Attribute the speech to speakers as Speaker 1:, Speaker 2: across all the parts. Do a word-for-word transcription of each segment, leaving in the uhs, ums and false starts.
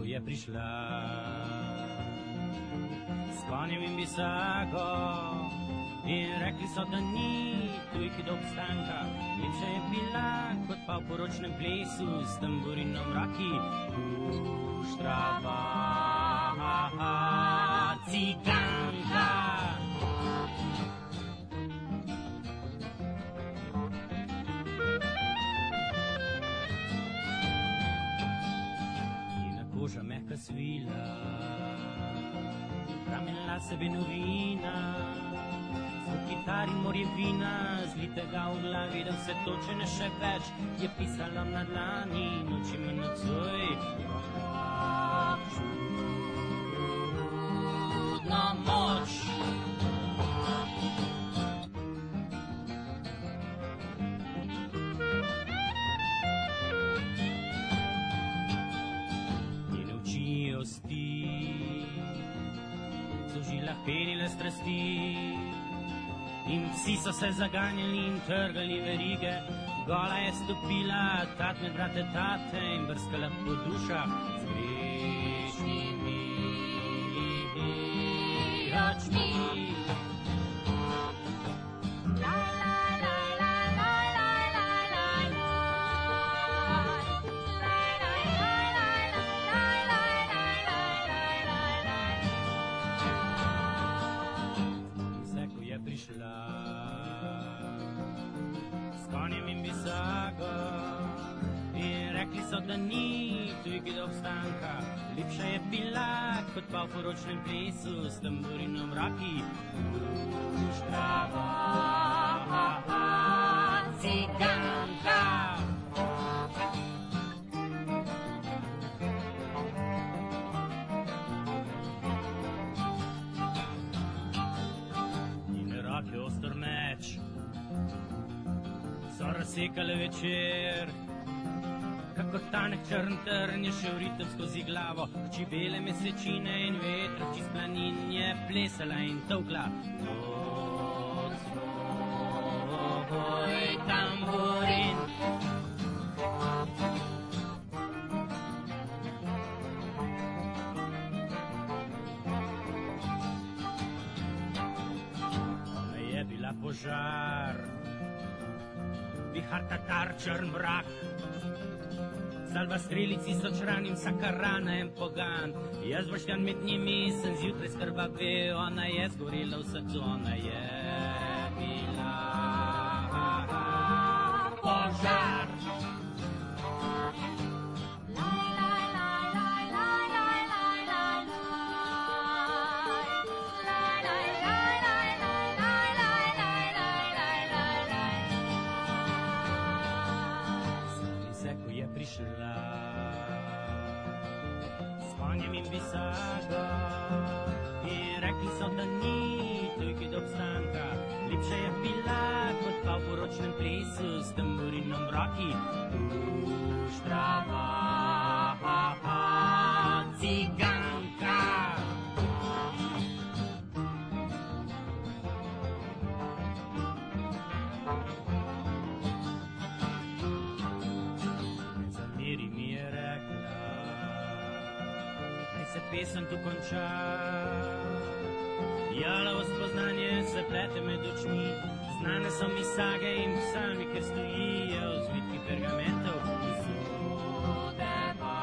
Speaker 1: ko je prišla s konjem in bisago in rekli so, da ni tujki do obstanka. Lepša je bila kot pa v poročnem plesu s tamburinom v roki. Puštrava ciganka. Koža mehka svila, ramen lase benovina, zvok kitar in morje vina, zlitega v glavi, da vse to, če ne še več, je pisalo na dlani, noči me nocoj. Čudna moč. So v žilah penile strasti in psi so se zaganjali in trgali verige. Gola je stopila, tat med vrate tate in brskala po dušah z grešnimi očmi. S konjem in bisago in rekli so, da ni tujki do obstanka. Lepša je bila kot pa v poročnem plesu s tamburinom v roki. Puštrava ciganka. Je ostar meč, so razsekale večer, kako tanek črn trn je šel ritem skozi glavo. Hči bele mesečine in vetra čez planin je plesala in tolkla. Pod svoj tamburin. Požar, vihar tatar, črn mrak, salva strelici so čranim, vsaka rana en pogan. Jaz boštjan med njimi sem zjutraj skrbavel, ona je zgorela v srcu, ona je bila požar. S konjem in bisago in rekli so, da ni tujki do obstanka. Lepša je bila kot pa v poročnem plesu s tamburinom v roki. Puštrava ciganka. Se pesem tu konča, jalovo spoznanje se plete med očmi. Znane so mi sage in psalmi, ker stojijo zvitki pergamentov. Zudeva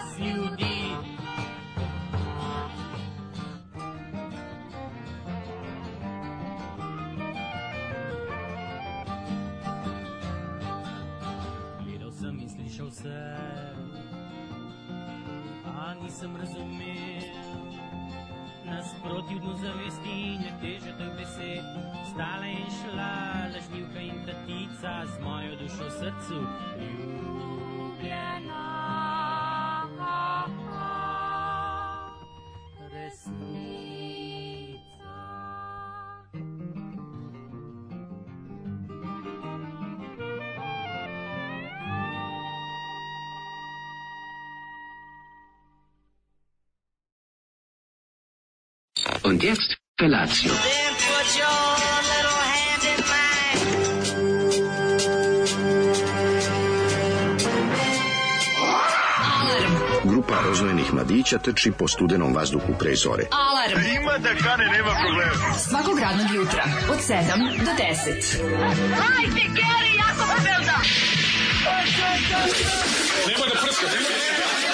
Speaker 1: z ljudi. Gledal sem in slišal sem, a nisem razumel. Nasproti v dnu zavesti je teže teh besed. Stala in šla lažnivka in tatica z mojo dušo v srcu. Ljubljena resnica.
Speaker 2: Und jetzt Felatio.
Speaker 3: Then put your little hand in mine.
Speaker 2: Alarm.
Speaker 4: Grupa rozvojenih mladića trči po studenom vazduhu pre zore.
Speaker 2: Alarm.
Speaker 5: Ima da kane, nema problema.
Speaker 2: Svakog radnog jutra od sedam do deset.
Speaker 3: Hajde, Geri, jako se velda!
Speaker 5: Nemoj da prska, nemoj da prska.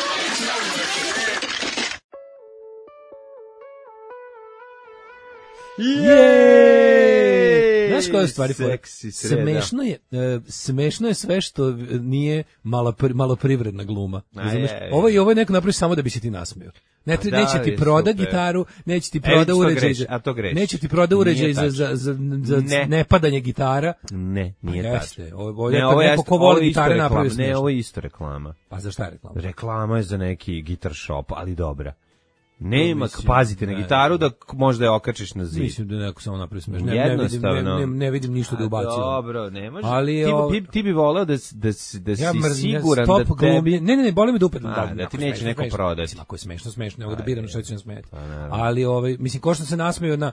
Speaker 6: Jej! Znaš koja je stvari?
Speaker 7: Seksi sreda.
Speaker 6: Smešno je, e, smešno je sve što nije mala, maloprivredna gluma. Razumeš? Ovo je, ovo je neko napravi samo da bi se ti nasmeo. Ne,
Speaker 7: da,
Speaker 6: neće ti proda
Speaker 7: super.
Speaker 6: gitaru, neće ti proda
Speaker 7: E,
Speaker 6: uređaj,
Speaker 7: greš, a to greš.
Speaker 6: neće ti proda uređaj
Speaker 7: Nije
Speaker 6: za, za, za, za
Speaker 7: Ne.
Speaker 6: nepadanje gitara.
Speaker 7: Ne, nije
Speaker 6: Jeste,
Speaker 7: tačno.
Speaker 6: ovo, ovo
Speaker 7: Ne,
Speaker 6: je
Speaker 7: ovo
Speaker 6: kad
Speaker 7: je
Speaker 6: neko
Speaker 7: isto-
Speaker 6: ko
Speaker 7: ovo
Speaker 6: voli
Speaker 7: je isto
Speaker 6: gitare
Speaker 7: reklama.
Speaker 6: napravi
Speaker 7: Ne,
Speaker 6: smešno.
Speaker 7: ovo je isto reklama.
Speaker 6: Pa za šta je reklama?
Speaker 7: Reklama je za neki guitar shop, ali dobra. Nema,
Speaker 6: Mislim,
Speaker 7: pazite na
Speaker 6: ne.
Speaker 7: gitaru da k- možda je okačiš na zid.
Speaker 6: Mislim da je neko samo napravi smešno. Ne, ne, vidim, ne,
Speaker 7: Jednostavno.
Speaker 6: ne, ne vidim ništa da
Speaker 7: A,
Speaker 6: ubacujem.
Speaker 7: Dobro, ne može.
Speaker 6: Ali,
Speaker 7: ti,
Speaker 6: o-
Speaker 7: bi, ti bi voleo da, s- da, si- da si
Speaker 6: Ja mrzim,
Speaker 7: siguran
Speaker 6: stop
Speaker 7: da tebi...
Speaker 6: glumlje. Ne, ne, ne, boli me da upet.
Speaker 7: A, da ti neće neko prodati.
Speaker 6: Mislim, ako je smešno, smešno, nego da biram što će nam smeti.
Speaker 7: Pa, naravno.
Speaker 6: Ali, ovaj, mislim, ko što se nasmeju na,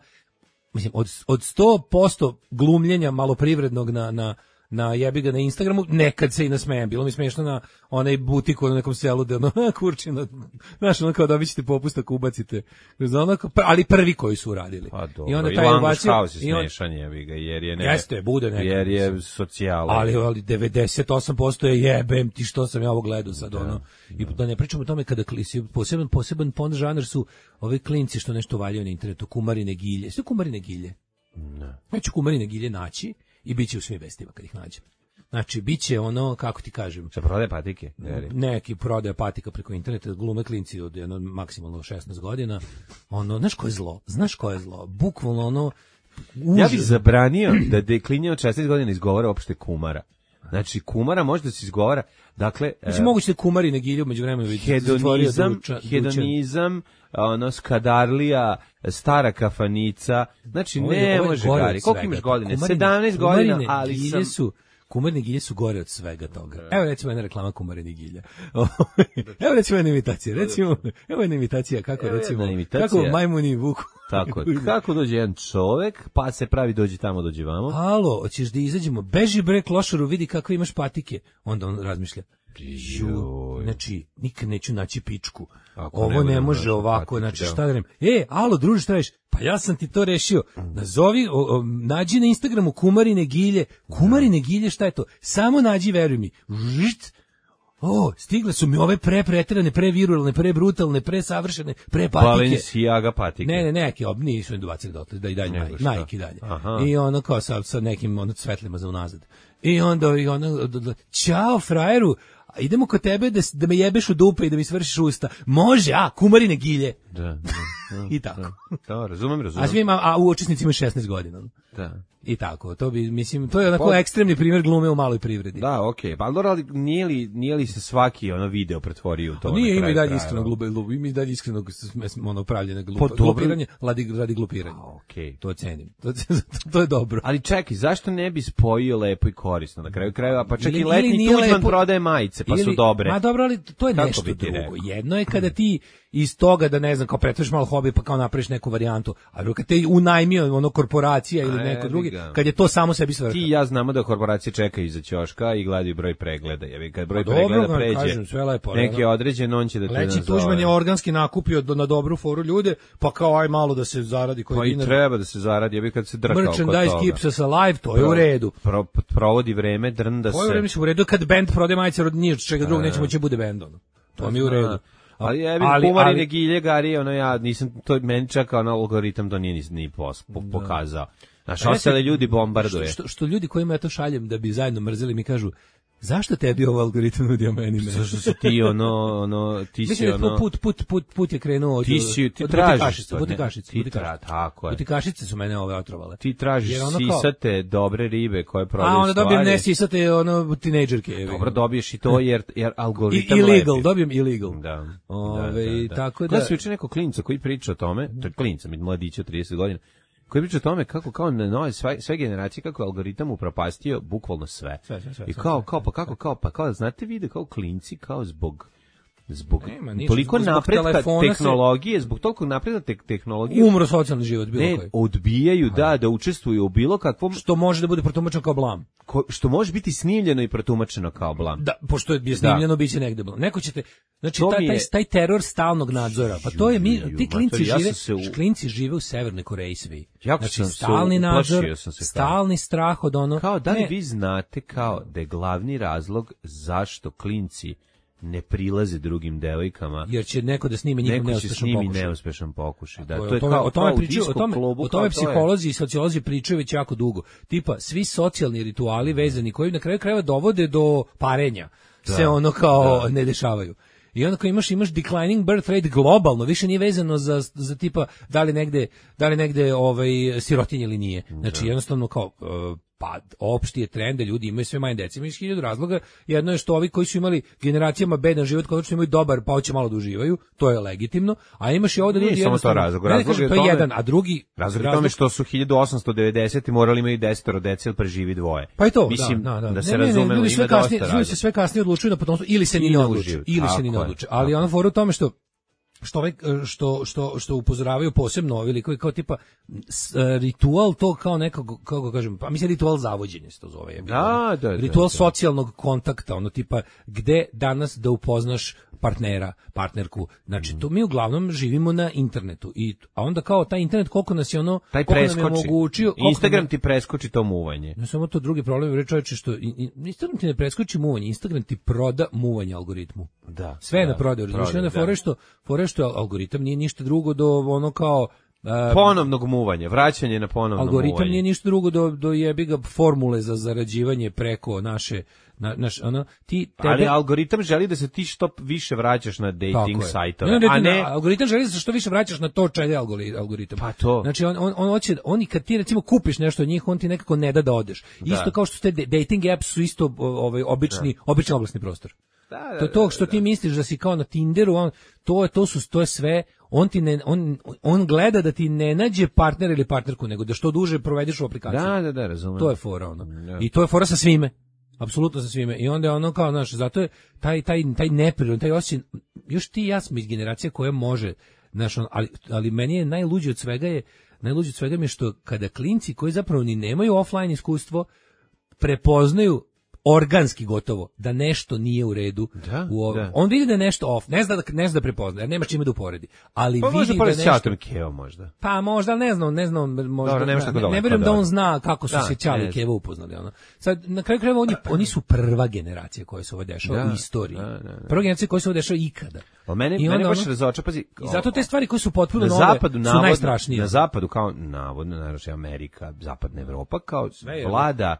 Speaker 6: mislim, od, od sto posto glumljenja maloprivrednog na, na, na jebi ga na Instagramu, nekad se i nasmejem. Bilo mi smešno na onaj butik u nekom selu da ono, kurčino, znaš, ono kao dobit ćete popust ako ubacite. Ono, kao- ali prvi koji su uradili.
Speaker 7: Pa dobro,
Speaker 6: I onda
Speaker 7: i
Speaker 6: taj
Speaker 7: Language
Speaker 6: ubacio.
Speaker 7: House je
Speaker 6: i on-
Speaker 7: smešan jebi ga, jer je... Ne,
Speaker 6: Jeste, bude nekad.
Speaker 7: Jer je socijala.
Speaker 6: Ali, ali devedeset osam posto je jebem ti što sam ja ovo gledao sad, ono. I da ne pričamo o tome kada klisi, poseban, poseban pon žanr su ovi klinci što nešto valjaju na internetu, kumarine gilje. Sve kumarine gilje.
Speaker 7: Ne.
Speaker 6: Ja ću kumarine gilje naći i bit će u svim vestima kad ih nađem. Znači, bit će ono, kako ti kažem,
Speaker 7: Šta prodaje patike? Veri.
Speaker 6: neki prodaja patika preko interneta, glume klinci od jedno, maksimalno šesnaest godina. Ono, znaš ko je zlo? Znaš ko je zlo? Bukvalno ono,
Speaker 7: Ja
Speaker 6: užas.
Speaker 7: bih zabranio da deklinje od šesnaest godina izgovara uopšte kumara. Znači, kumara može da se izgovara, dakle...
Speaker 6: Mislim,
Speaker 7: e,
Speaker 6: moguće da kumarine gilje umeđu vremenu
Speaker 7: hedonizam, hedonizam, ono, skadarlija, stara kafanica, znači
Speaker 6: Ovo je-
Speaker 7: ne
Speaker 6: ovo je
Speaker 7: može
Speaker 6: gore
Speaker 7: Gari.
Speaker 6: od
Speaker 7: Koliko
Speaker 6: svega.
Speaker 7: imaš godine?
Speaker 6: Kumarine-
Speaker 7: sedamnaest godina,
Speaker 6: kumarine
Speaker 7: ali
Speaker 6: gilje
Speaker 7: sam...
Speaker 6: su, kumarine gilje su gore od svega toga. Evo recimo jedna reklama kumarine gilja. Evo recimo jedna imitacija. Recimo, evo jedna imitacija kako
Speaker 7: Evo
Speaker 6: recimo,
Speaker 7: jedna imitacija.
Speaker 6: kako majmuni vuku.
Speaker 7: Tako je. Kako dođe jedan čovek, pa se pravi dođi tamo, dođi vamo.
Speaker 6: Alo, hoćeš da izađemo? Beži bre klošaru, vidi kakve imaš patike. Onda on razmišlja. Ju, znači, nikad neću naći pičku.
Speaker 7: Ako ne
Speaker 6: Ovo ne
Speaker 7: budem
Speaker 6: može
Speaker 7: našao
Speaker 6: ovako,
Speaker 7: patike,
Speaker 6: znači
Speaker 7: da.
Speaker 6: šta da rem? E, alo, druže, šta reš? Pa ja sam ti to rešio. Nazovi, o, o, nađi na Instagramu kumarine gilje. Kumarine gilje, šta je to? Samo nađi, veruj mi. Žit. O, stigle su mi ove pre preterane, pre virulne, pre brutalne, pre savršene, pre patike.
Speaker 7: Balenciaga patike.
Speaker 6: Ne, ne, neki ob nisu im dobacili dotle, da i dalje
Speaker 7: Nego
Speaker 6: Nike,
Speaker 7: šta?
Speaker 6: Nike i dalje.
Speaker 7: Aha.
Speaker 6: I ono kao sa, sa nekim ono svetlima za unazad. I onda i ono, d- d- ćao frajeru, a idemo kod tebe da, s- da me jebeš u dupe i da mi svršiš usta. Može, a, kumarine gilje.
Speaker 7: Da, da, da,
Speaker 6: I tako.
Speaker 7: Da, da, razumem,
Speaker 6: A
Speaker 7: razumem.
Speaker 6: svima, a u učesnicima šesnaest godina.
Speaker 7: Da.
Speaker 6: I tako, to bi, mislim, to je onako
Speaker 7: Pa-
Speaker 6: ekstremni primjer glume u maloj privredi.
Speaker 7: Da, okej. Pa dobro, ali nije li, nije li se svaki ono video pretvorio u to?
Speaker 6: To nije
Speaker 7: na
Speaker 6: ima
Speaker 7: kraju
Speaker 6: i dalje
Speaker 7: krajeva?
Speaker 6: iskreno glube, glube, ima i dalje iskreno sm- ono pravljene glupe.
Speaker 7: Pa dobro.
Speaker 6: Glupiranje, radi, radi glupiranja.
Speaker 7: A, okej.
Speaker 6: To cenim. To, to je dobro.
Speaker 7: Ali čekaj, zašto ne bi spojio lepo i korisno na kraju krajeva? Pa čak
Speaker 6: Ili-
Speaker 7: i
Speaker 6: ili
Speaker 7: letni
Speaker 6: nije
Speaker 7: Tuđman
Speaker 6: lepo-
Speaker 7: prodaje majice, pa su
Speaker 6: Ili-
Speaker 7: dobre.
Speaker 6: Ma dobro, ali to je
Speaker 7: Kako
Speaker 6: nešto
Speaker 7: bi ti
Speaker 6: drugo.
Speaker 7: rekao?
Speaker 6: Jedno je kada ti iz toga da ne znam, kao pretvoriš malo hobi pa kao napraviš neku varijantu, a drugo kad te unajmio ono korporacija ili
Speaker 7: A,
Speaker 6: neko
Speaker 7: jebi
Speaker 6: drugi,
Speaker 7: ga.
Speaker 6: kad je to samo sebi svrha.
Speaker 7: Ti i ja znamo da korporacije čekaju iza ćoška i gledaju broj pregleda. Jebi, kad broj
Speaker 6: Pa dobro,
Speaker 7: pregleda
Speaker 6: ga
Speaker 7: pređe
Speaker 6: kažem, sve lepo,
Speaker 7: neki
Speaker 6: ono.
Speaker 7: određen, on će da te
Speaker 6: Leći
Speaker 7: nazove.
Speaker 6: Tuđman je organski nakupio do, na dobru foru ljude, pa kao aj malo da se zaradi koji
Speaker 7: Pa i
Speaker 6: dinar.
Speaker 7: treba da se zaradi, jebi kad se drka oko toga.
Speaker 6: Merchandise keeps us alive, to je u redu.
Speaker 7: Pro, provodi vreme, drnda
Speaker 6: To je u
Speaker 7: se.
Speaker 6: redu, mislim, u redu kad band prode majice od nije čega drugog nećemo će bude band ono. To mi je u redu.
Speaker 7: Ali jebi
Speaker 6: Ali-
Speaker 7: kumarine
Speaker 6: ali-
Speaker 7: gilje, Gari, ono ja nisam, to meni čak ono algoritam to nije ni, ni pos, po, pokazao. Znaš,
Speaker 6: A ja
Speaker 7: ostale
Speaker 6: se-
Speaker 7: ljudi bombarduje.
Speaker 6: Što, što, što ljudi kojima ja to šaljem da bi zajedno mrzeli mi kažu, zašto tebi ovo algoritam nudio meni ne?
Speaker 7: Zašto si ti ono, ono, ti si
Speaker 6: Mislim da
Speaker 7: ono...
Speaker 6: put, put, put, put je krenuo od,
Speaker 7: Ti si, ti
Speaker 6: od
Speaker 7: tražiš
Speaker 6: butikašica,
Speaker 7: to, ne?
Speaker 6: butikašica,
Speaker 7: Ti
Speaker 6: butikašica.
Speaker 7: tra- tako je.
Speaker 6: Butikašice su mene ove otrovale.
Speaker 7: Ti tražiš
Speaker 6: Jer ono kao-
Speaker 7: sisate dobre ribe koje prodaju
Speaker 6: A onda
Speaker 7: stvari.
Speaker 6: dobijem ne sisate ono tinejdžerke. evo.
Speaker 7: Dobro, dobiješ i to jer, jer
Speaker 6: I,
Speaker 7: algoritam
Speaker 6: illegal,
Speaker 7: lepi.
Speaker 6: dobijem illegal.
Speaker 7: Da.
Speaker 6: Ove,
Speaker 7: da, da, da.
Speaker 6: tako
Speaker 7: Gledao
Speaker 6: da-
Speaker 7: sam juče neko klinca koji priča o tome, to je klinca, mladića od trideset godina, koji priča o tome kako kao na nove sve, sve generacije kako je algoritam upropastio bukvalno sve.
Speaker 6: Sve, sve, sve,
Speaker 7: I
Speaker 6: sve,
Speaker 7: kao
Speaker 6: sve.
Speaker 7: kao pa kako kao pa kao znate vide kao klinci kao zbog zbog
Speaker 6: Nema ništa,
Speaker 7: toliko
Speaker 6: zbog- zbog
Speaker 7: napretka
Speaker 6: telefona se-
Speaker 7: tehnologije, zbog toliko napretka te- tehnologije,
Speaker 6: Umro socijalni život bilo
Speaker 7: ne,
Speaker 6: koji.
Speaker 7: odbijaju da, da učestvuju u bilo kakvom,
Speaker 6: Što može da bude protumačeno kao blam.
Speaker 7: ko- što može biti snimljeno i protumačeno kao blam.
Speaker 6: Da, pošto je snimljeno, biće negde blam. Neko ćete, znači
Speaker 7: To
Speaker 6: taj,
Speaker 7: mi je-
Speaker 6: taj, taj teror stalnog nadzora, pa to je mi,
Speaker 7: Ju,
Speaker 6: ti klinci
Speaker 7: mater, ja sam
Speaker 6: žive,
Speaker 7: se u-
Speaker 6: klinci žive u Severnoj Koreji svi.
Speaker 7: Jako
Speaker 6: Znači
Speaker 7: sam se
Speaker 6: stalni nadzor,
Speaker 7: uplašio sam se kao.
Speaker 6: stalni strah od ono.
Speaker 7: Kao da li
Speaker 6: ne,
Speaker 7: vi znate kao da je glavni razlog zašto klinci ne prilaze drugim devojkama,
Speaker 6: jer će neko da snimi njihov
Speaker 7: neko će
Speaker 6: neuspešan
Speaker 7: snimi
Speaker 6: pokušaj.
Speaker 7: neuspešan pokušaj. Da,
Speaker 6: To je-
Speaker 7: to je
Speaker 6: o tome,
Speaker 7: kao,
Speaker 6: o tome
Speaker 7: kao u
Speaker 6: pričaju, o
Speaker 7: disko
Speaker 6: tome,
Speaker 7: klubu,
Speaker 6: o
Speaker 7: kao
Speaker 6: tome
Speaker 7: to je-
Speaker 6: psiholozi i sociolozi pričaju već jako dugo. Tipa, svi socijalni rituali vezani koji na kraju krajeva dovode do parenja se ono kao ne dešavaju. I onda kao imaš imaš declining birth rate globalno, više nije vezano za za tipa da li negde da li negde ovaj sirotinje ili nije. Znači jednostavno kao uh, pa opšti je trend da ljudi imaju sve manje dece. Ima iz hiljadu razloga. Jedno je što ovi koji su imali generacijama bedan život, konačno imaju dobar, pa hoće malo da uživaju, to je legitimno. A imaš i ovde
Speaker 7: Nije
Speaker 6: ljudi
Speaker 7: samo to
Speaker 6: jednostavno-
Speaker 7: razlog.
Speaker 6: Ne, ne
Speaker 7: Razlog
Speaker 6: kažem,
Speaker 7: je
Speaker 6: to je
Speaker 7: tome-
Speaker 6: jedan, a drugi
Speaker 7: Razlog je tome što su hiljadu osamsto devedesete morali imaju desetoro dece ili preživi dvoje.
Speaker 6: Pa i to,
Speaker 7: Mislim,
Speaker 6: da, da, da.
Speaker 7: da se
Speaker 6: Ne, ne, ne,
Speaker 7: razumemo,
Speaker 6: ljudi sve
Speaker 7: ima dosta
Speaker 6: kasnije, ljudi se
Speaker 7: razloga.
Speaker 6: sve kasnije odlučuju na potomstvo ili se ni
Speaker 7: I
Speaker 6: ne
Speaker 7: ne
Speaker 6: odluče,
Speaker 7: uživaju.
Speaker 6: ili se
Speaker 7: Tako
Speaker 6: ni ne
Speaker 7: je,
Speaker 6: odluče. Ali
Speaker 7: tako
Speaker 6: ono fora u tome što što ovaj što što što upozoravaju posebno ovi likovi kao tipa s- ritual to kao nekog kako ga kažem, pa mislim ritual zavođenja se to zove. je bilo.
Speaker 7: Da, da, da,
Speaker 6: Ritual
Speaker 7: da.
Speaker 6: socijalnog kontakta, ono tipa gde danas da upoznaš partnera, partnerku. Znači to mi uglavnom živimo na internetu i a onda kao taj internet koliko nas je ono
Speaker 7: Taj
Speaker 6: koliko nam je
Speaker 7: preskoči.
Speaker 6: omogućio, koliko
Speaker 7: Instagram
Speaker 6: nam-
Speaker 7: ti preskoči to muvanje.
Speaker 6: ne samo to, drugi problem je čovječe što i- i- Instagram ti ne preskoči muvanje, Instagram ti proda muvanje algoritmu.
Speaker 7: Da.
Speaker 6: Sve je
Speaker 7: da,
Speaker 6: na prodaju, razumiješ,
Speaker 7: prodaju,
Speaker 6: onda
Speaker 7: da.
Speaker 6: fore što, fore što algoritam nije ništa drugo do ono kao e,
Speaker 7: Ponovnog muvanja, vraćanje na ponovno
Speaker 6: algoritam
Speaker 7: muvanje.
Speaker 6: nije ništa drugo do do jebi ga formule za zarađivanje preko naše na, naš ono ti tebe
Speaker 7: Ali algoritam želi da se ti što više vraćaš na dating
Speaker 6: Tako je.
Speaker 7: sajtove,
Speaker 6: Ne, ne,
Speaker 7: a
Speaker 6: ne,
Speaker 7: ne...
Speaker 6: algoritam želi da se što više vraćaš na to čega je algori- algoritam.
Speaker 7: Pa to.
Speaker 6: Znači on on on hoće oni kad ti recimo kupiš nešto od njih, on ti nekako ne da da odeš. Isto kao što te dating apps su isto o, ovaj obični obični oglasni prostor.
Speaker 7: Da, da,
Speaker 6: To to
Speaker 7: da,
Speaker 6: što
Speaker 7: da.
Speaker 6: ti misliš da si kao na Tinderu, on to je to su to je sve, on ti ne on on gleda da ti ne nađe partner ili partnerku, nego da što duže provedeš u aplikaciji.
Speaker 7: Da, da, da, razumem.
Speaker 6: To je fora ono.
Speaker 7: Da.
Speaker 6: I to je fora sa svime. Apsolutno sa svime. I onda je ono kao, znaš, zato je taj taj taj neprirodan, taj osjećaj, još ti i ja smo iz generacije koja može, znaš, on, ali ali meni je najluđe od svega je najluđe od svega mi je što kada klinci koji zapravo ni nemaju offline iskustvo prepoznaju organski gotovo da nešto nije u redu.
Speaker 7: Da,
Speaker 6: u ovom.
Speaker 7: da.
Speaker 6: On vidi da je nešto off, ne zna da ne zna da prepozna, jer nema čime da uporedi. Ali
Speaker 7: Pa možda
Speaker 6: vidi da
Speaker 7: pored
Speaker 6: nešto
Speaker 7: Ćatom Keo možda.
Speaker 6: pa možda, ali ne znam, ne znam, možda,
Speaker 7: Dobro, nemaš tako
Speaker 6: ne, ne
Speaker 7: daleko,
Speaker 6: vjerujem da
Speaker 7: dobro.
Speaker 6: on zna kako su
Speaker 7: Da,
Speaker 6: se Ćali
Speaker 7: ne
Speaker 6: i Keva upoznali. Ono. Sad, na kraju krajeva, oni, oni su prva generacija koja se ovo dešava
Speaker 7: Da,
Speaker 6: u istoriji.
Speaker 7: da, da, da.
Speaker 6: Prva generacija koja se ovo dešava ikada.
Speaker 7: Ali mene,
Speaker 6: I
Speaker 7: mene
Speaker 6: onda
Speaker 7: baš
Speaker 6: ono-
Speaker 7: razoča, pazi.
Speaker 6: I zato te stvari koje su potpuno
Speaker 7: na
Speaker 6: nove
Speaker 7: zapadu,
Speaker 6: su
Speaker 7: navodno,
Speaker 6: najstrašnije.
Speaker 7: na zapadu, kao navodno, naravno, Amerika, zapadna Evropa, kao
Speaker 6: je,
Speaker 7: vlada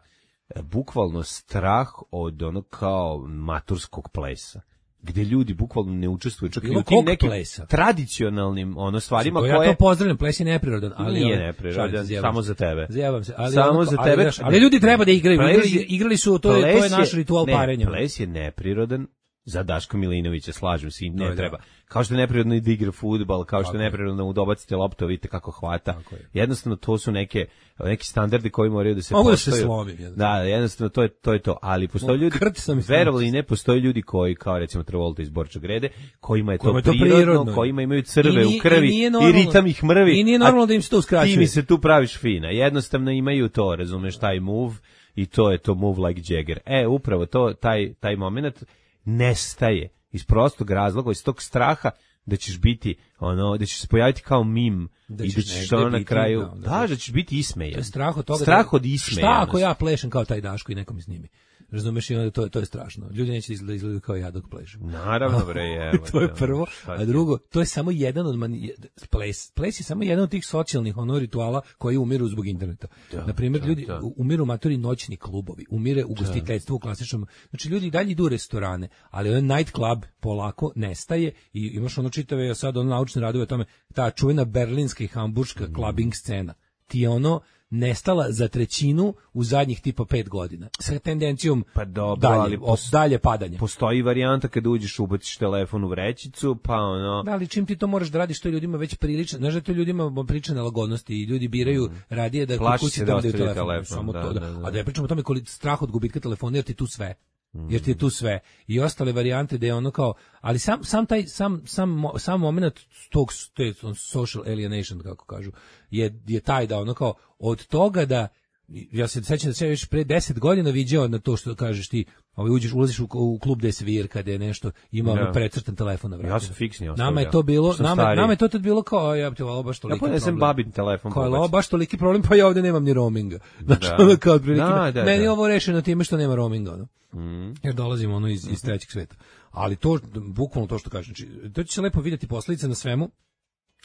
Speaker 7: e, bukvalno strah od ono kao maturskog plesa, gde ljudi bukvalno ne učestvuju čak i
Speaker 6: Bilo
Speaker 7: u tim
Speaker 6: kog
Speaker 7: nekim
Speaker 6: plesa.
Speaker 7: tradicionalnim ono stvarima
Speaker 6: To ja
Speaker 7: koje
Speaker 6: to pozdravljam, ples je neprirodan, ali
Speaker 7: nije
Speaker 6: ono,
Speaker 7: neprirodan,
Speaker 6: šalim se, zjebam
Speaker 7: samo
Speaker 6: se.
Speaker 7: za tebe.
Speaker 6: Zjebam se, ali
Speaker 7: Samo
Speaker 6: ono-
Speaker 7: za
Speaker 6: ali,
Speaker 7: tebe.
Speaker 6: znaš, ali ljudi treba da igraju,
Speaker 7: Ples
Speaker 6: igrali,
Speaker 7: je-
Speaker 6: igrali su, to je, to je
Speaker 7: ples
Speaker 6: naš ritual
Speaker 7: ne,
Speaker 6: parenja.
Speaker 7: Ples je neprirodan za Daška Milinovića, slažem se, i ne
Speaker 6: Da, da.
Speaker 7: treba. Kao što je neprirodno i da igra fudbal, kao što
Speaker 6: Tako
Speaker 7: je
Speaker 6: je.
Speaker 7: neprirodno da mu dobacite loptu, vidite kako hvata.
Speaker 6: Tako je.
Speaker 7: Jednostavno to su neke neki standardi koji moraju da se
Speaker 6: Mogu da se
Speaker 7: poštuju.
Speaker 6: slomim, jednostavno.
Speaker 7: Da, jednostavno to je to je to, ali postoje
Speaker 6: Mogu,
Speaker 7: ljudi,
Speaker 6: krt sam i
Speaker 7: verovali ili ne, postoje ljudi koji kao recimo Travolta iz Borča Grede, kojima je to,
Speaker 6: Kojima je to
Speaker 7: prirodno,
Speaker 6: prirodno.
Speaker 7: kojima imaju crve
Speaker 6: I nije-
Speaker 7: u krvi
Speaker 6: i nije
Speaker 7: i,
Speaker 6: normalno-
Speaker 7: ritam ih mrvi.
Speaker 6: i nije
Speaker 7: a
Speaker 6: normalno da im se to uskraćuje.
Speaker 7: Ti mi se tu praviš fina. Jednostavno imaju to, razumeš, taj move i to je to move like Jagger. E, upravo to, taj, taj moment nestaje iz prostog razloga, iz tog straha da ćeš biti, ono, da ćeš se pojaviti kao mim
Speaker 6: Da
Speaker 7: i da
Speaker 6: ćeš
Speaker 7: ćeš
Speaker 6: negde
Speaker 7: ono na
Speaker 6: biti,
Speaker 7: kraju,
Speaker 6: da,
Speaker 7: da,
Speaker 6: da.
Speaker 7: da ćeš biti ismejan.
Speaker 6: To je strah od toga.
Speaker 7: Strah
Speaker 6: da,
Speaker 7: od ismejanosti.
Speaker 6: Šta ako ja plešem kao taj Daško i neko mi snimi? Razumeš, i onda to, to je strašno. Ljudi neće izgledati izgledati kao ja dok plešem.
Speaker 7: Naravno, bre, evo.
Speaker 6: To je
Speaker 7: te,
Speaker 6: prvo,
Speaker 7: šta
Speaker 6: a
Speaker 7: ti-
Speaker 6: drugo, to je samo jedan od mani... ples. Ples je samo jedan od tih socijalnih ono rituala koji umiru zbog interneta.
Speaker 7: Da,
Speaker 6: Na primjer,
Speaker 7: da,
Speaker 6: ljudi
Speaker 7: da.
Speaker 6: u- umiru matori noćni klubovi, umire ugostiteljstvo u klasičnom. Znači ljudi i dalje idu u restorane, ali ovaj night club polako nestaje i imaš ono čitave sad ono naučne radove o tome, ta čuvena berlinska i hamburška
Speaker 7: Mm.
Speaker 6: clubbing scena. Ti je ono nestala za trećinu u zadnjih tipa pet godina. Sa tendencijom
Speaker 7: Pa dobro,
Speaker 6: dalje,
Speaker 7: ali pos-
Speaker 6: dalje padanje.
Speaker 7: Postoji varijanta kada uđeš, ubaciš telefon u vrećicu, pa ono...
Speaker 6: Da, ali čim ti to moraš da radiš, to je ljudima već prilično. Znaš da to ljudima priča nelagodnosti i ljudi biraju radije da kod
Speaker 7: Plaši
Speaker 6: kući
Speaker 7: se da
Speaker 6: da daju
Speaker 7: ostavi
Speaker 6: telefon.
Speaker 7: telefon,
Speaker 6: Samo
Speaker 7: da,
Speaker 6: to, da.
Speaker 7: da, da.
Speaker 6: A da ja pričam o tome koliko strah od gubitka telefona, jer ti tu sve. jer ti je tu sve. I ostale varijante da je ono kao, ali sam, sam taj, sam, sam, sam moment tog, te social alienation, kako kažu, je, je taj da ono kao, od toga da, ja se sećam da se još pre deset godina viđao na to što kažeš ti, ovaj uđeš, ulaziš u, u klub gde svirka, gde je nešto, ima ono precrtan telefon na vratu.
Speaker 7: Ja sam fiksni ostavio.
Speaker 6: Nama je to bilo, nama, nama je to tad bilo kao, ja ti ovo baš toliki
Speaker 7: problem. Ja ponesem babin telefon.
Speaker 6: Kao ovo baš toliki problem, pa ja ovde nemam ni roaminga. Znači, da. Ono kao otprilike, da, da, meni da. Ovo rešeno time što nema roaminga, ono. Mm. Jer dolazimo ono iz, iz trećeg sveta. Ali to, bukvalno to što kažem, znači, to će se lepo vidjeti posledice na svemu.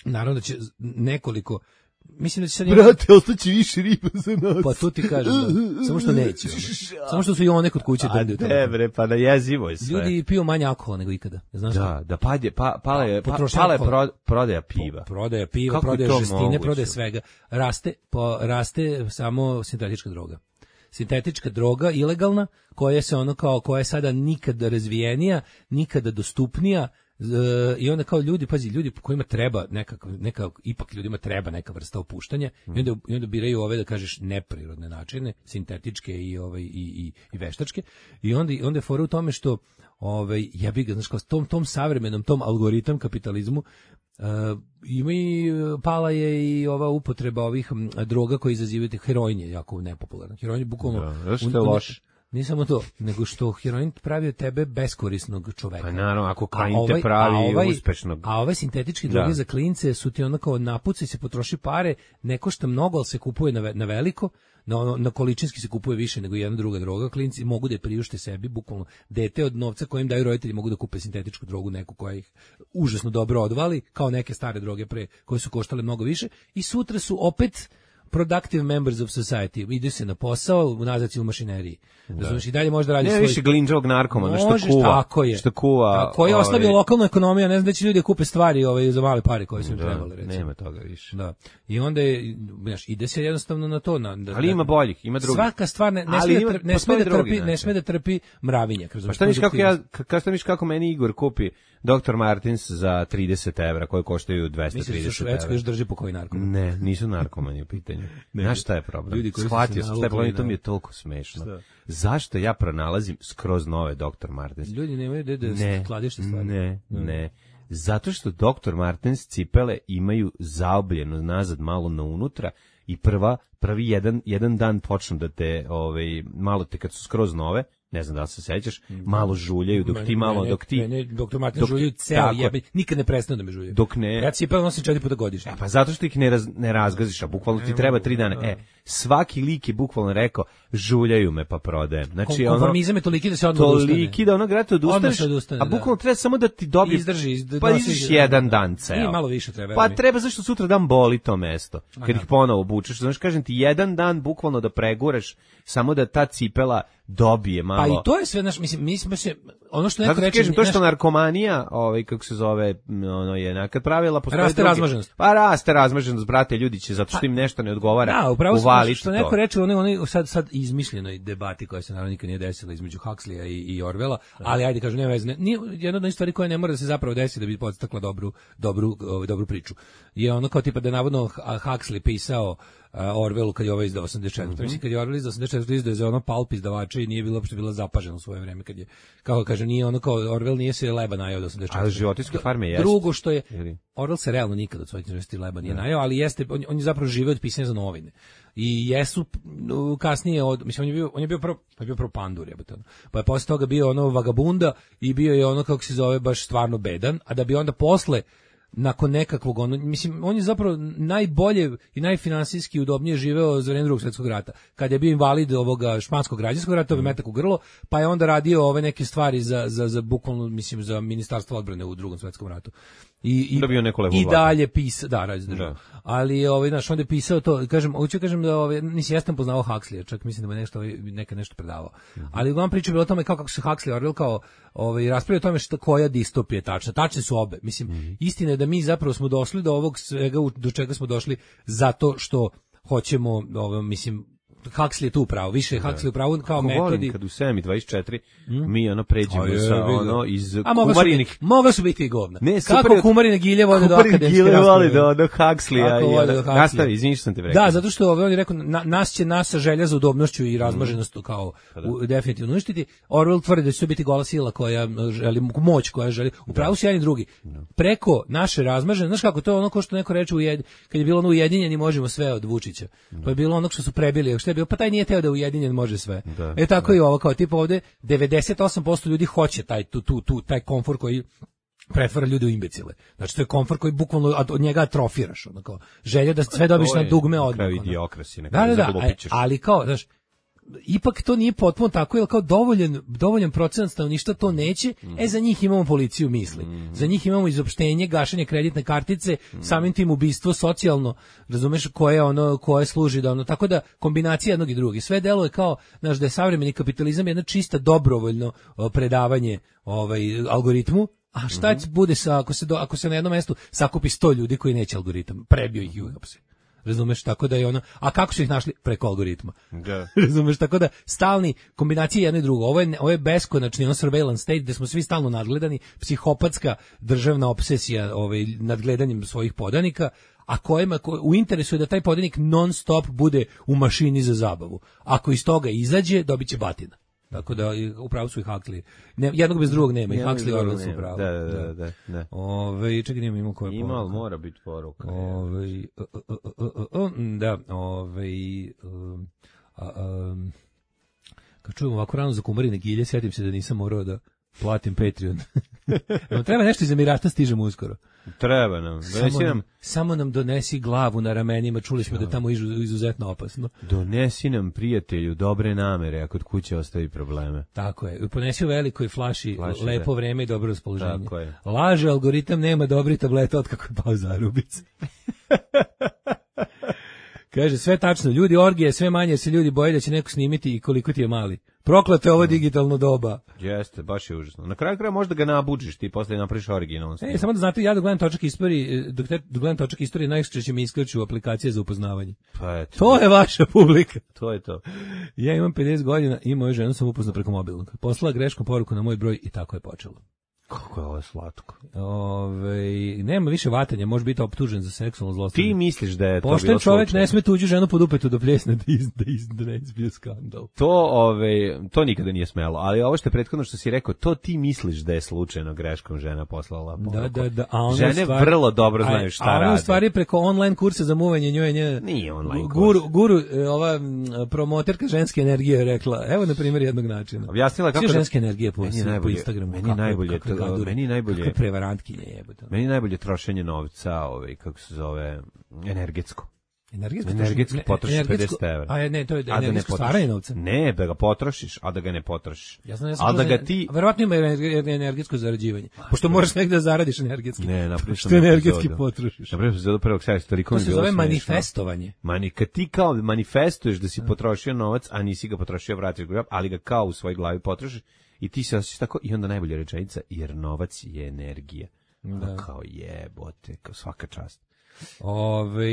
Speaker 6: Naravno da će nekoliko, mislim da će sad...
Speaker 7: Brate, ostaće više riba za nas.
Speaker 6: Pa to ti kažem, da. Samo što neće. Ono. Samo što su i one kod kuće drndaju.
Speaker 7: A ne bre, pa da jezivo je sve.
Speaker 6: Ljudi piju manje alkohola nego ikada. Znaš
Speaker 7: da, da padje, pa, pala je, pa, pala je pro, prodaja piva.
Speaker 6: Prodaja piva, kako prodaja žestine, prodaja svega. Raste, po, raste samo sintetička droga. Sintetička droga, ilegalna, koja se ono kao, koja je sada nikada razvijenija, nikada dostupnija, Uh, i onda kao ljudi, pazi, ljudi kojima treba neka, neka, ipak ljudima treba neka vrsta opuštanja mm. i, onda, i onda biraju ove, da kažeš, neprirodne načine, sintetičke i, ovaj, i, i, i veštačke, i onda, onda je fora u tome što ovaj, ja bih ga, znaš, kao tom, tom savremenom, tom algoritam kapitalizmu, uh, ima i, pala je i ova upotreba ovih m, droga koji izazivaju, heroin je jako nepopularno, heroin je bukvalno...
Speaker 7: Da, što je loš.
Speaker 6: Nije samo to, nego što heroin pravi od tebe beskorisnog čoveka.
Speaker 7: Pa naravno, ako kain te pravi ovaj, uspešnog.
Speaker 6: A ove sintetičke droge da. Za klince su ti onako napuci, se potroši pare, ne košta mnogo, ali se kupuje na, na veliko, na, na količinski se kupuje više nego jedna druga droga. Klinci mogu da je priušte sebi, bukvalno dete od novca kojim daju roditelji mogu da kupe sintetičku drogu, neku koja ih užasno dobro odvali, kao neke stare droge pre, koje su koštale mnogo više, i sutra su opet productive members of society. Ide se na posao, nazad si u mašineriji. Razumiješ, i dalje može da radi svoj...
Speaker 7: Ne više glinđavog narkomana, što kuva.
Speaker 6: Tako je.
Speaker 7: Što kuva...
Speaker 6: Tako je, ostavio ovaj... lokalnu ekonomiju, ne znam da će ljudi kupe stvari ovaj, za male pare koje su im
Speaker 7: da,
Speaker 6: trebali, recimo.
Speaker 7: Nema toga više.
Speaker 6: Da. I onda je, znaš, ide se jednostavno na to. Na, da,
Speaker 7: ali ima boljih, ima drugih.
Speaker 6: Svaka stvar ne, ne sme, da, trpi, ne sme da trpi, ne sme da trpi mravinjak.
Speaker 7: Pa šta miš kako ja, kako miš kako meni Igor kupi doktor Martins za trideset evra, koje koštaju dvesta trideset evra.
Speaker 6: Misliš da Švedska još drži po koji narkoman?
Speaker 7: Ne, nisu narkomani u pitanju. Znaš šta je problem? Shvatio sam, šta je problem, to mi je toliko smešno. Šta? Zašto ja pronalazim skroz nove doktor Martens?
Speaker 6: Ljudi nemaju da da skladište stvari.
Speaker 7: Ne, ne. Zato što doktor Martens cipele imaju zaobljeno nazad malo na unutra i prva, prvi jedan, jedan dan počnu da te, ovaj, malo te kad su skroz nove, ne znam da li se sećaš, malo žuljaju, dok ti malo,
Speaker 6: mene,
Speaker 7: dok ti...
Speaker 6: Mene, doktor Martin žuljaju ceo jebe, nikad ne prestanu da me žuljaju.
Speaker 7: Dok ne...
Speaker 6: Ja cipele nosim četiri puta godišnje.
Speaker 7: E, pa zato što ih ne, raz, ne razgaziš, a bukvalno ti treba tri dana. E, svaki lik je bukvalno rekao, žuljaju me pa prodajem. Znači, ono...
Speaker 6: Konformizam je toliki da se odmah odustane.
Speaker 7: Toliki da ono grate odustaneš,
Speaker 6: odustane,
Speaker 7: a bukvalno treba samo da ti dobije...
Speaker 6: Izdrži, izdrži.
Speaker 7: Pa izdiš jedan dan ceo.
Speaker 6: I malo više treba.
Speaker 7: Pa treba zašto sutra dan boli to mesto. Kad ih ponovo obučeš, znači kažem ti, jedan dan bukvalno da preguraš, samo da ta cipela dobije malo.
Speaker 6: Pa i to je sve naš, mislim, mi smo se ono što neko reče,
Speaker 7: kažem, to što narkomanija, ovaj kako se zove, ono je nekad pravila postoji.
Speaker 6: Raste drugi. Razmaženost.
Speaker 7: Pa raste razmaženost, brate, ljudi će zato što im nešto ne odgovara.
Speaker 6: Da, upravo što, što neko reče, oni oni sad sad izmišljenoj debati koja se naravno nikad nije desila između Huxleya i, i Orwella, ali ajde kažu nema veze. Nije jedna od stvari koja ne mora da se zapravo desi da bi podstakla dobru dobru ovaj, dobru priču. Je ono kao tipa da navodno Huxley pisao Uh, Orwellu kad je ovaj izdao osamdeset četiri. Mm-hmm. Mislim, kad je Orwell izdao osamdeset četiri, izdao je za ono palp izdavača i nije bilo uopšte bila zapažena u svoje vreme. Kad je, kako kaže, nije ono kao, Orwell nije se leba najao od osamdeset četiri.
Speaker 7: Ali životinjske farme jeste.
Speaker 6: Drugo što je, Orwell se realno nikad od svojih četiri leba nije najao, ali jeste, on, on je zapravo žive od pisanja za novine. I jesu kasnije, od, mislim, on je bio, on je bio prvo, pa je bio prvo pandur, jebate, pa je posle toga bio ono vagabunda i bio je ono, kako se zove, baš stvarno bedan, a da bi onda posle nakon nekakvog, ono, mislim, on je zapravo najbolje i najfinansijski udobnije živeo za vreme Drugog svjetskog rata. Kad je bio invalid ovoga španskog građanskog rata, ovaj metak u grlo, pa je onda radio ove neke stvari za, za, za bukvalno, mislim, za ministarstvo odbrane u Drugom svjetskom ratu. I, i, i dalje pisao, da, radi državu. Ali, ovaj, znaš, onda je pisao to, kažem, hoću kažem da, ovaj, nisi, ja sam poznao Huxleya, čak mislim da me nešto, ovaj, neka nešto predavao. Mm-hmm. Ali uglavnom priča je bilo o tome kao kako se Huxley Orwell kao, ovaj, raspravio o tome šta, koja distopija je tačna. Tačne su obe. Mislim, mm-hmm. istina je da mi zapravo smo došli do ovog svega do čega smo došli zato što hoćemo, ovaj, mislim, Huxley je tu pravo, više je Huxley u pravu kao
Speaker 7: Ako
Speaker 6: metodi.
Speaker 7: volim kad u sedam i dvadeset četiri mi ono pređemo
Speaker 6: A je,
Speaker 7: sa
Speaker 6: vidio.
Speaker 7: ono iz
Speaker 6: A moglo su
Speaker 7: kumarinih...
Speaker 6: biti, moglo su biti i govna.
Speaker 7: Ne, super
Speaker 6: Kako
Speaker 7: je-
Speaker 6: kumarine gilje vode do
Speaker 7: Kumarine
Speaker 6: akademske
Speaker 7: gile
Speaker 6: rasprave.
Speaker 7: vole do, do Huxleya.
Speaker 6: Kako
Speaker 7: i
Speaker 6: vode
Speaker 7: ono-
Speaker 6: do Huxleya.
Speaker 7: Nastavi, izvini što sam te rekao.
Speaker 6: Da, zato što ovaj, on je rekao, na, nas će nasa želja za udobnošću i razmaženost kao u, definitivno uništiti. Orwell tvrdi da će to biti gola sila koja želi, moć koja želi, upravo su jedan i drugi. Preko naše razmažene, znaš kako, to je ono ko što neko reče, ujed, kad je bilo ono ujedinjeni možemo sve od Vučića. To je bilo ono što su prebili, što je bilo, pa taj nije teo da ujedinjen može sve.
Speaker 7: Da,
Speaker 6: e tako i ovo, kao tipa ovde, devedeset osam posto ljudi hoće taj, tu, tu, tu, taj komfor koji pretvara ljude u imbecile. Znači to je komfor koji bukvalno od od njega atrofiraš, ono kao želja da sve dobiš
Speaker 7: To
Speaker 6: na
Speaker 7: je
Speaker 6: dugme
Speaker 7: na
Speaker 6: odmah.
Speaker 7: kraju
Speaker 6: ono.
Speaker 7: idiokrasi, na
Speaker 6: Da,
Speaker 7: kraju
Speaker 6: da, da,
Speaker 7: zaglupit ćeš.
Speaker 6: ali kao, znaš, ipak to nije potpuno tako, jer kao dovoljan, dovoljan procenat stanovništva to neće,
Speaker 7: Mm.
Speaker 6: e za njih imamo policiju misli. Za njih imamo izopštenje, gašenje kreditne kartice,
Speaker 7: Mm.
Speaker 6: samim tim ubistvo socijalno, razumeš, koje ono koje služi da ono, tako da kombinacija jednog i drugog. Sve deluje kao, znaš, da je savremeni kapitalizam jedna čista dobrovoljno o, predavanje ovaj algoritmu. A šta
Speaker 7: Mhm.
Speaker 6: će bude sa ako se do, ako se na jednom mestu sakupi sto ljudi koji neće algoritam, prebio ih i uhapsi. Razumeš, tako da je ono, a kako su ih našli? Preko algoritma.
Speaker 7: Da.
Speaker 6: Razumeš, tako da stalni kombinacija jedno i drugo. Ovo je, ovo je beskonačni ono surveillance state gde smo svi stalno nadgledani, psihopatska državna obsesija ovaj, nadgledanjem svojih podanika, a kojima ko, u interesu je da taj podanik non stop bude u mašini za zabavu. Ako iz toga izađe, dobit će batina. Tako da upravo su i Huxley. Ne, jednog bez drugog nema, i
Speaker 7: Jednog
Speaker 6: Huxley
Speaker 7: bez
Speaker 6: i
Speaker 7: drugog
Speaker 6: Orwell su
Speaker 7: nema.
Speaker 6: upravo.
Speaker 7: Da, da, da, da, da.
Speaker 6: Ove, čekaj, nema ima koja
Speaker 7: Ima, ali
Speaker 6: poruka.
Speaker 7: mora biti poruka.
Speaker 6: Ove, uh, uh, uh, uh, uh, da, ove, um, a, um, kad čujem ovako rano za kumarine gilje, sjetim se da nisam morao da platim Patreon. Evo, treba nešto iz Emirata, stižemo uskoro.
Speaker 7: Treba nam.
Speaker 6: Samo
Speaker 7: Donesi
Speaker 6: nam,
Speaker 7: nam,
Speaker 6: samo nam donesi glavu na ramenima, čuli smo da je tamo izu, izuzetno opasno.
Speaker 7: donesi nam prijatelju dobre namere, ako od kuće ostavi probleme.
Speaker 6: Tako je, ponesi u velikoj flaši,
Speaker 7: Flaši,
Speaker 6: lepo
Speaker 7: da.
Speaker 6: vreme i dobro raspoloženje.
Speaker 7: Tako je.
Speaker 6: Laže, algoritam nema dobri tableta od kako je pao zarubic. Kaže, sve tačno, ljudi orgije, sve manje se ljudi boje da će neko snimiti i koliko ti je mali. Prokleto je ovo digitalno doba.
Speaker 7: Jeste, baš je užasno. Na kraju kraja možda ga nabuđiš, ti posle napraviš originalno.
Speaker 6: E, samo da znate, ja dok gledam točak istorije, dok, te, dok gledam točak istorije, najčešće mi isključuju aplikacije za upoznavanje.
Speaker 7: Pa eto.
Speaker 6: To je vaša publika.
Speaker 7: To je to.
Speaker 6: Ja imam pedeset godina i moju ženu sam upoznao preko mobilnog. Poslala greškom poruku na moj broj i tako je počelo.
Speaker 7: Kako je ovo slatko.
Speaker 6: Ove, nema više vatanja, može biti optužen za seksualno zlostavljanje.
Speaker 7: Ti misliš da je to
Speaker 6: Pošten
Speaker 7: bilo
Speaker 6: čovjek
Speaker 7: slučajno?
Speaker 6: ne sme tuđu ženu pod upetu do pljesne da, iz, da, iz, da ne izbije skandal.
Speaker 7: To, ove, to nikada nije smelo, ali ovo što je prethodno što si rekao, to ti misliš da je slučajno greškom žena poslala poruku.
Speaker 6: Da, da, da. A ona
Speaker 7: Žene
Speaker 6: stvari,
Speaker 7: vrlo dobro
Speaker 6: a-
Speaker 7: znaju šta
Speaker 6: a ona
Speaker 7: rade.
Speaker 6: u stvari preko online kursa za muvanje njoj je nje,
Speaker 7: Nije online
Speaker 6: guru,
Speaker 7: kurs.
Speaker 6: guru, e, ova m, promoterka ženske energije je rekla, evo na primjer jednog načina.
Speaker 7: Objasnila kako
Speaker 6: Svi
Speaker 7: da-
Speaker 6: ženske energije po,
Speaker 7: Meni je
Speaker 6: po
Speaker 7: najbolje-
Speaker 6: Instagramu.
Speaker 7: meni je
Speaker 6: kakve-
Speaker 7: najbolje
Speaker 6: kakve
Speaker 7: to-
Speaker 6: gadure,
Speaker 7: meni je najbolje-
Speaker 6: kakve prevarantkinje jebote.
Speaker 7: Meni je najbolje trošenje novca, ovaj, kako se zove, energetsko.
Speaker 6: Energetsko,
Speaker 7: Energetski
Speaker 6: ne,
Speaker 7: potrošiš
Speaker 6: energetsko-
Speaker 7: pedeset evra.
Speaker 6: A je, ne, to je
Speaker 7: A da ne
Speaker 6: energetsko
Speaker 7: potrošiš.
Speaker 6: stvaranje novca.
Speaker 7: Ne, da ga potrošiš, a da ga ne potrošiš.
Speaker 6: Ja znam, ja sam
Speaker 7: a da
Speaker 6: čuo
Speaker 7: ga
Speaker 6: za-
Speaker 7: ti...
Speaker 6: verovatno ima ener- energetsko zarađivanje. Pošto moraš negde da zaradiš energetski.
Speaker 7: Ne, napravio sam
Speaker 6: Što energetski
Speaker 7: epizodu.
Speaker 6: potrošiš.
Speaker 7: Napravio sam epizodu prvog sajta, toliko
Speaker 6: To
Speaker 7: mi je
Speaker 6: se
Speaker 7: bilo
Speaker 6: zove
Speaker 7: smešno.
Speaker 6: manifestovanje.
Speaker 7: Mani, kad ti kao manifestuješ da si potrošio novac, a nisi ga potrošio, vratiš ga, ali ga kao u svojoj glavi potrošiš i ti se osjećaš tako i onda najbolja rečenica, jer novac je energija. Da. Kao jebote, kao svaka čast.
Speaker 6: Ove,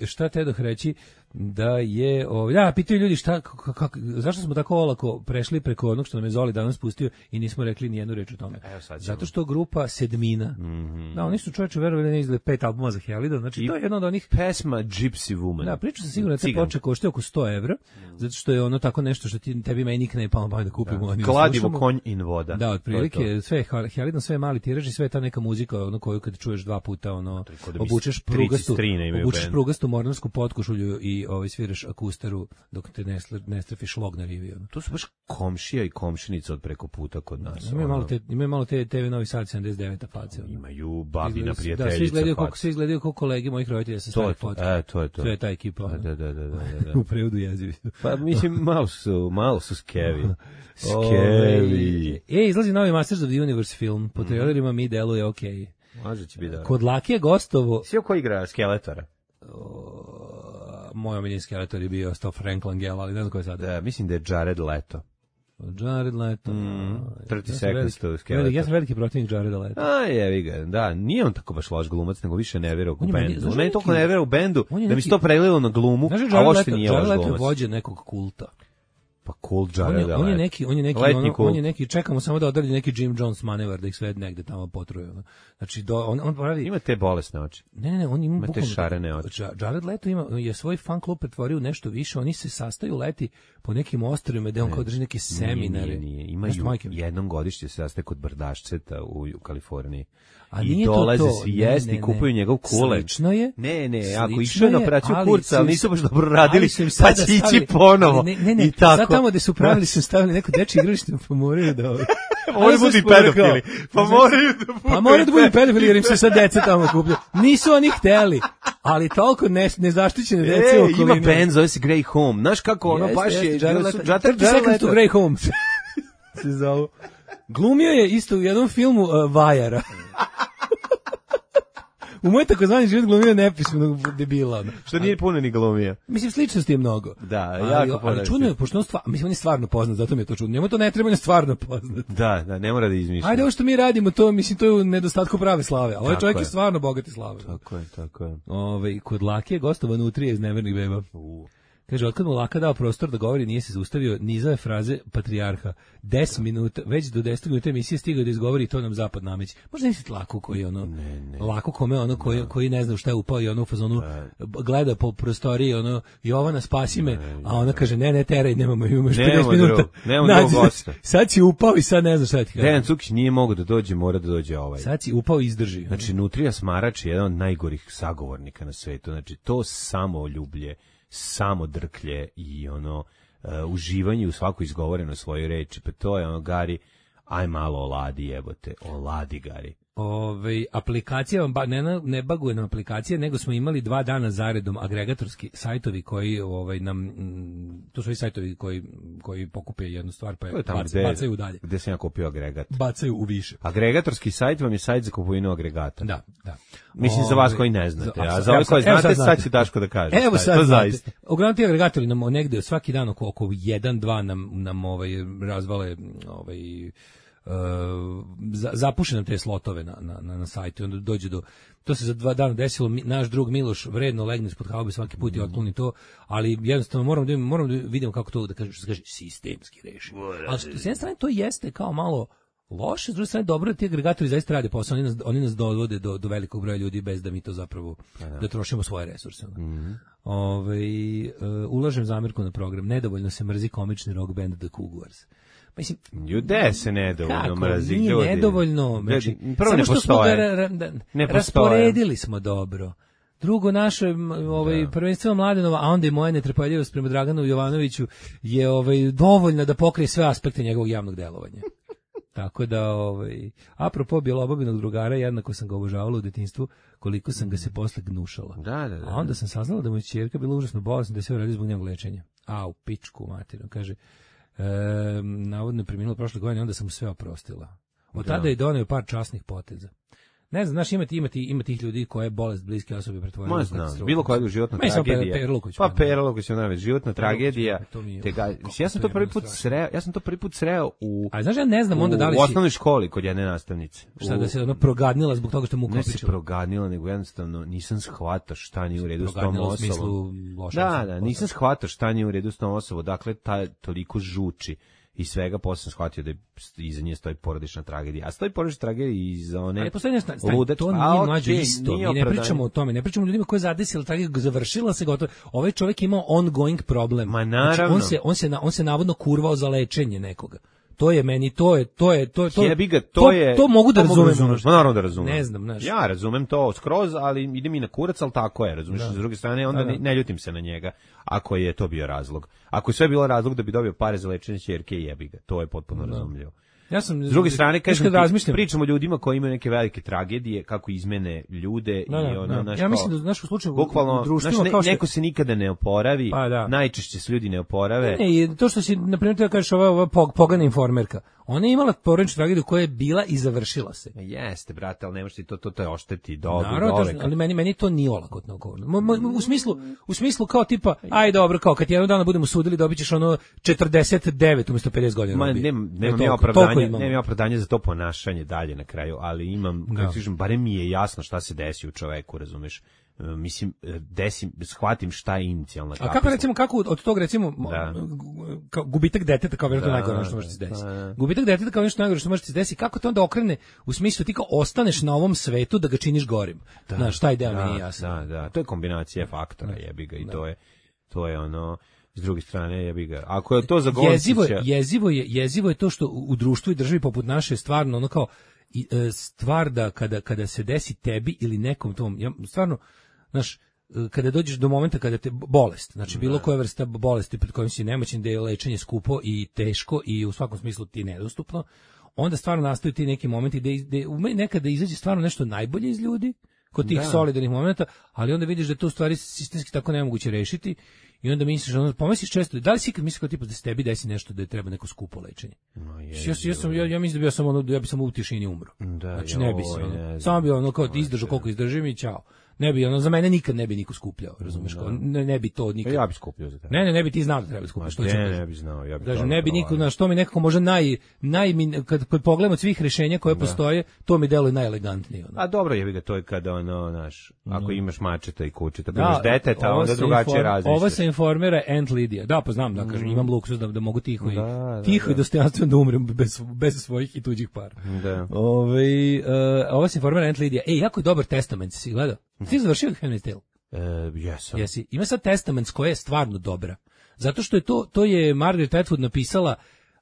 Speaker 6: šta te doh reći da je, o, ja, pitaju ljudi šta, kako, kako, zašto smo tako olako prešli preko onog što nam je Zoli danas pustio i nismo rekli ni jednu reč o tome.
Speaker 7: Evo sad ćemo.
Speaker 6: Zato što grupa Sedmina,
Speaker 7: Mm-hmm.
Speaker 6: da, oni su čovječe verovali ne izdali pet albuma za Helidon, znači
Speaker 7: I
Speaker 6: to je jedno od onih.
Speaker 7: Pesma Gypsy Woman.
Speaker 6: Da, priča sam sigurno da te
Speaker 7: Ciganka.
Speaker 6: ploče koštaju oko sto evra, zato što je ono tako nešto što ti, tebi meni nikne pa pa da kupimo. Da.
Speaker 7: Kladivo, konj in voda.
Speaker 6: Da, otprilike,
Speaker 7: To je to.
Speaker 6: sve je Hel- Helidon, sve je mali tiraž i sve je ta neka muzika, ono koju kad čuješ dva puta, ono,
Speaker 7: ko da bi
Speaker 6: obučeš
Speaker 7: strici
Speaker 6: prugastu,
Speaker 7: strine imaju
Speaker 6: obučeš
Speaker 7: bend.
Speaker 6: prugastu mornarsku potkošulju i ovaj, sviraš akustaru dok te ne, sle- ne strefiš log na rivi. Ono.
Speaker 7: To su baš komšija i komšinica od preko puta kod nas.
Speaker 6: Imaju
Speaker 7: ono.
Speaker 6: malo te, imaju malo te T V Novi Sad sedamdeset deveta face. Ono.
Speaker 7: Imaju babina
Speaker 6: Izgleda-
Speaker 7: prijateljica.
Speaker 6: Da, svi izgledaju kako
Speaker 7: faca.
Speaker 6: svi izgledaju kao kolege mojih roditelja sa
Speaker 7: To
Speaker 6: stare
Speaker 7: je to,
Speaker 6: fotke.
Speaker 7: e, to je to.
Speaker 6: To je ta ekipa.
Speaker 7: Da,
Speaker 6: ono.
Speaker 7: da, da, da, da, da.
Speaker 6: U prevodu jezivi.
Speaker 7: Pa mislim, malo su, malo su skevi.
Speaker 6: Ovaj,
Speaker 7: Skevi.
Speaker 6: E, izlazi novi Masters of the Universe film. Po trailerima mi deluje okej.
Speaker 7: Može će biti da.
Speaker 6: Kod Lakije gostovo
Speaker 7: Svi ko igra Skeletora?
Speaker 6: moj omiljeni skeletor je bio sto Frank Langella, ali ne znam ko je sada.
Speaker 7: Da, mislim da je Jared Leto.
Speaker 6: Jared Leto.
Speaker 7: Mm, trideset
Speaker 6: ja
Speaker 7: seconds to
Speaker 6: veliki,
Speaker 7: Skeleton.
Speaker 6: ja sam veliki protivnik Jareda Leta.
Speaker 7: A, jevi ga, da, nije on tako baš loš glumac, nego više ne veruje u
Speaker 6: On je meni-
Speaker 7: bendu.
Speaker 6: znaš
Speaker 7: On meni
Speaker 6: neki-
Speaker 7: toliko ne veruje u bendu,
Speaker 6: on je
Speaker 7: da mi se
Speaker 6: neki-
Speaker 7: to prelilo na glumu,
Speaker 6: Znaš,
Speaker 7: a
Speaker 6: Jared
Speaker 7: uopšte
Speaker 6: Leto,
Speaker 7: nije
Speaker 6: Jared
Speaker 7: loš
Speaker 6: Leto je
Speaker 7: glumac.
Speaker 6: vođa nekog kulta.
Speaker 7: Pa kult
Speaker 6: On je,
Speaker 7: Jareda
Speaker 6: on je
Speaker 7: Leta.
Speaker 6: neki, on je neki,
Speaker 7: Letnji
Speaker 6: ono,
Speaker 7: kult.
Speaker 6: on je neki, čekamo samo da odradi neki Jim Jones manevar da ih sve negde tamo potruje. Ono. Znači, do, on, on pravi...
Speaker 7: Ima te bolesne oči.
Speaker 6: Ne, ne, ne, on ima
Speaker 7: Ima te
Speaker 6: bukvalno-
Speaker 7: šarene oči.
Speaker 6: Ja- Jared Leto ima, je svoj fan klub pretvorio u nešto više, oni se sastaju leti po nekim ostrvima gde on kao drži neke seminare.
Speaker 7: Nije, nije, nije. Imaju
Speaker 6: Nešto, majke mi.
Speaker 7: jednom godišnje se sastaje kod Brdašceta u, u Kaliforniji.
Speaker 6: A
Speaker 7: I
Speaker 6: nije to
Speaker 7: dolaze
Speaker 6: to.
Speaker 7: svi
Speaker 6: Ne,
Speaker 7: jesti
Speaker 6: ne,
Speaker 7: i kupuju
Speaker 6: ne.
Speaker 7: njegov kulen.
Speaker 6: Slično je.
Speaker 7: Ne, ne, ako
Speaker 6: Slično
Speaker 7: išao je na
Speaker 6: je,
Speaker 7: operaciju
Speaker 6: ali
Speaker 7: kurca, ali
Speaker 6: su im-
Speaker 7: nisu baš dobro radili,
Speaker 6: ali su im
Speaker 7: pa
Speaker 6: sada
Speaker 7: će ići
Speaker 6: stavili-
Speaker 7: ponovo.
Speaker 6: ali Ne, ne, ne,
Speaker 7: I tako.
Speaker 6: sad tamo gde su pravili su stavili neko dečje igralište, pa moraju da... ovaj-
Speaker 7: Moraju
Speaker 6: Ali
Speaker 7: budu i
Speaker 6: sam rekao,
Speaker 7: pedofili. Pa
Speaker 6: znači,
Speaker 7: moraju da budu
Speaker 6: Pa moraju da budu
Speaker 7: i
Speaker 6: pedofili jer im se sad deca tamo kupljaju. Nisu oni hteli, ali toliko ne, nezaštićene dece
Speaker 7: E,
Speaker 6: u okolini.
Speaker 7: ima band, zove se Grey Home. Znaš kako ono
Speaker 6: Jeste,
Speaker 7: baš je...
Speaker 6: jeste, Jared Leto.
Speaker 7: Jared-
Speaker 6: thirty
Speaker 7: Jared
Speaker 6: seconds to
Speaker 7: Leto.
Speaker 6: Grey Home. Se zovu. Glumio je isto u jednom filmu uh, Vajara. U moj takozvani život glumio nepismenog debila. ono.
Speaker 7: Što nije puno ni glumija.
Speaker 6: Mislim, sličnosti je mnogo.
Speaker 7: Da,
Speaker 6: ali,
Speaker 7: jako puno
Speaker 6: ali čudno je, pošto on, stva, mislim, on je stvarno poznat, zato mi je to čudno. Njemu to ne treba, on je stvarno poznat.
Speaker 7: Da, da, ne mora da izmišlja.
Speaker 6: Ajde, ovo što mi radimo, to, mislim, to je u nedostatku prave slave. Ali ovaj
Speaker 7: Tako
Speaker 6: čovjek je.
Speaker 7: je.
Speaker 6: stvarno bogati slave.
Speaker 7: Tako je, tako je.
Speaker 6: Ove, kod Lake je gostovan utrije iz Nevernih beba. Kaže, otkad mu Laka dao prostor da govori, nije se zaustavio nizove fraze patrijarha. deset minuta, već do deset minuta emisije stigao da izgovori i to nam zapad nameći. Možda nisi Laku koji je ono,
Speaker 7: Ne, ne.
Speaker 6: Lako kome ono koji, koji ne zna u šta je upao i ono u fazonu gleda po prostoriji, ono, Jovana spasi me, a ona kaže, ne, ne, teraj, nemamo, imamo još
Speaker 7: Nemamo
Speaker 6: pedeset minuta.
Speaker 7: drugog, nemamo
Speaker 6: Nađi,
Speaker 7: drugog gosta.
Speaker 6: sad si upao i sad ne znam šta ti kaže.
Speaker 7: Dejan Cukić nije mogao da dođe, mora da dođe ovaj.
Speaker 6: Sad si upao i izdrži.
Speaker 7: Znači, Nutrija Smarač je jedan od najgorih sagovornika na svetu. Znači, to samoljublje, samo drklje i ono, uh, uživanje u svakoj izgovorenoj svojoj reči. Pa to je ono, Gari, aj malo oladi, jebote, oladi, Gari.
Speaker 6: Ove, aplikacija vam ba, ne, ne baguje nam aplikacije, nego smo imali dva dana zaredom agregatorski sajtovi koji ovaj, nam, m, to su i sajtovi koji, koji pokupe jednu stvar pa je
Speaker 7: To je tamo
Speaker 6: bac,
Speaker 7: gde,
Speaker 6: bacaju dalje.
Speaker 7: gde sam ja kupio agregat.
Speaker 6: Bacaju u više.
Speaker 7: Agregatorski sajt vam je sajt za kupovinu agregata.
Speaker 6: Da, da.
Speaker 7: Mislim za vas
Speaker 6: Ove,
Speaker 7: koji ne znate, a
Speaker 6: sad-
Speaker 7: za ove
Speaker 6: evo
Speaker 7: koji
Speaker 6: sad- evo
Speaker 7: znate,
Speaker 6: sad
Speaker 7: sad će Daško da kaže.
Speaker 6: Evo
Speaker 7: Šta
Speaker 6: sad
Speaker 7: je to
Speaker 6: znate.
Speaker 7: zaista.
Speaker 6: Uglavnom ti agregatori nam negde svaki dan oko, oko jedan dva nam, nam ovaj, razvale ovaj, Uh, za, zapuše nam te slotove na, na, na, na sajtu i onda dođe do, to se za dva dana desilo, mi, naš drug Miloš vredno legne ispod haube svaki put i otkloni to, ali jednostavno moram da, moram da vidimo kako to da kaže, što se kaže sistemski reši. Ali što, s jedne strane to jeste kao malo loše, s druge strane dobro da ti agregatori zaista rade posao, oni nas, oni nas dovode do, do velikog broja ljudi bez da mi to zapravo, da trošimo svoje resurse. Mm-hmm. Ove, uh, ulažem zamirku na program, nedovoljno se mrzi komični rock band The Cougars. Mislim,
Speaker 7: Ljude se nedovoljno
Speaker 6: kako,
Speaker 7: mrazi.
Speaker 6: nije
Speaker 7: ljudi.
Speaker 6: nedovoljno. Znači,
Speaker 7: Ljudi, prvo
Speaker 6: samo
Speaker 7: ne
Speaker 6: što smo ga
Speaker 7: postoje.
Speaker 6: ra, ra, da,
Speaker 7: Ne postoje.
Speaker 6: rasporedili smo dobro. Drugo, naše m, ovaj, prvenstveno Mladenova, a onda i moja netrpeljivost prema Draganu Jovanoviću je ovaj, dovoljna da pokrije sve aspekte njegovog javnog delovanja. Tako da, ovaj, apropo Bjelobabinog drugara, jednako sam ga obožavala u detinjstvu, koliko sam ga se posle gnušala.
Speaker 7: Da, da, da.
Speaker 6: A onda sam saznala da mu je ćerka bila užasno bolesna, da je sve uradio zbog njenog lečenja. A, u pičku materinu, kaže, e, navodno je preminula prošle godine, onda sam mu sve oprostila. Od tada je doneo par časnih poteza. Ne znam, znaš, imati, imati, ima tih ljudi koje bolest bliske osobe pretvorila
Speaker 7: Ma
Speaker 6: u
Speaker 7: znam,
Speaker 6: katastrofu.
Speaker 7: bilo koja životna
Speaker 6: Ma i samo
Speaker 7: tragedija.
Speaker 6: Pera Luković,
Speaker 7: pa
Speaker 6: pa,
Speaker 7: Pera Luković, ona životna tragedija.
Speaker 6: to mi je-
Speaker 7: Te ga,
Speaker 6: kako
Speaker 7: ja sam
Speaker 6: to
Speaker 7: to prvi
Speaker 6: je
Speaker 7: put
Speaker 6: strašno.
Speaker 7: sreo, ja sam to prvi put sreo u
Speaker 6: A znaš, ja ne znam onda da li
Speaker 7: u
Speaker 6: si,
Speaker 7: osnovnoj školi kod jedne nastavnice.
Speaker 6: šta
Speaker 7: U-
Speaker 6: da se ono progadnila zbog toga što mu
Speaker 7: ne se
Speaker 6: ukopičila.
Speaker 7: proganila, nego jednostavno nisam shvatao šta nije u redu s tom
Speaker 6: Proganila u
Speaker 7: osobom.
Speaker 6: smislu loše.
Speaker 7: Da, da, nisam shvatao šta nije u redu s tom osobom, dakle, ta toliko žuči i svega, posle sam shvatio da je iza nje stoji porodična tragedija. A stoji porodična tragedija i iza one
Speaker 6: Ali postoji nešto, stani,
Speaker 7: ludačke-
Speaker 6: to
Speaker 7: A,
Speaker 6: nije
Speaker 7: okej,
Speaker 6: mlađe isto,
Speaker 7: nije
Speaker 6: mi ne
Speaker 7: opravdanje.
Speaker 6: pričamo o tome, ne pričamo o ljudima koji je zadesila tragediju, završila se gotovo. Ovaj čovjek imao ongoing problem.
Speaker 7: Ma,
Speaker 6: Znači,
Speaker 7: naravno.
Speaker 6: on se, on se, na- on se navodno kurvao za lečenje nekoga. To je meni, to je, to je, to je, to,
Speaker 7: Jebi ga, to, je...
Speaker 6: to mogu da
Speaker 7: to
Speaker 6: razumem.
Speaker 7: razumeš. Ma naravno da razumem.
Speaker 6: Ne znam, znaš.
Speaker 7: Ja razumem to skroz, ali ide mi na kurac, ali tako je, razumeš. S druge strane, onda
Speaker 6: Da, da.
Speaker 7: ne, ne ljutim se na njega, ako je to bio razlog. Ako je sve bilo razlog da bi dobio pare za lečenje ćerke, jebi ga. To je potpuno razumljivo.
Speaker 6: Ja sam
Speaker 7: s druge strane kažem,
Speaker 6: razmišljam,
Speaker 7: pričamo o ljudima koji imaju neke velike tragedije, kako izmene ljude
Speaker 6: da,
Speaker 7: i ono,
Speaker 6: da.
Speaker 7: naš,
Speaker 6: ja mislim da znaš u slučaju
Speaker 7: bukvalno,
Speaker 6: u društvima
Speaker 7: naš, ne,
Speaker 6: kao što
Speaker 7: neko se nikada ne oporavi,
Speaker 6: pa, da.
Speaker 7: najčešće se ljudi ne oporave.
Speaker 6: Ne, i to što si na primjer da kažeš ova, ova pogana informerka, ona je imala porodičnu tragediju koja je bila i završila se.
Speaker 7: Jeste, brate, ali ne možeš ti to to te ošteti do
Speaker 6: dole. Ali meni meni to nije olakotno govorno. U smislu u smislu kao tipa aj dobro, kao kad jednog dana budemo sudili dobićeš ono četrdeset devet umesto pedeset godina.
Speaker 7: Ma nemam nemam ja opravdanje, nemam ja opravdanje za to ponašanje dalje na kraju, ali imam, kako kažem, barem mi je jasno šta se desi u čoveku, razumeš? Mislim, desim, shvatim šta je inicijalna kapisla.
Speaker 6: A kako recimo, kako od tog recimo,
Speaker 7: da.
Speaker 6: kao gubitak deteta kao vjerojatno najgore što može se desiti. Gubitak deteta kao nešto najgore što može se desiti, kako to onda okrene u smislu ti kao ostaneš na ovom svetu da ga činiš gorim.
Speaker 7: Da,
Speaker 6: znaš, taj deo
Speaker 7: da,
Speaker 6: mi je jasan.
Speaker 7: Da, da, to je kombinacija faktora, jebi ga, i da. to je, to je ono, s druge strane jebi ga. Ako je to za Goncića...
Speaker 6: Jezivo je, jezivo je, jezivo je to što u društvu i državi poput naše stvarno ono kao i, e, stvar da kada, kada se desi tebi ili nekom tom, ja stvarno, znaš, kada dođeš do momenta kada te bolest, znači bilo koja vrsta bolesti pred kojom si nemoćan, da je lečenje skupo i teško i u svakom smislu ti nedostupno, onda stvarno nastaju ti neki momenti da, da ume nekada izađe stvarno nešto najbolje iz ljudi, kod tih da. solidarnih momenta, ali onda vidiš da to u stvari sistemski tako nemoguće rešiti i onda misliš, onda pomisliš često, da li si ikad misliš kao tipa da se tebi desi nešto da je treba neko skupo lečenje? No, je, ja, ja, sam, ja, ja mislim da bi ja sam, ono, ja bi sam u tišini umro. Da, znači ne bi se, ono, samo bi ono kao izdržao koliko izdržim i čao. Ne bi, ono, za mene nikad ne bi niko skupljao, razumeš, kao, ne, ne bi to nikad.
Speaker 7: Ja bi skupljao za tebe.
Speaker 6: Ne, ne, ne bi ti znao da treba skupljati, što ću.
Speaker 7: Ne, ne bi znao, ja bi.
Speaker 6: Kažem, ne bi niko, na što mi nekako možda naj naj kad kad pogledam od svih rješenja koje da. postoje, to mi deluje najelegantnije, ono.
Speaker 7: A dobro, jebi ga, to je kada ono, znaš, ako imaš mačeta i kučeta, da imaš deteta, onda drugačije razmišljaš.
Speaker 6: Ovo se informira Aunt Lidija. Da, pa znam, da kažem, imam luksuz da, da mogu tiho i
Speaker 7: da,
Speaker 6: tiho
Speaker 7: da,
Speaker 6: i dostojanstveno da umrem bez bez svojih i tuđih para.
Speaker 7: Da.
Speaker 6: Ovaj uh, ovo se informira Aunt Lidija. Ej, jako je dobar testament, si gledao? Ti završio Handmaid's Tale?
Speaker 7: E, jesam.
Speaker 6: Jesi. Ima sad testament koja je stvarno dobra. Zato što je to, to je Margaret Atwood napisala,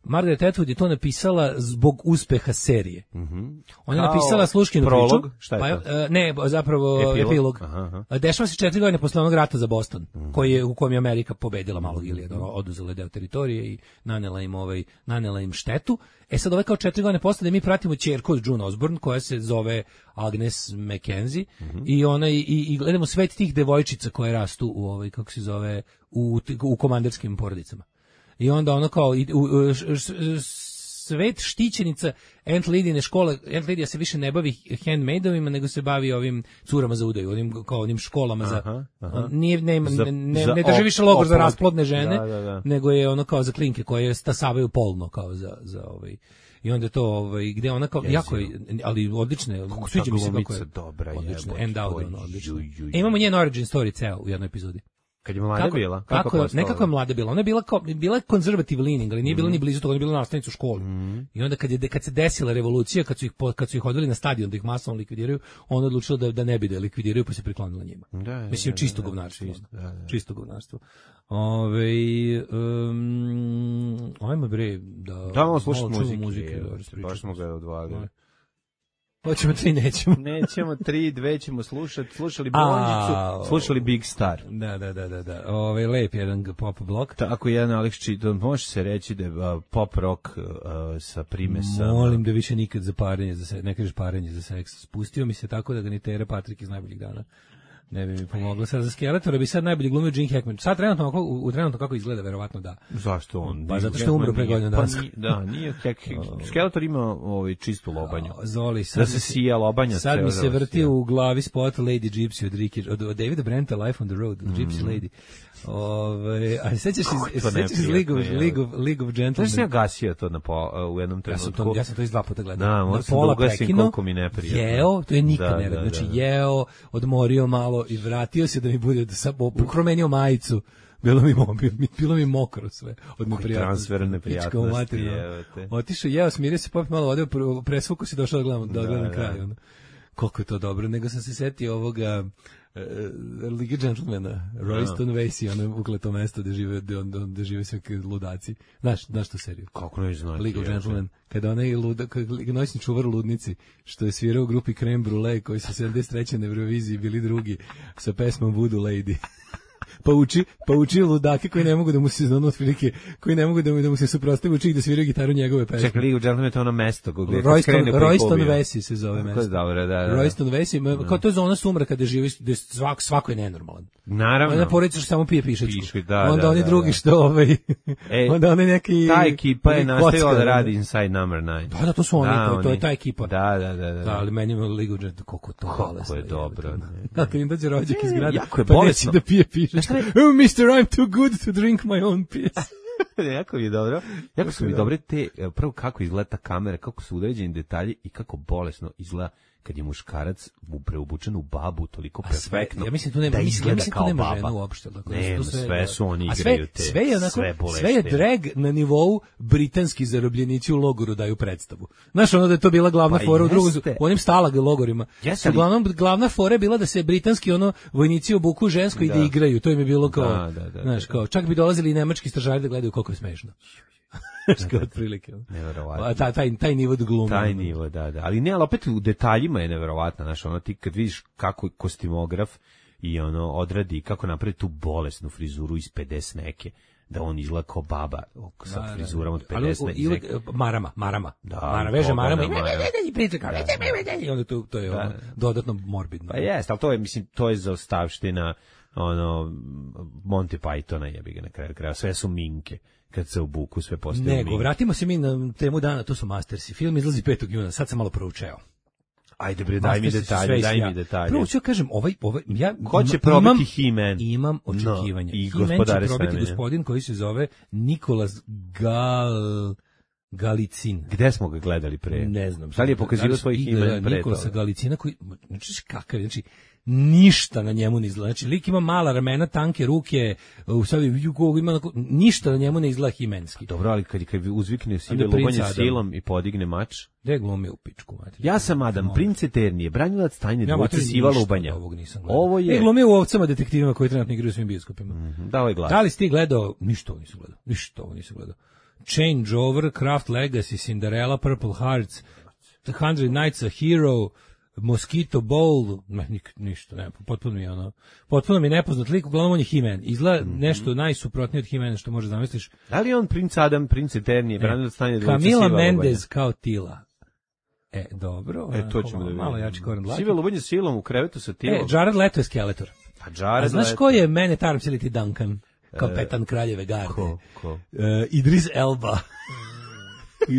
Speaker 6: Margaret Atwood je to napisala zbog uspeha serije.
Speaker 7: Mm-hmm.
Speaker 6: Ona je napisala sluškinu
Speaker 7: prolog,
Speaker 6: priču.
Speaker 7: šta je
Speaker 6: pa, uh, ne, zapravo epilog. epilog.
Speaker 7: Aha, aha.
Speaker 6: Dešava se četiri godine posle onog rata za Boston, mm-hmm. koji je, u kojem je Amerika pobedila Malog Ilijada, mm-hmm. oduzela deo teritorije i nanela im, ovaj, nanela im štetu. E sad ove kao četiri godine posle da mi pratimo ćerku od June Osborne koja se zove Agnes Mackenzie mm-hmm. i ona i, i gledamo svet tih devojčica koje rastu u ovaj kako se zove u u komanderskim porodicama. I onda ono kao i, u, u, š, š, svet štićenica Aunt Lidine škole, Aunt Lidija se više ne bavi handmaidovima, nego se bavi ovim curama za udaju, onim kao onim školama za aha, aha. Nije, ne,
Speaker 7: za,
Speaker 6: ne, ne,
Speaker 7: za
Speaker 6: ne drži više logor
Speaker 7: oplod.
Speaker 6: za rasplodne žene,
Speaker 7: da, da, da.
Speaker 6: nego je ono kao za klinke koje stasavaju polno kao za za ovaj i onda to ovaj gde ona kao jako je, ali odlične, sviđa mi se kako je
Speaker 7: dobra,
Speaker 6: odlično, end out ono odlično. E, imamo njen origin story ceo u jednoj epizodi.
Speaker 7: Kad je mlada
Speaker 6: kako,
Speaker 7: bila?
Speaker 6: Kako, kako je, nekako je mlada bila. Ona je bila, kao, bila je conservative leaning, ali nije mm. bila ni blizu toga, ona je bila nastavnica u školi. Mm. I onda kad, je, kad se desila revolucija, kad su ih, kad su ih odveli na stadion da ih masovno likvidiraju, ona odlučila da, da ne bi da likvidiraju, pa se priklonila njima.
Speaker 7: Da,
Speaker 6: mislim,
Speaker 7: da,
Speaker 6: čisto
Speaker 7: da,
Speaker 6: govnarstvo.
Speaker 7: Čist, da, da.
Speaker 6: Čisto govnarstvo. Ove, um, ajmo bre, da...
Speaker 7: Da, malo slušati muzike.
Speaker 6: muzike
Speaker 7: je, da, baš smo ga odvalili.
Speaker 6: Hoćemo tri, nećemo.
Speaker 7: Nećemo tri, dve ćemo slušati. Slušali Blondjicu, slušali Big Star.
Speaker 6: Da, da, da, da, da. Ovaj lep jedan pop blok.
Speaker 7: Tako jedan Alex Cheaton, može se reći da je uh, pop rock uh, sa primesama.
Speaker 6: Molim da više nikad za parenje, za se, ne kažeš parenje za seks. Spustio mi se tako da ga ni Tere Patrik iz Najboljih dana ne bi mi pomoglo. Sad za Skeletora bi sad najbolje glumio Gene Hackman. Sad trenutno, u, u trenutno kako izgleda, verovatno da.
Speaker 7: Zašto on?
Speaker 6: Pa zato što je umro pre godinu dana.
Speaker 7: Pa, da, nije Skeletor ima ovaj čistu lobanju.
Speaker 6: Zoli, sad
Speaker 7: da se sija lobanja.
Speaker 6: Sad mi se vrti u glavi spot Lady Gypsy od, Ricky, od, od Davida Brenta, Life on the Road, mm. Gypsy Lady. Ove, a sećaš iz, sećaš iz League of, League of, League of Gentlemen?
Speaker 7: Znaš, ja gasio to na po, u jednom trenutku.
Speaker 6: Ja sam to, ja sam to iz dva puta gledao.
Speaker 7: Da, možda sam da ugasim koliko mi neprijatno.
Speaker 6: Jeo, to je nikad
Speaker 7: da,
Speaker 6: ne
Speaker 7: da,
Speaker 6: znači
Speaker 7: da, da.
Speaker 6: jeo, odmorio malo i vratio se da mi bude, da sam ukromenio majicu. Bilo mi, bilo mi mokro sve od neprijatnosti.
Speaker 7: Transfer neprijatnosti.
Speaker 6: Otišao, jeo, smirio se, popio malo vode, presvuku si došao da gledam, da, da gledam kraj. Ono. Koliko je to dobro, nego sam se setio ovoga uh, Lige Gentlemana, Royston no. Vasey, ono ukleto mesto gde žive, gde žive sve ludaci. Znaš, znaš tu seriju?
Speaker 7: Kako ne znam.
Speaker 6: League of Gentlemen, kada onaj luda, noćni čuvar u ludnici, što je svirao u grupi Creme Brulee, koji su sedamdeset treće na Euroviziji bili drugi, sa pesmom Voodoo Lady. pa uči, pa uči ludake koji ne mogu da mu se ono otprilike, koji ne mogu da mu, da mu se suprotstave, uči ih da sviraju gitaru njegove pesme.
Speaker 7: Čekaj, League of Gentlemen je to ono mesto gdje
Speaker 6: Royston, Royston Vesey se zove mesto.
Speaker 7: Dobro, da, da.
Speaker 6: Royston Vesey, kao to je zona sumraka gde živi, gde svak, svako je nenormalan.
Speaker 7: Naravno.
Speaker 6: Onda porodica što samo pije pišečku.
Speaker 7: Piški, da,
Speaker 6: onda
Speaker 7: da,
Speaker 6: oni
Speaker 7: da,
Speaker 6: drugi
Speaker 7: da.
Speaker 6: što ovaj,
Speaker 7: e,
Speaker 6: onda oni neki...
Speaker 7: Ta ekipa je nastavila da radi Inside Number nine.
Speaker 6: Da, da, to su oni, da, to, to je ta ekipa.
Speaker 7: Da, da, da. Da,
Speaker 6: da ali meni je League of Gentlemen, koliko to
Speaker 7: Kako je dobro.
Speaker 6: Kako im dođe rođak iz grada,
Speaker 7: jako je
Speaker 6: pa
Speaker 7: bolesno.
Speaker 6: neće da pije pišečku. Oh, mister, I'm too good to drink my own piss.
Speaker 7: jako mi je dobro. Jako su mi dobre te, prvo kako izgleda ta kamera, kako su uređeni detalji i kako bolesno izgleda kad je muškarac preobučen u babu toliko perfektno.
Speaker 6: Ja mislim tu nema,
Speaker 7: da
Speaker 6: mislim, ja mislim tu nema žena uopšte.
Speaker 7: Dakle, nema, sve, sve su oni
Speaker 6: a
Speaker 7: igraju
Speaker 6: sve,
Speaker 7: te,
Speaker 6: sve je, onako,
Speaker 7: sve bolesne.
Speaker 6: Sve je drag na nivou britanski zarobljenici u logoru daju predstavu. Znaš, ono da je to bila glavna pa fora u drugom, u onim stalag logorima.
Speaker 7: Jeste,
Speaker 6: uglavnom, glavna fora je bila da se britanski ono vojnici obuku žensko da. I da igraju. To im je bilo kao,
Speaker 7: da, da, da,
Speaker 6: znaš, kao, čak bi dolazili i nemački stražari da gledaju koliko je smešno. Što otprilike.
Speaker 7: Neverovatno.
Speaker 6: Taj taj taj nivo glume.
Speaker 7: Taj nivo, da, da. Ali ne, ali opet u detaljima je neverovatno, znaš, ono ti kad vidiš kako kostimograf i ono odradi kako napravi tu bolesnu frizuru iz pedeset neke, da on izgleda kao baba sa da, frizurom od pedeset neke.
Speaker 6: Marama, marama.
Speaker 7: Da,
Speaker 6: Mara veže marama
Speaker 7: i
Speaker 6: priča kao i onda to to je
Speaker 7: da.
Speaker 6: Ono, dodatno morbidno.
Speaker 7: Pa jeste, al to je mislim to je zaostavština ono Monty Pythona, jebi ga na kraju kraja, sve su minke. Kad se obuku sve postaju.
Speaker 6: Nego, vratimo se mi na temu dana, to su Mastersi. Film izlazi petog juna, sad sam malo proučeo.
Speaker 7: Ajde bre, daj mi detalje, daj mi detalje.
Speaker 6: Prvo ću kažem, ovaj, ovaj, ja
Speaker 7: ko će probiti He-Man?
Speaker 6: Imam očekivanja.
Speaker 7: No, i
Speaker 6: He-Man će probiti gospodin koji se zove Nikolas Gal... Galicin.
Speaker 7: Gde smo ga gledali pre?
Speaker 6: Ne znam.
Speaker 7: Da li je pokazivao svoj He-Man pre?
Speaker 6: Nikolasa Galicina koji, znači kakav, znači ništa na njemu ne izgleda. Znači lik ima mala ramena, tanke ruke, u sad ima ništa na njemu ne izgleda He-manski.
Speaker 7: Dobro, ali kad kad uzvikne sive lubanje silom i podigne mač,
Speaker 6: gde glumi u pičku mater.
Speaker 7: Ja sam Adam, no. Princ Eternije, branilac tajne ja, dvojice siva lubanja. Ovo je.
Speaker 6: E, glumi u Ovcama detektivima koji trenutno igraju u svim bioskopima.
Speaker 7: Mm-hmm. Da, ovaj glas.
Speaker 6: Da li si ti gledao? Ništa ovo nisam gledao. Ništa ovo nisam gledao. Changeover, Craft Legacy, Cinderella, Purple Hearts, The Hundred Nights a Hero, Mosquito Bowl, ne, nik, ništa, ne, potpuno mi je ono, potpuno mi je nepoznat lik, uglavnom on je He-Man, izgleda mm-hmm. nešto najsuprotnije od He-Mana što može zamisliš.
Speaker 7: Da li on Princ Adam, Princ Eternije, branilac tajne dvojice siva
Speaker 6: lubanja?
Speaker 7: Camila
Speaker 6: Mendez kao Tila. E, dobro.
Speaker 7: E, to ćemo da vidimo.
Speaker 6: Malo jači koren dlake.
Speaker 7: Sive lubanje silom u krevetu sa Tilom.
Speaker 6: E, Jared Leto je Skeletor.
Speaker 7: A Jared
Speaker 6: A znaš
Speaker 7: Leto.
Speaker 6: ko je mene Tarms ili ti Duncan? Kapetan Kraljeve garde.
Speaker 7: Ko? Ko?
Speaker 6: Uh, Idris Elba.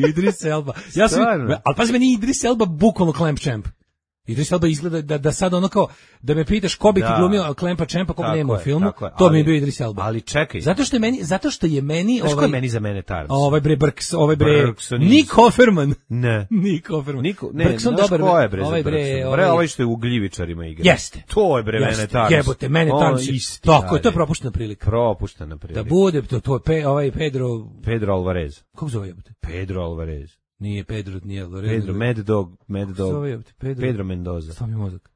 Speaker 6: Idris Elba. Ja sam, ali pazi, meni Idris Elba bukvalno Clamp Champ. Idris Elba izgleda da, da sad ono kao, da me pitaš ko bi ti glumio Clampa Champa, koga nema u filmu, to mi je bio Idris Elba.
Speaker 7: Ali čekaj.
Speaker 6: Zato što je meni, zato što je meni...
Speaker 7: Znaš
Speaker 6: ovaj,
Speaker 7: ko je meni za mene Tarms?
Speaker 6: Ovaj bre Brks, ovaj bre...
Speaker 7: Brkson
Speaker 6: Nick Offerman.
Speaker 7: Ne.
Speaker 6: Nick Offerman.
Speaker 7: Niko, ne,
Speaker 6: Brkson
Speaker 7: znaš
Speaker 6: dobar,
Speaker 7: ko je bre
Speaker 6: ovaj
Speaker 7: za
Speaker 6: bre,
Speaker 7: Brkson?
Speaker 6: ovaj,
Speaker 7: bre, ovaj što je u Gljivičarima igra.
Speaker 6: Jeste.
Speaker 7: To je bre
Speaker 6: jeste,
Speaker 7: mene Tarms.
Speaker 6: Jebote, mene Tarms. Tako je, to je propuštena prilika.
Speaker 7: Propuštena prilika.
Speaker 6: Da bude, to, to je pe, ovaj Pedro...
Speaker 7: Pedro Alvarez.
Speaker 6: Kako zove jebote?
Speaker 7: Pedro Alvarez.
Speaker 6: Nije Pedro, nije Alvarez.
Speaker 7: Pedro, Mad Dog, Mad Dog.
Speaker 6: Zove jebote, Pedro.
Speaker 7: Pedro Mendoza.
Speaker 6: Stav mi mozak.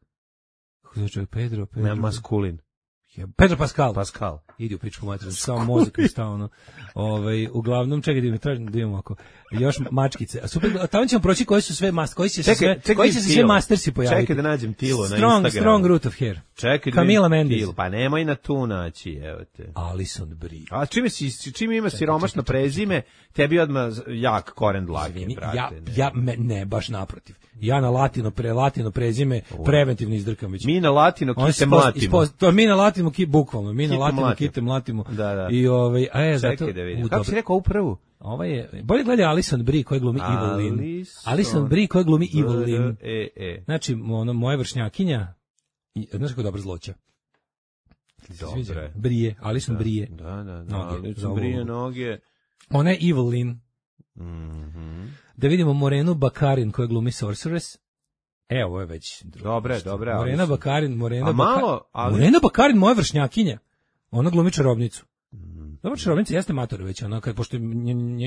Speaker 6: Kako zove čovjek? Pedro, Pedro.
Speaker 7: Ne, maskulin.
Speaker 6: Pedro Pascal.
Speaker 7: Pascal.
Speaker 6: Idi u pičku materiju, samo mozak mi stao ono. Ovaj, uglavnom, čekaj da mi tražim da imamo ako još mačkice. A super, tamo ćemo proći koji su sve mas, koji će se sve, čekaj, koji će se sve mastersi pojaviti.
Speaker 7: Čekaj da nađem Tilo na
Speaker 6: strong,
Speaker 7: Instagramu.
Speaker 6: Strong root of hair.
Speaker 7: Čekaj da
Speaker 6: Camila Mendes.
Speaker 7: Tilo, pa nemoj na tu naći, evo te.
Speaker 6: Alison Brie.
Speaker 7: A čime si, čime ima siromašno prezime, tebi odmah jak koren dlake, brate.
Speaker 6: Ja, ja me, ne, baš naprotiv. Ja na latino, pre latino prezime preventivno izdrkam već.
Speaker 7: Mi na latino kite mlatimo.
Speaker 6: To mi na latino ki bukvalno, mi na latino kite mlatimo.
Speaker 7: Da, da.
Speaker 6: I ovaj, a je
Speaker 7: zato. Da vidim. Kako si rekao ovu prvu?
Speaker 6: Ova je, bolje gledaj Alison Brie koja glumi Evelyn. Alison Brie koja glumi Evelyn.
Speaker 7: E, e.
Speaker 6: Znači, ono, moja vršnjakinja, znaš kako dobra zloća.
Speaker 7: Dobre.
Speaker 6: Brie, Alison
Speaker 7: da,
Speaker 6: Brie.
Speaker 7: Da, da, da. Alison Brie noge.
Speaker 6: Ona je Evelyn.
Speaker 7: Mhm.
Speaker 6: Da vidimo Morenu Bakarin koja glumi Sorceress. E, ovo je već...
Speaker 7: Dobre, dobre.
Speaker 6: Morena Bakarin, Morena
Speaker 7: A malo, ali...
Speaker 6: Morena Bakarin, moja vršnjakinja. Ona glumi čarobnicu. Dobro, čarobnica jeste mator već, ono, kad, pošto,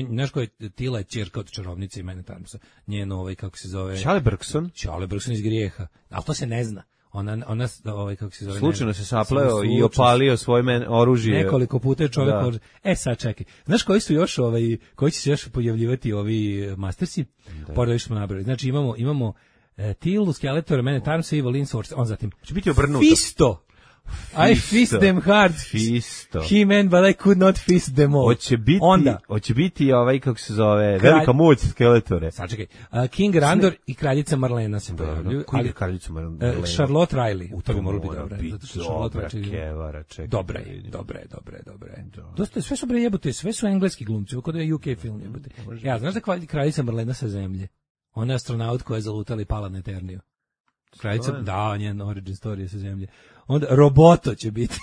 Speaker 6: znaš koja je Tila je ćerka od čarobnice i mene Tarmsa. Njeno, ovaj, kako se zove...
Speaker 7: Charlie Brkson?
Speaker 6: Charlie Brkson iz Grijeha. Ali to se ne zna. Ona, ona, ovaj, kako se zove...
Speaker 7: Slučajno se sapleo i opalio svoje men, oružje.
Speaker 6: Nekoliko puta je čovjek... Da. E, sad čekaj. Znaš koji su još, ovaj, koji će se još pojavljivati ovi Mastersi? Pored što smo nabrali. Znači, imamo, imamo e, Tilu, Skeletor, mene Tarmsa i Evelyn Sorceress. On zatim...
Speaker 7: Će biti obrnuto.
Speaker 6: Fisto! I fist them hard.
Speaker 7: Fisto.
Speaker 6: He man, but I could not fist them all.
Speaker 7: Hoće biti,
Speaker 6: Onda.
Speaker 7: hoće biti ovaj, kako se zove,
Speaker 6: Kralj-
Speaker 7: velika moć Skeletore.
Speaker 6: Sačekaj. Uh, King Randor i kraljica Marlena se pojavljuju.
Speaker 7: Koji je
Speaker 6: Ali
Speaker 7: kraljica
Speaker 6: uh,
Speaker 7: Marlena?
Speaker 6: Charlotte Riley. U to bi moralo biti
Speaker 7: mora
Speaker 6: dobra.
Speaker 7: biti
Speaker 6: Zato što Charlotte
Speaker 7: dobra
Speaker 6: Riley-
Speaker 7: kevara, čekaj.
Speaker 6: Dobre,
Speaker 7: da vidim.
Speaker 6: dobre, dobre, dobre. Dosta je, sve su bre jebote, sve su engleski glumci, ovo kod je U K film jebote. Ja, znaš da kralj- kraljica Marlena sa zemlje? Ona je astronaut koja je zalutala i pala na Eterniju. Kraljica, da, njen origin story je sa zemlje. Onda Roboto će biti.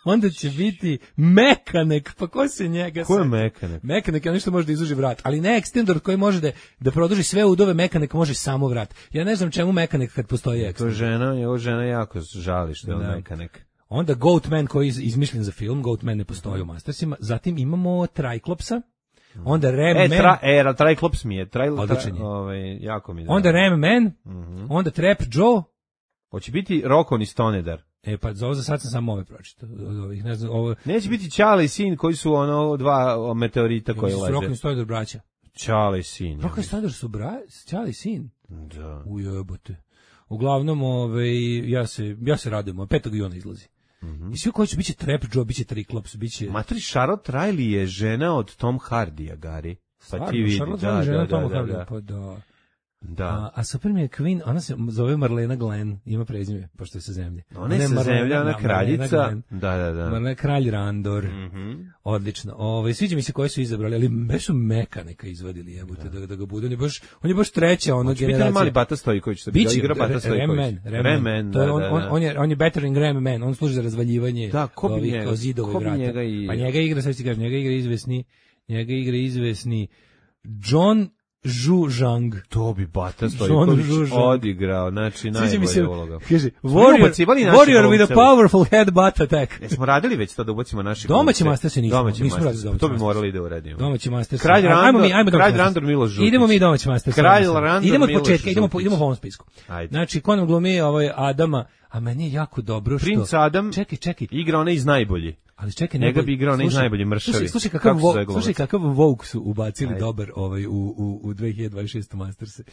Speaker 6: Onda će biti Mekanek, pa ko se njega
Speaker 7: Ko je
Speaker 6: seti?
Speaker 7: Mekanek?
Speaker 6: Mekanek je nešto može da izuži vrat, ali ne Extendor koji može da, da produži sve udove, Mekanek može samo vrat. Ja ne znam čemu Mekanek kad postoji
Speaker 7: To je
Speaker 6: Extendor.
Speaker 7: žena, jeho žena jako žali što je on
Speaker 6: Da.
Speaker 7: Mekanek.
Speaker 6: Onda Goatman koji je iz- izmišljen za film, Goatman ne postoji u Mastersima. Zatim imamo Triklopsa, onda Ram
Speaker 7: E,
Speaker 6: Man,
Speaker 7: tra, e, Triclops mi je, tri,
Speaker 6: Odličan je.
Speaker 7: tra, ovaj, jako mi je.
Speaker 6: onda
Speaker 7: drago.
Speaker 6: Ram Man, onda Trap Joe.
Speaker 7: Hoće biti Rokon i Stonedar.
Speaker 6: E pa za ovo za sad sam samo ove pročitao. Od ovih, ne znam, ovo
Speaker 7: Neće biti Čale i sin koji su ono dva meteorita koji
Speaker 6: su Rock
Speaker 7: leže.
Speaker 6: and Stoner braća.
Speaker 7: Čale i sin.
Speaker 6: Rock and Stoner su bra, Čali sin.
Speaker 7: Da.
Speaker 6: Ujebote. Uglavnom, ovaj, ja se, ja se radujem, petog juna izlazi. I svi koji će, biće Trap Joe, biće Triclops, biće...
Speaker 7: Matri, Charlotte Riley je žena od Tom Hardija, Gari. Pa
Speaker 6: Stvarno,
Speaker 7: ti vidi,
Speaker 6: Charlotte
Speaker 7: da,
Speaker 6: Riley, žena
Speaker 7: da,
Speaker 6: Toma
Speaker 7: da,
Speaker 6: Hardija,
Speaker 7: da.
Speaker 6: pa da.
Speaker 7: Da.
Speaker 6: A, a super mi je Queen, ona se zove Marlena Glenn, ima prezime, pošto je sa zemlje.
Speaker 7: Ona je sa
Speaker 6: Marlena-
Speaker 7: zemlja, ona
Speaker 6: da,
Speaker 7: kraljica.
Speaker 6: Marlena Glenn.
Speaker 7: Da, da, da.
Speaker 6: Marlena Kralj Randor.
Speaker 7: Mhm.
Speaker 6: Odlično. Ovaj sviđa mi se koji su izabrali, ali baš su Meka neka izvadili, jebote, da. da ga bude. On je baš on je baš treća ona
Speaker 7: Hoće biti
Speaker 6: generacija.
Speaker 7: onaj mali Bata Stojković, što bi
Speaker 6: Biće
Speaker 7: igra Bata
Speaker 6: Ram
Speaker 7: Stojković.
Speaker 6: Man, Ram
Speaker 7: Ram
Speaker 6: Man.
Speaker 7: Man,
Speaker 6: To je
Speaker 7: da,
Speaker 6: on,
Speaker 7: da,
Speaker 6: on,
Speaker 7: da.
Speaker 6: on je on je bettering Ram Man, on služi za razvaljivanje.
Speaker 7: Da, ko bi
Speaker 6: ovih
Speaker 7: njega-
Speaker 6: kao zidova
Speaker 7: ko
Speaker 6: i
Speaker 7: bi
Speaker 6: vrata.
Speaker 7: njega i-
Speaker 6: Pa njega igra, sad ti kažem, njega igra izvesni, njega igra izvesni John Zhu Zhang.
Speaker 7: To bi Bata
Speaker 6: John
Speaker 7: Stojković
Speaker 6: Žužan.
Speaker 7: odigrao, znači
Speaker 6: Sviđa mi
Speaker 7: najbolja
Speaker 6: se,
Speaker 7: uloga.
Speaker 6: kaže,
Speaker 7: Smo
Speaker 6: warrior,
Speaker 7: ubacivali naše
Speaker 6: warrior with a
Speaker 7: glumce.
Speaker 6: powerful head butt attack.
Speaker 7: Jesmo radili već to da ubacimo naše
Speaker 6: Domaći
Speaker 7: glumce?
Speaker 6: Mastersi nismo,
Speaker 7: Domaći
Speaker 6: nismo radili
Speaker 7: Mastersi.
Speaker 6: domaći
Speaker 7: To bi
Speaker 6: Mastersi.
Speaker 7: morali da uradimo.
Speaker 6: Domaći Masters.
Speaker 7: Kralj
Speaker 6: Ajmo
Speaker 7: Randor,
Speaker 6: mi, ajmo
Speaker 7: Kralj
Speaker 6: domaći
Speaker 7: Randor
Speaker 6: Masters.
Speaker 7: Miloš Žutić.
Speaker 6: Idemo mi domaći Masters.
Speaker 7: Kralj
Speaker 6: Ajmo.
Speaker 7: Randor
Speaker 6: Idemo od
Speaker 7: Miloš
Speaker 6: početka, idemo po,
Speaker 7: Žutić.
Speaker 6: idemo po ovom spisku.
Speaker 7: Ajde.
Speaker 6: Znači, ko nam glumi ovaj Adama, a meni je jako dobro što...
Speaker 7: Princ Adam
Speaker 6: Čekaj, čekaj.
Speaker 7: igra onaj iz najbolji.
Speaker 6: Ali čekaj,
Speaker 7: Njega
Speaker 6: najbolj-
Speaker 7: bi igrao onaj
Speaker 6: slušaj,
Speaker 7: najbolji mršavi.
Speaker 6: Slušaj, slušaj kakav,
Speaker 7: Kako se
Speaker 6: vo,
Speaker 7: zove glumac?
Speaker 6: slušaj kakav Vogue su ubacili
Speaker 7: Ajde.
Speaker 6: dobar ovaj, u, u, u dve hiljade dvadeset šeste Masterse.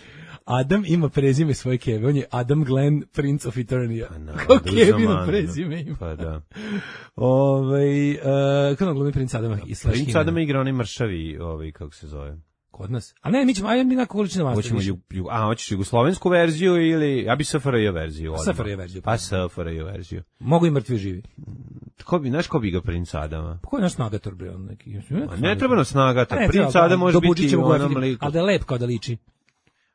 Speaker 6: Adam ima prezime svoje keve, on je Adam Glenn, Prince of Eternia.
Speaker 7: Pa,
Speaker 6: Kako Kevino
Speaker 7: uzamano.
Speaker 6: prezime ima.
Speaker 7: Pa da.
Speaker 6: Ovaj uh, kako nam glumi Prince Adama i slash
Speaker 7: Princ
Speaker 6: He-Man?
Speaker 7: Adam igra onaj mršavi, ovaj, kako se zove.
Speaker 6: Kod nas. A ne, mi ćemo, ajde mi na količinu Master.
Speaker 7: Hoćemo
Speaker 6: više.
Speaker 7: ju, ju, a, hoćeš jugoslovensku verziju ili, ja bi S F R J verziju. odmah.
Speaker 6: S F R J verziju.
Speaker 7: Pa S F R J verziju.
Speaker 6: Mogu i mrtvi živi.
Speaker 7: Ko bi, znaš ko bi igrao Princ Adama?
Speaker 6: Pa ko je naš snagator, bre, on neki?
Speaker 7: A ne treba nas snagati.
Speaker 6: A ne,
Speaker 7: Princ
Speaker 6: treba,
Speaker 7: Adam može
Speaker 6: dobuđit
Speaker 7: biti
Speaker 6: ćemo
Speaker 7: u
Speaker 6: ga
Speaker 7: onom
Speaker 6: efektivno,
Speaker 7: liku.
Speaker 6: ali da je lep kao da liči.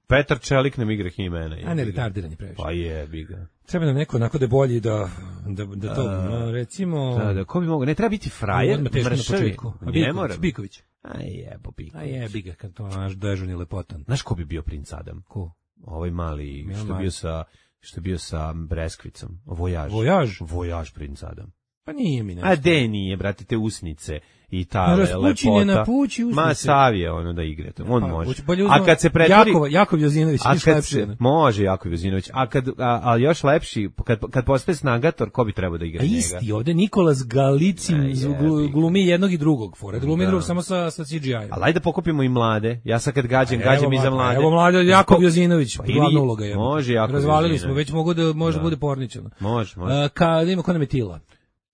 Speaker 7: Petar Čelik nam igra He-Mana.
Speaker 6: A ne, retardiran je previše.
Speaker 7: Pa je, bi ga.
Speaker 6: Treba nam neko onako da je bolji da, da, da to, no, recimo...
Speaker 7: Da, da, ko bi mogao? Ne treba biti frajer,
Speaker 6: Odmah teško na
Speaker 7: mršavi.
Speaker 6: početku. A
Speaker 7: Ne
Speaker 6: Biković,
Speaker 7: mora.
Speaker 6: Biković.
Speaker 7: Aj jebo Biković.
Speaker 6: A jebi ga, kad to naš dežurni lepotan.
Speaker 7: Znaš ko bi bio Princ Adam?
Speaker 6: Ko?
Speaker 7: Ovaj mali,
Speaker 6: Milan
Speaker 7: što je
Speaker 6: Majić.
Speaker 7: bio sa, što je bio sa Breskvicom. Vojaž.
Speaker 6: Vojaž?
Speaker 7: Vojaž Princ Adam.
Speaker 6: Pa nije mi nešto.
Speaker 7: A de nije, brate, te usnice i ta
Speaker 6: Ma,
Speaker 7: le-
Speaker 6: raspućine
Speaker 7: lepota.
Speaker 6: napući usnice.
Speaker 7: Ma savije ono da igrate, on
Speaker 6: Pa,
Speaker 7: može.
Speaker 6: hoće bolje
Speaker 7: A
Speaker 6: uzmemo
Speaker 7: kad se pretvori...
Speaker 6: Jakova, Jakov Jozinović,
Speaker 7: A
Speaker 6: viš
Speaker 7: kad
Speaker 6: lepši.
Speaker 7: se,
Speaker 6: ono.
Speaker 7: može Jakov Jozinović, a kad a, a još lepši, kad kad postaje snagator, ko bi trebao da igra
Speaker 6: A
Speaker 7: njega?
Speaker 6: isti, ovde Nikolas Galicin
Speaker 7: A
Speaker 6: glu-
Speaker 7: jebi.
Speaker 6: glumi jednog i drugog. Fore, glumi
Speaker 7: Da.
Speaker 6: drugog samo sa, sa C G I-om.
Speaker 7: Ali ajde da pokupimo i mlade. Ja sad kad gađam,
Speaker 6: A
Speaker 7: gađam
Speaker 6: evo
Speaker 7: i za
Speaker 6: mlade,
Speaker 7: mlade.
Speaker 6: Evo mlade, Jakov Jozinović,
Speaker 7: Pa ili-
Speaker 6: glavna uloga je.
Speaker 7: može Jakov
Speaker 6: Razvalili
Speaker 7: Jozinović.
Speaker 6: smo, već mogu da, može
Speaker 7: Da.
Speaker 6: bude porničano.
Speaker 7: Može, može.
Speaker 6: Uh, ka, da ima ko nam je Tila.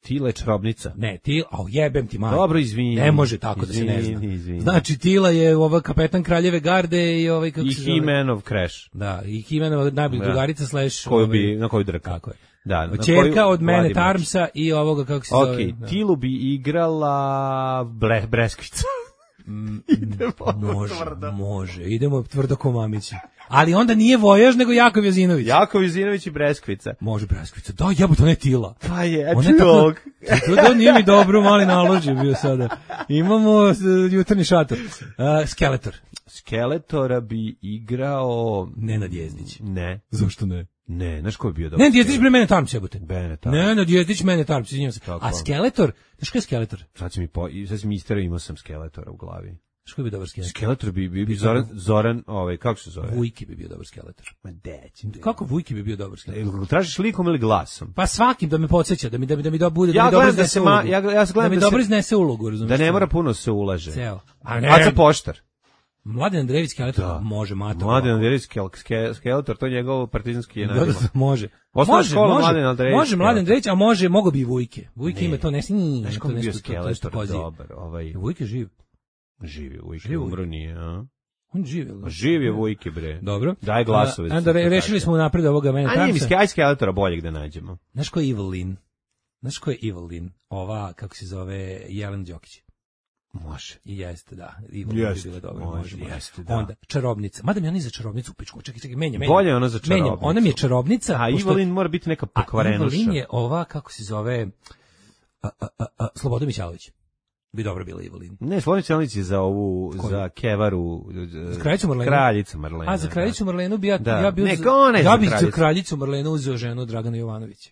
Speaker 7: Tile čarobnica.
Speaker 6: Ne, Tila, a jebem ti majku.
Speaker 7: Dobro, izvini.
Speaker 6: Ne može tako da se ne zna.
Speaker 7: Izvini, izvini.
Speaker 6: Znači, Tila je ova kapetan Kraljeve garde i ovaj, kako
Speaker 7: I
Speaker 6: se zove?
Speaker 7: He-Manov Crash.
Speaker 6: Da, i He-Manova najbolja
Speaker 7: Da.
Speaker 6: drugarica slash...
Speaker 7: Koju
Speaker 6: ovaj,
Speaker 7: bi, na koju drka.
Speaker 6: Tako je.
Speaker 7: Da, na
Speaker 6: Čerka
Speaker 7: koju
Speaker 6: od mene
Speaker 7: Vladimir.
Speaker 6: Tarmsa i ovoga, kako se zove.
Speaker 7: Ok,
Speaker 6: da.
Speaker 7: Tilu bi igrala Bre, Breskvica.
Speaker 6: Može, može. Idemo tvrdo ko mamići. Ali onda nije Vojaž, nego Jakov Jozinović.
Speaker 7: Jakov Jozinović i Breskvica.
Speaker 6: Može Breskvica. Da, jebote, ona je Tila.
Speaker 7: Pa je,
Speaker 6: Ona je tako...
Speaker 7: čovjek.
Speaker 6: To da nije mi dobro, mali nalož je bio sada. Imamo uh, jutarnji šator. Uh, Skeletor.
Speaker 7: Skeletora bi igrao...
Speaker 6: Nenad Jezdić.
Speaker 7: Ne.
Speaker 6: Zašto ne?
Speaker 7: Ne, znaš ko bi bio dobro?
Speaker 6: Nenad Jezdić bre mene Tarms jebote.
Speaker 7: Bene, tako.
Speaker 6: Nenad Jezdić mene Tarms, izvinjavam se.
Speaker 7: Tako.
Speaker 6: A Skeletor, znaš ko je Skeletor?
Speaker 7: Sad si mi, po, sad si mi isterao, imao sam Skeletora u glavi.
Speaker 6: Znaš ko bi dobar Skeletor?
Speaker 7: Skeletor bi, bi, bi Zoran, Zoran, ovaj, kako se zove?
Speaker 6: Vujki bi bio dobar Skeletor.
Speaker 7: Ma deći.
Speaker 6: Kako Vujki bi bio dobar Skeletor?
Speaker 7: Tražiš likom ili glasom?
Speaker 6: Pa svakim da me podsjeća, da mi da mi da mi do bude da
Speaker 7: Ja
Speaker 6: mi dobro
Speaker 7: gledam da
Speaker 6: iznese
Speaker 7: se ma-
Speaker 6: ulogu.
Speaker 7: ja- ja gledam
Speaker 6: da mi
Speaker 7: da
Speaker 6: dobro
Speaker 7: se-
Speaker 6: iznese ulogu, razumiješ?
Speaker 7: Da ne mora puno se ulaže.
Speaker 6: Ceo.
Speaker 7: A Aca Poštar.
Speaker 6: Mladen Andrejević Skeletor,
Speaker 7: Da.
Speaker 6: može, mator.
Speaker 7: Mladen Andrejević Ske- Skeletor, to je njegov partizanski je
Speaker 6: Da,
Speaker 7: nadimak.
Speaker 6: da, može.
Speaker 7: Osnovna
Speaker 6: Može,
Speaker 7: škola
Speaker 6: može,
Speaker 7: Mladen Andrejević
Speaker 6: može Mladen
Speaker 7: Skeletor.
Speaker 6: Andrejević, a može, mogo bi i Vujke. Vujke
Speaker 7: Ne.
Speaker 6: ima to nešto,
Speaker 7: Znaš
Speaker 6: to
Speaker 7: kako bi bio
Speaker 6: nešto, to nešto
Speaker 7: Skeletor,
Speaker 6: kozije.
Speaker 7: dobar, ovaj,
Speaker 6: Vujke je živ.
Speaker 7: živi Vujke,
Speaker 6: Živ
Speaker 7: umro nije, a?
Speaker 6: On živ, jel da?
Speaker 7: Živ je Vujke, bre.
Speaker 6: Dobro.
Speaker 7: Daj glasove.
Speaker 6: A, onda re,
Speaker 7: to
Speaker 6: rešili
Speaker 7: kaže.
Speaker 6: smo napred ovoga mene
Speaker 7: A nije mi
Speaker 6: Tramsa.
Speaker 7: Sky Skeletora boljeg da nađemo.
Speaker 6: Znaš ko je Evelyn? Znaš ko je Evelyn? Ova, kako se zove, Jelena Đokić.
Speaker 7: Može.
Speaker 6: I jeste, da. Evelyn
Speaker 7: Jeste,
Speaker 6: bi bila dobra.
Speaker 7: može,
Speaker 6: Može, može.
Speaker 7: jeste, da.
Speaker 6: Onda, čarobnica. Mada mi oni za čarobnicu u pičku. Čekaj, čekaj, menja, menja.
Speaker 7: Bolje je ono za čarobnicu.
Speaker 6: Menja, ona mi je čarobnica.
Speaker 7: A
Speaker 6: pošto-
Speaker 7: Evelyn mora biti neka
Speaker 6: A
Speaker 7: pokvarenuša.
Speaker 6: Evelyn je ova, kako se zove, a, a, a, a, Slobodan Mićalović. Bi dobro bila Evelyn.
Speaker 7: Ne, Slobodan Mićalović je za ovu,
Speaker 6: Koju?
Speaker 7: za Kevaru.
Speaker 6: Za kraljicu Marlenu?
Speaker 7: Kraljicu Marlenu.
Speaker 6: A za kraljicu Marlenu bi ja,
Speaker 7: Da.
Speaker 6: ja bio
Speaker 7: Ne,
Speaker 6: za,
Speaker 7: ona je
Speaker 6: ja
Speaker 7: za
Speaker 6: bih za
Speaker 7: kraljicu.
Speaker 6: kraljicu Marlenu uzeo ženu Dragana Jovanovića.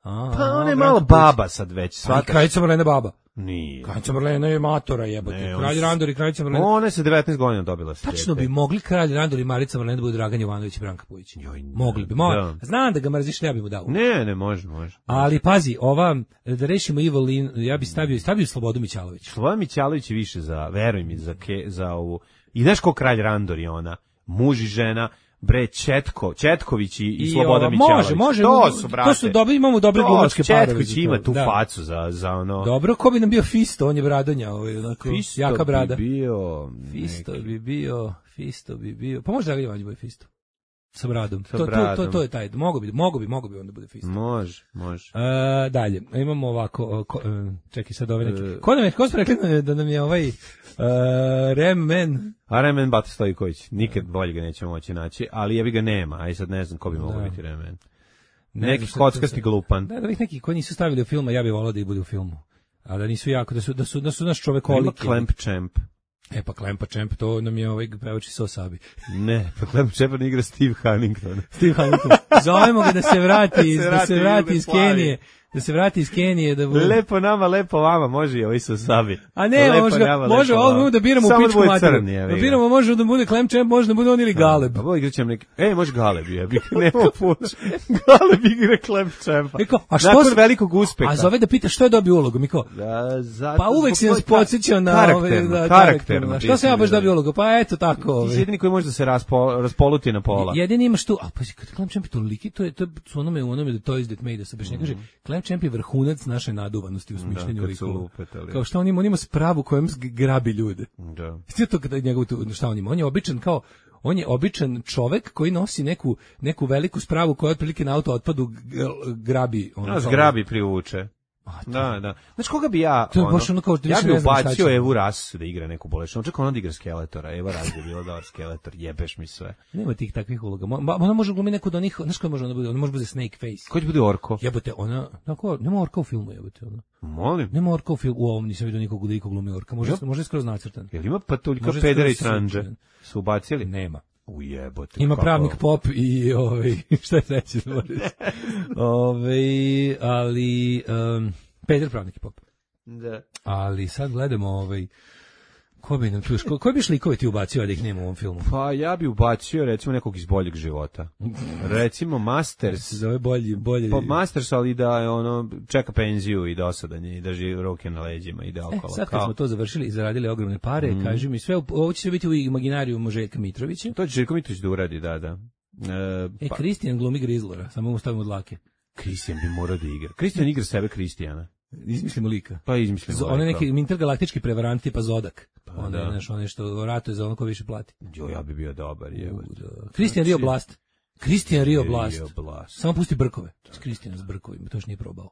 Speaker 6: A,
Speaker 7: Pa ona je
Speaker 6: Branka
Speaker 7: malo
Speaker 6: Puć.
Speaker 7: baba sad već,
Speaker 6: A i
Speaker 7: svaka.
Speaker 6: kraljica Marlena baba.
Speaker 7: Nije.
Speaker 6: Kraljica Marlena je matora jebote.
Speaker 7: Ne, on
Speaker 6: Kralj
Speaker 7: s-
Speaker 6: Randor i kraljica Marlena.
Speaker 7: Ona je sa devetnaest godina dobila se.
Speaker 6: Tačno bi mogli kralj Randor i Marica Marlena da budu Dragan Jovanović i Branka Pujić.
Speaker 7: Joj, ne.
Speaker 6: Mogli bi. Mo
Speaker 7: Da.
Speaker 6: Znam da ga mrziš, ja bi mu dao.
Speaker 7: Ne, ne, može, može.
Speaker 6: Ali pazi, ova, da rešimo Evelyn, ja bi stavio, stavio Slobodu Mićalović.
Speaker 7: Slobodan Mićalović je više za, veruj mi, za, ke, za ovu. I znaš ko kralj Randor je ona? Muž i žena, bre, Četko, Četković i, i,
Speaker 6: I
Speaker 7: Slobodan
Speaker 6: ova,
Speaker 7: Mićalović.
Speaker 6: može, može,
Speaker 7: To su, brate.
Speaker 6: to su dobri, imamo dobre
Speaker 7: To,
Speaker 6: glumačke parove.
Speaker 7: Četković
Speaker 6: za to,
Speaker 7: ima tu
Speaker 6: da.
Speaker 7: facu za, za ono.
Speaker 6: Dobro, ko bi nam bio Fisto, on je bradonja, ovaj, onako,
Speaker 7: Fisto
Speaker 6: jaka brada.
Speaker 7: bi bio...
Speaker 6: Fisto
Speaker 7: neki-
Speaker 6: bi bio, Fisto bi bio, pa možda Dragan Jovanović bude Fisto. Sa bradom.
Speaker 7: Sa
Speaker 6: to, to, to,
Speaker 7: bradom.
Speaker 6: to je taj, mogo bi, mogo bi, mogo bi onda bude Fisto.
Speaker 7: Može, može.
Speaker 6: E, dalje, imamo ovako, o, ko, e, čekaj sad ove neke.
Speaker 7: E.
Speaker 6: Ko nam je, ko smo rekli da nam je- da nam je ovaj uh, Remen,
Speaker 7: A Remen Bata Stojković, nikad bolje ga nećemo moći naći, ali jebi ga nema, aj sad ne znam ko bi mogao
Speaker 6: Da.
Speaker 7: biti Remen.
Speaker 6: Ne
Speaker 7: Neki
Speaker 6: znam šta
Speaker 7: kockasti
Speaker 6: to-
Speaker 7: glupan.
Speaker 6: da, da ovih neki koji nisu stavili u film, a ja bih volao da ih bude u filmu. A da nisu jako, da su, da su, da su naš
Speaker 7: Ima
Speaker 6: čovekoliki.
Speaker 7: Klemp Champ.
Speaker 6: E pa Klempa Čemp, to nam je ovaj pevač iz Sosabi.
Speaker 7: Ne, pa Klemp Champ ne igra Steve Huntington.
Speaker 6: Steve Huntington. Zovemo ga da se vrati,
Speaker 7: Da se
Speaker 6: da se
Speaker 7: vrati
Speaker 6: vrati
Speaker 7: u
Speaker 6: iz
Speaker 7: Jugoslaviju.
Speaker 6: Kenije. Da se vrati iz Kenije. Da bude...
Speaker 7: Lepo nama, lepo vama, može i ovaj su sabi.
Speaker 6: A ne,
Speaker 7: Lepo
Speaker 6: može, ga-
Speaker 7: nama,
Speaker 6: može
Speaker 7: lepo
Speaker 6: ovo
Speaker 7: vama.
Speaker 6: da biramo u
Speaker 7: Samo
Speaker 6: pičku
Speaker 7: bude
Speaker 6: materiju.
Speaker 7: crni, jebi
Speaker 6: Da
Speaker 7: ga.
Speaker 6: biramo, može da bude Clem Champ, može da bude on ili Galeb.
Speaker 7: A bo igrat ćemo neki... E, može Galeb, jebi, nema puno. Galeb igra Klemp Champa.
Speaker 6: E kao, a što
Speaker 7: Nakon
Speaker 6: s-
Speaker 7: velikog uspeha.
Speaker 6: A zove da pita što je dobio ulogu, mi kao,
Speaker 7: Da, zato,
Speaker 6: pa uvek si
Speaker 7: zbog
Speaker 6: nas
Speaker 7: tvoj-
Speaker 6: podsjećao na
Speaker 7: karakterno,
Speaker 6: ove, da,
Speaker 7: karakterno.
Speaker 6: karakterno.
Speaker 7: ti
Speaker 6: Što
Speaker 7: si
Speaker 6: sam ja baš
Speaker 7: bio.
Speaker 6: dobio ulogu? Pa eto tako.
Speaker 7: Ti si
Speaker 6: Ove.
Speaker 7: jedini koji može da se raspo, raspoluti na pola.
Speaker 6: Jedini imaš tu, a pa kad Clem Champ je toliki, to je, to je su onome, u onome The Toys That Made Us, baš ne kaže, Clem Champ je vrhunac naše naduvanosti u smišljenju
Speaker 7: Mhm. kad su
Speaker 6: likova.
Speaker 7: lupetali.
Speaker 6: Kao šta on ima, on ima spravu kojom g- grabi ljude.
Speaker 7: Da.
Speaker 6: Sve to kada njegov tu, šta on ima? On je običan kao, on je običan čovek koji nosi neku, neku veliku spravu koja otprilike na auto otpadu g- grabi. Ono,
Speaker 7: Nas
Speaker 6: kao-
Speaker 7: grabi privuče.
Speaker 6: A, to-
Speaker 7: Da, da. Znaš koga bi ja,
Speaker 6: To je
Speaker 7: ono,
Speaker 6: baš ono kao da
Speaker 7: ja
Speaker 6: više
Speaker 7: bi
Speaker 6: ne znam šta
Speaker 7: ubacio
Speaker 6: će.
Speaker 7: Evu Ras da igra neku bolešnu. Čekaj, ona da igra Skeletora. Eva Ras je bila dobar Skeletor. Jebeš mi sve.
Speaker 6: Nema tih takvih uloga. Mo- ma- Ona može glumiti neku od onih, znaš koja može ona bude? Ona može bude Snake Face.
Speaker 7: Ko će bude Orko?
Speaker 6: Jebote, ona, tako, nema orka u filmu, jebote, ona.
Speaker 7: Molim.
Speaker 6: Nema orka u filmu, u ovom nisam vidio nikog da iko glumi orka. Može, može skroz nacrtan.
Speaker 7: Jel ima patuljka
Speaker 6: Može
Speaker 7: pedera i
Speaker 6: skroz
Speaker 7: tranđe?
Speaker 6: sličan.
Speaker 7: Su ubacili?
Speaker 6: Nema.
Speaker 7: Ujebote.
Speaker 6: Ima
Speaker 7: kako-
Speaker 6: pravnik pop i ovaj šta je treće da moram reći. Ovaj, ali um, Peder pravnik i pop.
Speaker 7: Da.
Speaker 6: Ali sad gledamo ovaj ko bi nam tu još, ko, koji bi šlikove ti ubacio a da ih nema u ovom filmu?
Speaker 7: Pa ja bi ubacio recimo nekog iz boljeg života. Recimo Masters.
Speaker 6: Se zove bolji, bolji.
Speaker 7: Pa Masters, ali da je ono, čeka penziju i dosadan je i drži ruke na leđima i da
Speaker 6: E,
Speaker 7: okolo.
Speaker 6: sad kad
Speaker 7: Kao-
Speaker 6: smo to završili i zaradili ogromne pare,
Speaker 7: Mhm.
Speaker 6: kaži mi sve, ovo će sve biti u imaginariju Željka Mitrovića.
Speaker 7: To će Željko Mitrović da uradi, da, da. E,
Speaker 6: E,
Speaker 7: pa,
Speaker 6: Kristijan glumi Grizlora, samo mu stavimo dlake.
Speaker 7: Kristijan bi morao da igra. Kristijan igra sebe Kristijana.
Speaker 6: Izmislimo lika.
Speaker 7: Pa izmislimo.
Speaker 6: Z- on je neki intergalaktički prevarant tipa Zodak.
Speaker 7: Pa
Speaker 6: Onda,
Speaker 7: da.
Speaker 6: znaš, on je što ratuje za ono ko više plati.
Speaker 7: Jo, ja bi bio dobar, jebote.
Speaker 6: Kristijan Rio Blast. Kristijan Rio Blast.
Speaker 7: Rio Blast.
Speaker 6: Samo pusti brkove. Kristijan s brkovima, to još nije probao.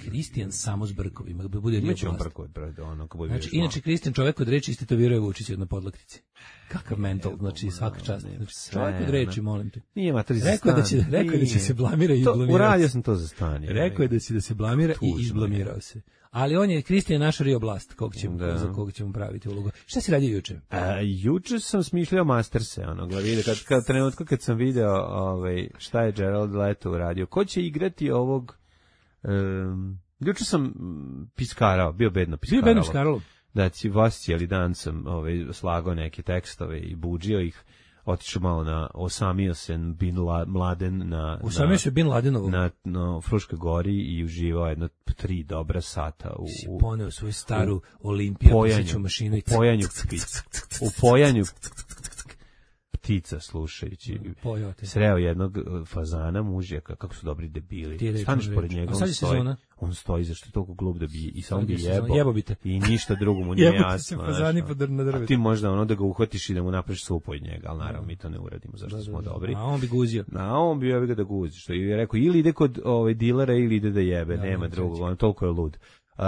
Speaker 6: Kristijan samo s brkovima, da bude Rio
Speaker 7: Imaće on
Speaker 6: Blast.
Speaker 7: brkove, brate, ono, kako bude
Speaker 6: Znači,
Speaker 7: vidiš malo.
Speaker 6: inače Kristijan čovek od reči istetoviruje Vučića na podlaktici. Kakav mental, znači svaka čast. Znači, čovek od reči, molim te.
Speaker 7: Nije mater za
Speaker 6: Rekao je da
Speaker 7: stan.
Speaker 6: će, rekao je da će
Speaker 7: Nije.
Speaker 6: se blamira i
Speaker 7: To,
Speaker 6: izblamirao.
Speaker 7: uradio
Speaker 6: se.
Speaker 7: sam to za stan. je.
Speaker 6: Rekao je da će da se blamira i
Speaker 7: Tužno
Speaker 6: izblamirao se. Ali on je Kristijan naš Rio Blast, kog ćemo,
Speaker 7: Da.
Speaker 6: za kog ćemo praviti ulogu. Šta si radio juče?
Speaker 7: A, juče sam smišljao Masterse, ono, gledaj, kad, kad, trenutku kad sam video ovaj, šta je Gerald Leto uradio. Ko će igrati ovog... Um, juče sam mm, piskarao, bio bedno piskarao.
Speaker 6: Bio Bedno Skarlo.
Speaker 7: Da, ci vas cijeli dan sam ovaj, slagao neke tekstove i budžio ih. otišao malo na, osamio se Bin Laden na...
Speaker 6: Usamio se Bin Ladenovu.
Speaker 7: Na, na Fruškoj gori i uživao jedno tri dobra sata u...
Speaker 6: Si poneo svoju staru Olimpiju, pojanju, mašinu i...
Speaker 7: U pojanju, u pojanju ptica slušajući.
Speaker 6: Pojote.
Speaker 7: Sreo jednog fazana mužjaka, kako su dobri debili. Staneš pored njega, on stoji, on stoji, zašto je toliko glup da bi i samo bi jebo.
Speaker 6: Jebobite.
Speaker 7: I ništa drugo mu nije jasno.
Speaker 6: Jebote se fazani po na drvetu.
Speaker 7: A ti možda ono da ga uhvatiš i da mu napraviš supu od njega, ali naravno mi to ne uradimo, zašto da, smo da, da. dobri.
Speaker 6: A on bi guzio.
Speaker 7: A on bi jebe ga da guzi, što je rekao, ili ide kod ovaj dilera ili ide da jebe, da, nema drugog, on toliko je lud. Uh,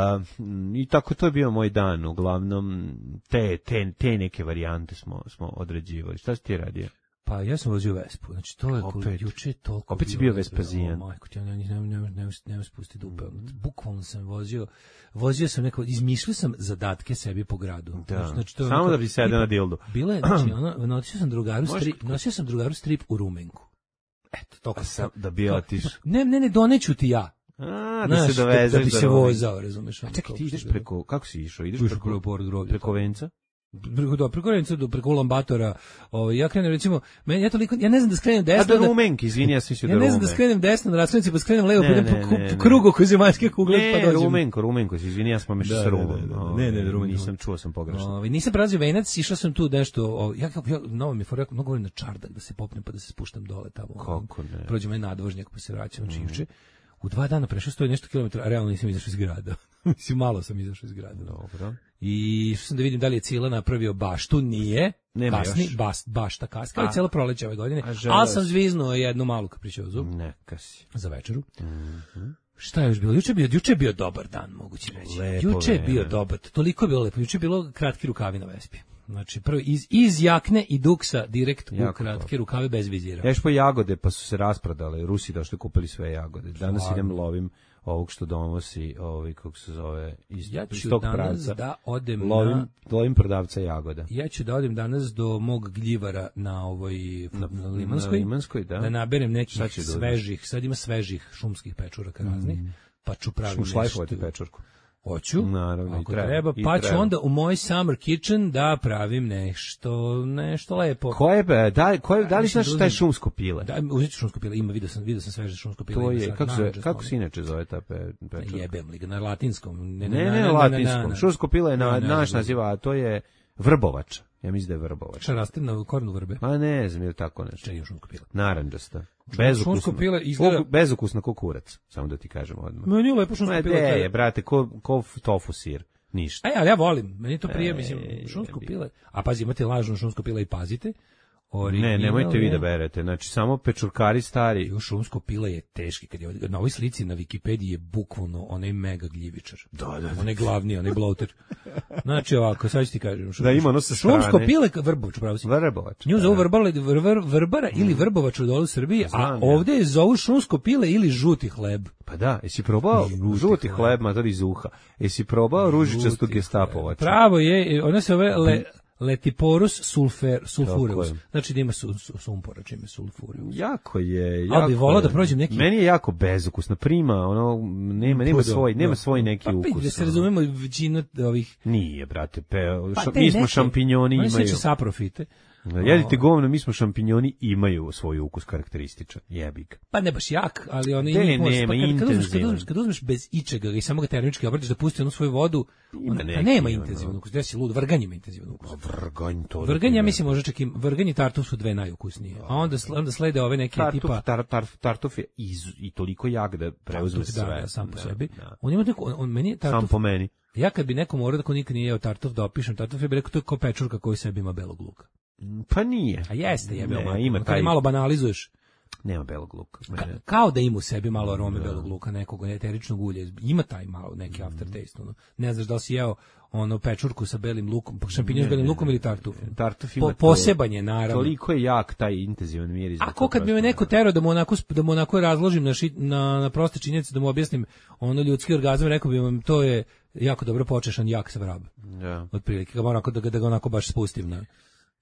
Speaker 7: i tako to je bio moj dan, uglavnom te, te, te neke varijante smo, smo određivali. Šta si ti radio?
Speaker 6: Pa ja sam vozio Vespu, znači to je
Speaker 7: opet,
Speaker 6: juče toliko...
Speaker 7: Opet si bio Vespazijan.
Speaker 6: Majko, ti ja ne, ne, ne, ne, ne spusti dupe. Bukvalno sam vozio, vozio sam neko, izmišljio sam zadatke sebi po gradu.
Speaker 7: Da.
Speaker 6: Znači, to
Speaker 7: samo neko, da bi sedeo na dildu.
Speaker 6: Bilo je, znači, ono, nosio sam drugaru strip, nosio sam drugaru strip u Rumenku. Eto, toliko sam...
Speaker 7: Da bi otiš.
Speaker 6: Ne, ne, ne, doneću ti ja.
Speaker 7: A, da se dovezeš.
Speaker 6: Da bi se vozao, razumeš.
Speaker 7: A čekaj, ti ideš preko, kako si išao? Ideš preko,
Speaker 6: preko,
Speaker 7: preko Venca?
Speaker 6: Preko do preko Renca do preko Ulambatora. Ovaj ja krenem recimo, meni ja toliko ja ne znam da skrenem desno.
Speaker 7: A do Rumenki, izvini, ja sam mislio da Rumenki.
Speaker 6: Ja ne znam da skrenem desno na raskrsnici, pa skrenem levo, pa idem po krugu oko zemaljske kugle pa dođem.
Speaker 7: Ne, Rumenko, Rumenko, izvini, ja sam pomešao sa Rumom.
Speaker 6: Ne, ne, Rumenko.
Speaker 7: Nisam čuo, sam pogrešno.
Speaker 6: Ovaj nisam prelazio Venac, išao sam tu nešto, ja ja novo mi fora, mnogo volim na čardak da se popnem pa da se spuštam dole tamo.
Speaker 7: Kako ne?
Speaker 6: Prođem na nadvožnjak pa se vraćam čišće. U dva dana prešao sto nešto kilometara, a realno nisam izašao iz grada. Mislim, malo sam izašao iz grada.
Speaker 7: Dobro.
Speaker 6: I što sam da vidim da li je Cila napravio baštu, nije.
Speaker 7: Nema
Speaker 6: kasni,
Speaker 7: još.
Speaker 6: Bas, bašta kasni, ali cijelo proleće ove godine.
Speaker 7: A
Speaker 6: ali sam zviznuo jednu malu kapričozu.
Speaker 7: Neka si.
Speaker 6: Za večeru.
Speaker 7: Mm-hmm.
Speaker 6: Šta je još bilo? Juče je bio, juče je bio dobar dan, moguće reći.
Speaker 7: Lepo
Speaker 6: juče je bio dobar, toliko je bilo lepo. Juče je bilo kratki rukavi na Vespi. Znači, prvo iz, iz jakne i duksa direkt jako u kratke rukave bez vizira.
Speaker 7: Ješ po jagode, pa su se rasprodale. Rusi došli kupili sve jagode. Danas Hvala. idem lovim ovog što donosi, ovaj, kako se zove, iz,
Speaker 6: ja
Speaker 7: iz tog pravca.
Speaker 6: Da odem
Speaker 7: lovim,
Speaker 6: na,
Speaker 7: lovim prodavca jagoda.
Speaker 6: Ja ću da odem danas do mog gljivara na ovoj na, na Limanskoj,
Speaker 7: na Limanskoj da.
Speaker 6: da naberem nekih svežih, sad ima svežih šumskih pečuraka mm. raznih, pa ću praviti
Speaker 7: šlajfovati pečurku.
Speaker 6: Hoću,
Speaker 7: naravno,
Speaker 6: ako
Speaker 7: treba,
Speaker 6: treba, pa ću onda u moj summer kitchen da pravim nešto, nešto lepo.
Speaker 7: Koje, da, koje, da li znaš šta je šumsko pile?
Speaker 6: Da, uzeti ću šumsko pile, ima, vidio sam, vidio sam sveže šumsko pile.
Speaker 7: To je, kako se, kako se inače zove ta pe, pečurka?
Speaker 6: Jebem li ga, na latinskom.
Speaker 7: Ne, ne, ne na latinskom, šumsko pile je na, naš naziva, a to je vrbovač. Ja mislim da je vrbovač.
Speaker 6: Šta raste na korenu vrbe?
Speaker 7: Pa ne znam, je tako nešto.
Speaker 6: Čega je šumsko pile?
Speaker 7: Narandžasta. Bezukusno.
Speaker 6: Pile izgleda...
Speaker 7: Bezukusno ko kurac, samo da ti kažem odmah.
Speaker 6: Meni je lepo šumsko pile.
Speaker 7: Ne, je, brate, ko, ko tofu sir. Ništa.
Speaker 6: Aj, ali ja volim. Meni to prije, mislim, šumsko pile. A pazi, imate lažno šumsko pile i pazite. Original,
Speaker 7: ne, nemojte vi da berete. Znači, samo pečurkari stari.
Speaker 6: Jo, šumsko pile je teški. Kad je, na ovoj slici na Wikipediji je bukvalno onaj mega gljivičar.
Speaker 7: Da, da, da.
Speaker 6: Onaj glavni, onaj bloater. Znači, ovako, sad ću ti kažem.
Speaker 7: Da, ima ono sa strane.
Speaker 6: Šumsko pile, vrbovač, pravo si.
Speaker 7: Vrbovač.
Speaker 6: Nju zovu vrbara, vrbara, vrbara mm. ili vrbovač u dolu Srbiji, znam, a ovde je zovu šumsko pile ili žuti hleb.
Speaker 7: Pa da, jesi probao žuti, žuti hleb, hleb ma to iz uha. Jesi probao ružičastu gestapovača?
Speaker 6: Pravo je, ona se ove le, Letiporus sulfer, sulfureus. Znači da ima su, su, sumpora, čime sulfureus.
Speaker 7: Jako je, jako.
Speaker 6: Ali bi volao da prođem neki.
Speaker 7: Meni je jako bezukusna prima, ono nema nema svoj, nema svoj neki
Speaker 6: pa,
Speaker 7: ukus.
Speaker 6: Da se razumemo, većina ovih
Speaker 7: nije, brate, pe, pa, mi smo šampinjoni imaju.
Speaker 6: Oni se saprofite.
Speaker 7: Jedite govno, mi smo šampinjoni, imaju svoj ukus karakterističan. Jebi ga.
Speaker 6: Pa ne baš jak, ali oni
Speaker 7: ne, nema, pa kad,
Speaker 6: kad, uzmeš, kad, uzmeš, kad uzmeš bez ičega i samo ga termički obradiš da pusti onu svoju vodu,
Speaker 7: ima
Speaker 6: on,
Speaker 7: neki,
Speaker 6: pa nema intenzivan ukus. Gde si lud, vrganj ima intenzivan ukus.
Speaker 7: Vrganj to.
Speaker 6: Vrganj, ja mislim, možda čak i vrganj i tartuf su dve najukusnije. A onda, onda slede ove neke
Speaker 7: tartuf,
Speaker 6: tipa...
Speaker 7: Tar, tar, tartuf je iz, i toliko jak da preuzme sve.
Speaker 6: Da, sam po sebi. On ima neko, on, on meni tartuf...
Speaker 7: Sam po meni.
Speaker 6: Ja kad bi nekom morao da ko nikad nije jeo tartuf da opišem tartuf, ja bih rekao to je kao pečurka koji sebi ima belog luka.
Speaker 7: Pa nije.
Speaker 6: A jeste, jebe,
Speaker 7: ne, ima
Speaker 6: kad
Speaker 7: taj...
Speaker 6: malo banalizuješ.
Speaker 7: Nema belog luka.
Speaker 6: Ka, kao da ima u sebi malo arome da. belog luka, nekog eteričnog ulja. Ima taj malo neki aftertaste. Ono. Ne znaš da li si jeo ono pečurku sa belim lukom, šampinjon s belim lukom ili tartuf.
Speaker 7: Tartuf ima
Speaker 6: po, poseban je, naravno.
Speaker 7: Toliko je jak taj intenzivan miris.
Speaker 6: Ako kad bi me neko terao da mu onako, da mu onako razložim na, šit, na, na proste činjenice, da mu objasnim ono ljudski orgazam, rekao bi vam to je jako dobro počešan jak sa vrab.
Speaker 7: Ja.
Speaker 6: Otprilike, ga onako, da, da ga onako baš spustim na...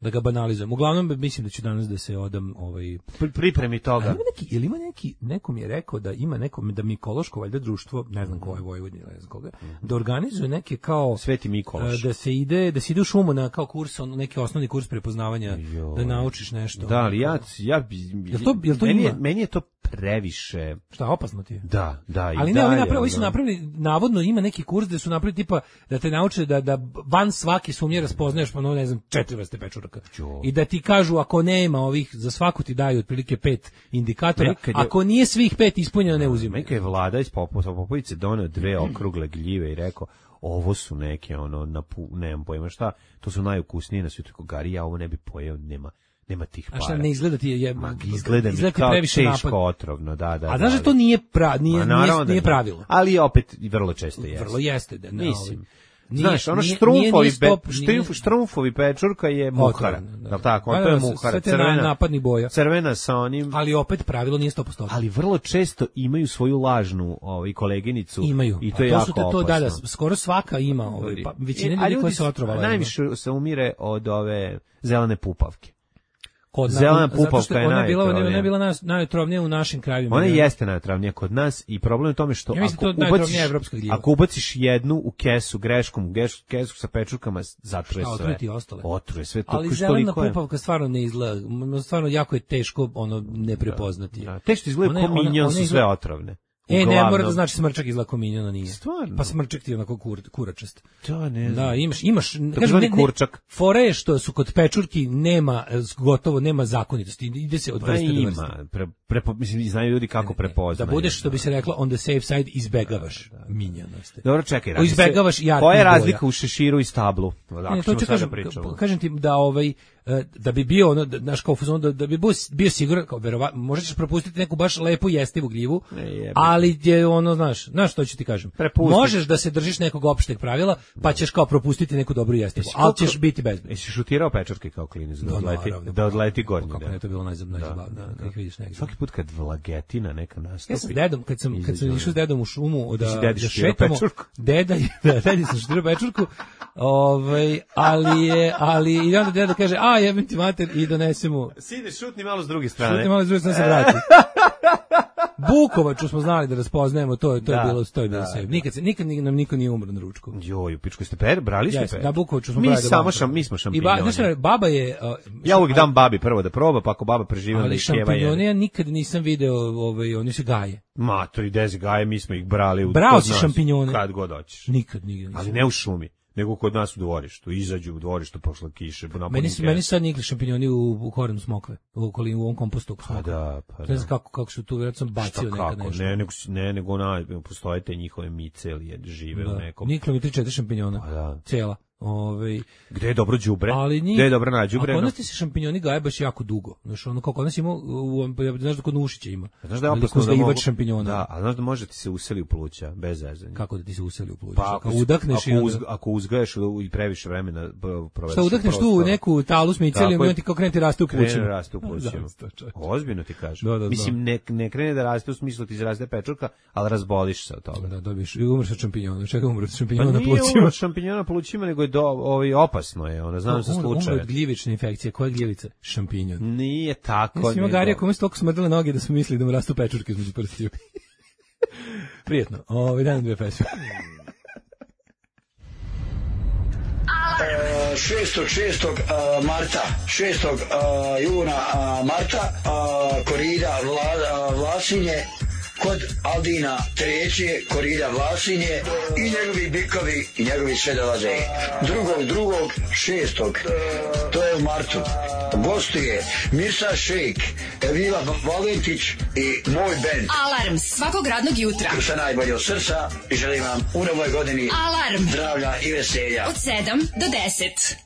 Speaker 6: da ga banalizujem. Uglavnom mislim da ću danas da se odam ovaj
Speaker 7: pripremi toga.
Speaker 6: Ima neki, ili ima neki, neko mi je rekao da ima neko da Mikološko valjda društvo, ne znam ko je Vojvodina, ne znam koga, da organizuje neke kao
Speaker 7: Sveti Mikološ.
Speaker 6: Da se ide, da se ide u šumu na kao kurs, on neki osnovni kurs prepoznavanja, jo, da naučiš nešto.
Speaker 7: Da, ali ja ja
Speaker 6: jel to, jel to
Speaker 7: meni,
Speaker 6: ima?
Speaker 7: je, meni je to previše.
Speaker 6: Šta, opasno ti je?
Speaker 7: Da, da.
Speaker 6: Ali ne, oni napravili, su napravili, navodno ima neki kurs da su napravili tipa da te nauče da da van svake sumnje raspoznaješ, pa no ne znam, četiri vrste pečuraka. Jo. I da ti kažu ako nema ovih, za svaku ti daju otprilike pet indikatora, je, ako nije svih pet ispunjeno ne uzimaju.
Speaker 7: Neka je vlada iz Popovice doneo dve okrugle gljive i rekao ovo su neke ono na nemam pojma šta, to su najukusnije na svijetu. Gari, ja ovo ne bi pojeo, nema nema tih para.
Speaker 6: A šta ne izgleda ti je, je
Speaker 7: Ma, izgleda mi izgleda kao teško napad. Otrovno, da, da.
Speaker 6: A znaš da to nije pra, nije, Ma, nije, nije pravilo.
Speaker 7: Ali opet vrlo često jeste.
Speaker 6: Vrlo jeste, da, ne,
Speaker 7: mislim. Nije, Znaš, ono štrumfovi, stop, nije, štrumfovi pečurka je muhara. Da, tako, on to je muhara.
Speaker 6: Crvena, napadni boja.
Speaker 7: Crvena sa onim.
Speaker 6: Ali opet pravilo nije sto posto.
Speaker 7: Ali vrlo često imaju svoju lažnu ovaj, koleginicu.
Speaker 6: Imaju.
Speaker 7: I to je to jako
Speaker 6: te, to,
Speaker 7: opasno.
Speaker 6: Da, da, skoro svaka ima. Ovaj, pa, većina ljudi koja se otrovala.
Speaker 7: Najviše se umire od ove zelene pupavke.
Speaker 6: Kod
Speaker 7: zelena pupavka je
Speaker 6: ona bila, ona je bila nas, najotrovnija u našim krajevima.
Speaker 7: Ona jeste najotrovnija kod nas i problem je u tome što
Speaker 6: ja
Speaker 7: ako,
Speaker 6: to
Speaker 7: ubaciš,
Speaker 6: gljiva.
Speaker 7: ako ubaciš jednu u kesu greškom, u kesu sa pečurkama, zatruje sve.
Speaker 6: Otruje ti ostale.
Speaker 7: Otruje sve. To,
Speaker 6: ali zelena pupavka stvarno ne izgleda, stvarno jako je teško ono ne prepoznati.
Speaker 7: Da, da. Teško izgleda ko minjon su sve otrovne.
Speaker 6: E, ne mora da znači smrčak izgleda kao minjona, nije.
Speaker 7: Stvarno?
Speaker 6: Pa smrčak ti je onako kur, kuračast.
Speaker 7: To ne znam.
Speaker 6: Da, imaš, imaš, kažem, ne,
Speaker 7: kurčak.
Speaker 6: Fore je što su kod pečurki nema, gotovo nema zakonitosti, ide se od vrste do vrste.
Speaker 7: Ima, pre, prepo, mislim, znaju ljudi kako prepoznaju.
Speaker 6: Da budeš, što bi se reklo, on the safe side, izbegavaš minjonosti.
Speaker 7: Dobro, čekaj,
Speaker 6: o, izbegavaš jarki.
Speaker 7: Koja je razlika u šeširu i stablu?
Speaker 6: Ne, to ću kažem, kažem ti da ovaj, da bi bio ono, znaš, kao fuzon, da, da bi bio, bio siguran, kao verovatno, možda ćeš propustiti neku baš lepu jestivu gljivu, ne, ali je ono, znaš, znaš što ću ti kažem,
Speaker 7: Prepustit.
Speaker 6: Možeš da se držiš nekog opšteg pravila, pa ćeš kao propustiti neku dobru jestivu, ali ćeš biti bezbedno.
Speaker 7: Jesi šutirao pečurke kao klinac da, da odleti,
Speaker 6: naravno,
Speaker 7: da odleti gornji?
Speaker 6: Kako ne, to je bilo najzabavnije, da, da, da, vidiš negdje.
Speaker 7: Svaki put kad vlagetina neka nastupi.
Speaker 6: Ja sam s dedom, kad sam, kad sam išao s dedom u šumu, da, da šetamo, deda je, da, deda sam šutirao pečurku, ovaj, ali je, ali i onda deda kaže, a jebim ti mater, i donesemo.
Speaker 7: Sine, šutni malo s druge strane.
Speaker 6: Šutni malo s druge strane, se vrati. Bukovaču smo znali da raspoznajemo, to je to je bilo to je bilo sve. Nikad se nikad nam niko nije umro na ručku.
Speaker 7: Joj, u pičku ste per, brali ste per.
Speaker 6: Da, Bukovaču smo
Speaker 7: mi
Speaker 6: brali.
Speaker 7: Samo šam, mi smo šampinjoni.
Speaker 6: I ba, baba je uh,
Speaker 7: ja uvijek dam babi prvo da proba, pa ako baba preživi onda ih sjeva.
Speaker 6: Ali šampinjone ja nikad nisam video, ovaj oni se gaje.
Speaker 7: Ma, to i dezi gaje, mi smo ih brali u
Speaker 6: Brao si šampinjone.
Speaker 7: Kad god hoćeš.
Speaker 6: Nikad, nikad.
Speaker 7: Ali ne u šumi. Nego kod nas u dvorištu, izađu u dvorištu, pošla kiše.
Speaker 6: Meni su, meni sad nikli šampinjoni u, u korenu smokve, u okolini, u ovom kompostu.
Speaker 7: Pa da, pa da.
Speaker 6: Ne znam kako, kako su tu, vjerojatno sam bacio nekad nešto.
Speaker 7: Ne, nego, ne, nego ona, postoje te njihove miceli, žive
Speaker 6: da.
Speaker 7: U nekom.
Speaker 6: Niklo mi tri četiri šampinjona,
Speaker 7: pa da.
Speaker 6: Cijela. Ove,
Speaker 7: gde je dobro đubre? Gde je dobro na đubre?
Speaker 6: A kod nas ti se šampinjoni gaje baš jako dugo. Znaš, ono kao kod nas ima, znaš da kod Nušića ima.
Speaker 7: Znaš da je opasno da mogu... šampinjona. Da, a znaš da može ti se useli u pluća, bez zezanja.
Speaker 6: Kako da ti se useli u pluća?
Speaker 7: Pa ako, udakneš ako, uz, ako uzgaješ i previše vremena provedeš.
Speaker 6: Šta udakneš tu u neku talu s micelijom i on ti kao krene ti raste u plućima.
Speaker 7: Krene raste u plućima. Ozbiljno ti kažem. Da, da, mislim, ne, ne krene da raste u smislu ti izraste pečurka, ali razboliš se od toga.
Speaker 6: Da, dobiš i umreš od šampinjona. Čega umreš od šampinjona na plućima? Pa nije
Speaker 7: od šampinjona na plućima, nego je do, ovaj, opasno je, ona znam sa slučaje.
Speaker 6: Umre od gljivične infekcije. Koja je gljivica? Šampinjon.
Speaker 7: Nije tako.
Speaker 6: Mislim, ima Garija kome su toliko smrdele noge da su mislili da mu rastu pečurke između prstiju. Prijetno. Ovo, dan dve pesme.
Speaker 8: šestog šestog marta, šestog juna marta, korida Vla, Vlasinje, kod Aldina treće, korida Vlasinje i njegovi bikovi i njegovi sve dolaze. Drugog, drugog, šestog, to je u martu. Gostuje Mirsa Šejk, Evila Valentić i moj bend.
Speaker 2: Alarm svakog radnog jutra.
Speaker 8: Sa najbolje od srca i želim vam u novoj godini
Speaker 2: Alarm.
Speaker 8: Zdravlja i veselja.
Speaker 2: Od sedam do deset.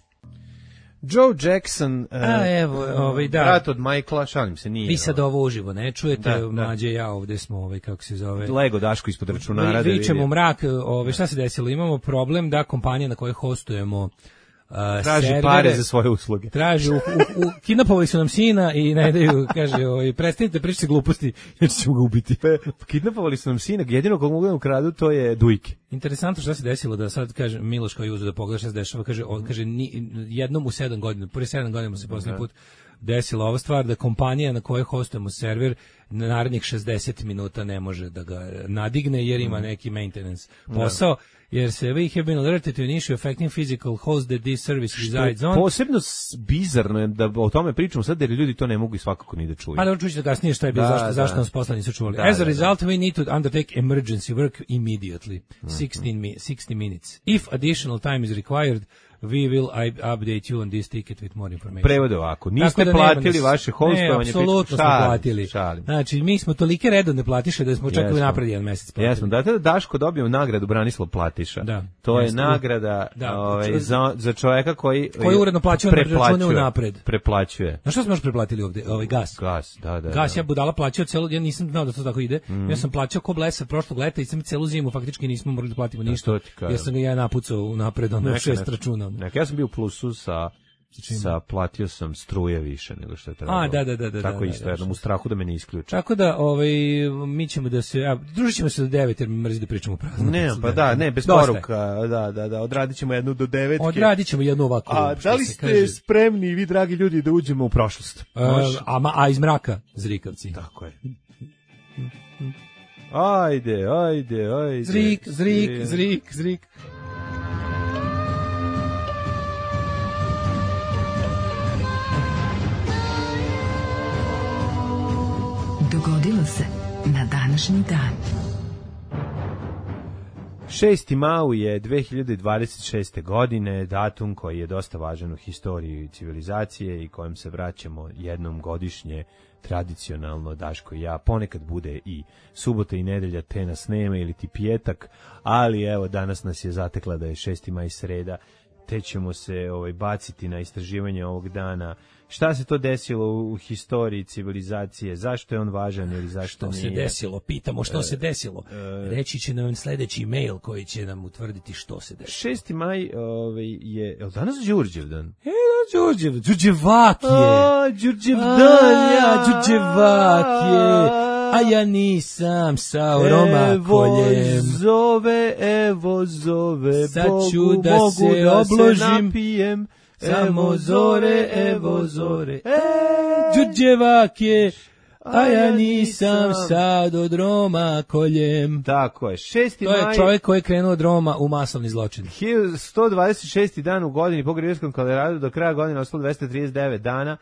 Speaker 7: Joe Jackson, uh,
Speaker 6: a evo, ovaj da.
Speaker 7: Brat od Michaela, šalim se, nije.
Speaker 6: Vi sad ovo uživo ne čujete, da, Mlađe ja ovde smo, ovaj kako se zove.
Speaker 7: Lego Daško ispod računara da
Speaker 6: vičemo mrak, ovaj šta se desilo? Imamo problem da kompanija na kojoj hostujemo uh,
Speaker 7: traži
Speaker 6: servere,
Speaker 7: pare za svoje usluge.
Speaker 6: Traži, u, u, u, kidnapovali su nam sina i ne daju, kaže, ovaj, prestanite pričati gluposti, jer ćemo ga ubiti.
Speaker 7: Kidnapovali su nam sina, jedino kog mogu da ukradu, to je Dujke.
Speaker 6: Interesantno šta se desilo, da sad kaže Miloš koji je uzeo da pogleda šta se dešava, kaže, on, kaže ni, jednom u sedam godina, prvi sedam godina se posljednji put desila ova stvar, da kompanija na kojoj hostujemo server na narednih šezdeset minuta ne može da ga nadigne jer ima neki maintenance posao, jer se we have been alerted to an issue affecting physical host that this service resides on.
Speaker 7: Posebno bizarno je da o tome pričamo sad, jer ljudi to ne mogu i svakako ni da čuju.
Speaker 6: Pa da čućete kasnije šta je bilo,
Speaker 7: da,
Speaker 6: zašto,
Speaker 7: da.
Speaker 6: zašto nas posla nisu čuvali.
Speaker 7: Da,
Speaker 6: As a
Speaker 7: da,
Speaker 6: result, we need to undertake emergency work immediately. sixteen mi- sixty minutes. If additional time is required, we will update you on this ticket with more information.
Speaker 7: Prevode ovako, niste
Speaker 6: da
Speaker 7: platili
Speaker 6: nas,
Speaker 7: vaše hostovanje.
Speaker 6: Ne, apsolutno smo platili.
Speaker 7: Šalim.
Speaker 6: Znači, mi smo tolike redovne platiše da smo čekali
Speaker 7: Jesmo.
Speaker 6: napred jedan mesec platili.
Speaker 7: Jesmo, da da Daško dobio nagradu Branislav Platiša.
Speaker 6: Da.
Speaker 7: To je
Speaker 6: Jeste.
Speaker 7: nagrada
Speaker 6: Da.
Speaker 7: ovaj, za, za čoveka koji...
Speaker 6: Koji uredno plaćuje na račune unapred.
Speaker 7: Preplaćuje.
Speaker 6: Na što smo još preplatili ovde? Ovaj gas.
Speaker 7: Gas, da, da.
Speaker 6: Gas,
Speaker 7: da.
Speaker 6: ja budala plaćao celo, ja nisam znao da to tako ide. Mm. Ja sam plaćao ko blesa prošlog leta i sam celu zimu faktički nismo morali da platimo ništa.
Speaker 7: to ti kažem.
Speaker 6: Ja sam ga ja napucao unapred, ono
Speaker 7: Neka,
Speaker 6: šest
Speaker 7: neka.
Speaker 6: računa.
Speaker 7: Neka, ja sam bio u plusu sa... sa platio sam struje više nego što je trebalo.
Speaker 6: A, da, da, da, da,
Speaker 7: Tako
Speaker 6: da,
Speaker 7: isto,
Speaker 6: da,
Speaker 7: jednom u strahu da me ne isključe.
Speaker 6: Tako da, ovaj, mi ćemo da se, a, družit ćemo se do devet, jer mi mrzi da pričamo prazno.
Speaker 7: Ne, pa da, ne, bez
Speaker 6: Dosta
Speaker 7: poruka, da, da, da, odradit ćemo jednu do devetke.
Speaker 6: Odradit ćemo jednu ovako.
Speaker 7: A
Speaker 6: što
Speaker 7: da li
Speaker 6: se
Speaker 7: ste
Speaker 6: kaže.
Speaker 7: spremni, vi dragi ljudi, da uđemo u prošlost?
Speaker 6: Uh, a, ma- a iz mraka, zrikavci.
Speaker 7: Tako je. Ajde, ajde, ajde.
Speaker 6: Zrik, zrik, zrik, zrik.
Speaker 2: Dogodilo se na današnji dan.
Speaker 7: šesti mau je dve hiljade dvadeset šeste. godine, datum koji je dosta važan u historiji civilizacije i kojem se vraćamo jednom godišnje, tradicionalno, Daško i ja. Ponekad bude i subota i nedelja, te nas nema, ili ti pijetak, ali evo, danas nas je zatekla da je šesti maj sreda, te ćemo se ovaj, baciti na istraživanje ovog dana. Šta se to desilo u, u historiji civilizacije? Zašto je on važan ili zašto
Speaker 6: Što
Speaker 7: nije?
Speaker 6: se desilo? Pitamo što
Speaker 7: E,
Speaker 6: se desilo.
Speaker 7: e,
Speaker 6: Reći će nam sledeći mail koji će nam utvrditi što se desilo.
Speaker 7: šesti maj ovaj, je, je li danas Đurđevdan?
Speaker 6: E, Đurđev, Đurđevak je.
Speaker 7: A, Đurđev
Speaker 6: A,
Speaker 7: dan, ja,
Speaker 6: Đurđevak je. A ja nisam sa romakoljem.
Speaker 7: Evo zove, evo zove,
Speaker 6: Sad
Speaker 7: Bogu,
Speaker 6: ću da
Speaker 7: mogu
Speaker 6: se
Speaker 7: da
Speaker 6: obložim.
Speaker 7: se napijem.
Speaker 6: Samo zore, evo zore. E, Đurđevak je. A ja nisam sad od romakoljem.
Speaker 7: Tako je, šesti
Speaker 6: To je
Speaker 7: maj,
Speaker 6: čovjek koji je krenuo od Roma u masovni zločin.
Speaker 7: hiljadu sto dvadeset šesti. dan u godini po Grigorijanskom kalendaru, do kraja godine ostalo dvesta trideset devet dana.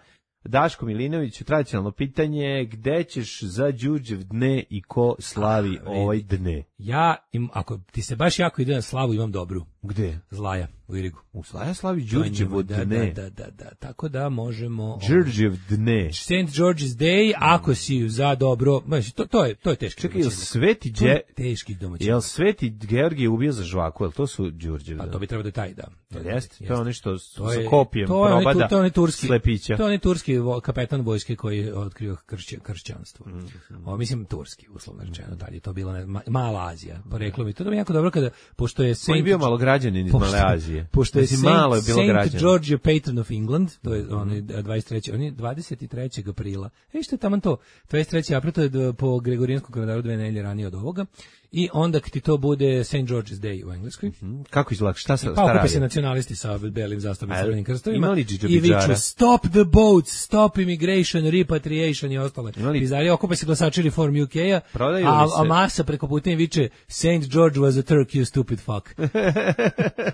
Speaker 7: Daško Milinović, tradicionalno pitanje, gde ćeš za Đurđev dne i ko slavi
Speaker 6: A,
Speaker 7: ovaj
Speaker 6: vidi.
Speaker 7: dne?
Speaker 6: Ja, im, ako ti se baš jako ide na slavu, imam dobru.
Speaker 7: Gde?
Speaker 6: Zlaja, u Irigu.
Speaker 7: U Slaja slavi
Speaker 6: To je
Speaker 7: Đurđevo
Speaker 6: njemu, da,
Speaker 7: dne.
Speaker 6: Da, da, da, da, tako da možemo...
Speaker 7: Đurđev dne.
Speaker 6: Saint George's Day, ako si za dobro, znači, to, to je to je teški.
Speaker 7: Čekaj, jel
Speaker 6: domaćin.
Speaker 7: Sveti
Speaker 6: To je
Speaker 7: Đe...
Speaker 6: teški domaćin.
Speaker 7: Jel Sveti Georgije ubio za žvaku, jel to su Đurđev?
Speaker 6: A to bi trebalo da je taj, da.
Speaker 7: Jel jeste? To je ono što s-
Speaker 6: To
Speaker 7: sa
Speaker 6: je-
Speaker 7: kopijem
Speaker 6: to je onaj tu-
Speaker 7: probada
Speaker 6: to je onaj turski,
Speaker 7: slepića.
Speaker 6: To je onaj turski vo- kapetan vojske koji je otkrio kršće, kršćanstvo.
Speaker 7: Mm,
Speaker 6: O, mislim turski, uslovno rečeno, tad je to bilo ne, ma- Mala Azija. Poreklo mi to da mi je jako dobro kada, pošto je
Speaker 7: On je
Speaker 6: Saint
Speaker 7: bio malo građanin iz
Speaker 6: Pošto-
Speaker 7: Male Azije.
Speaker 6: Pošto je
Speaker 7: Mislim,
Speaker 6: Saint,
Speaker 7: malo je bilo
Speaker 6: Saint
Speaker 7: građana.
Speaker 6: George je patron of England, to je on je dvadeset trećeg on je dvadeset trećeg aprila. E što je taman to? dvadeset trećeg aprila, to je d- po Gregorijanskom kalendaru dve nedelje ranije od ovoga. I onda kad ti to bude Saint George's Day u Engleskoj.
Speaker 7: Kako izgleda? Šta se
Speaker 6: Pa
Speaker 7: šta
Speaker 6: okupe
Speaker 7: radi?
Speaker 6: se nacionalisti sa belim zastavama i
Speaker 7: A,
Speaker 6: crvenim krstovima
Speaker 7: imali
Speaker 6: i
Speaker 7: džidžabidžara?
Speaker 6: viču stop the boats, stop immigration, repatriation i ostale.
Speaker 7: Imali-
Speaker 6: Pizarije, okupe se glasači Reform U K-a,
Speaker 7: Prodaju
Speaker 6: a,
Speaker 7: li se-
Speaker 6: a masa preko puta im viče Saint George was a Turk, you stupid fuck.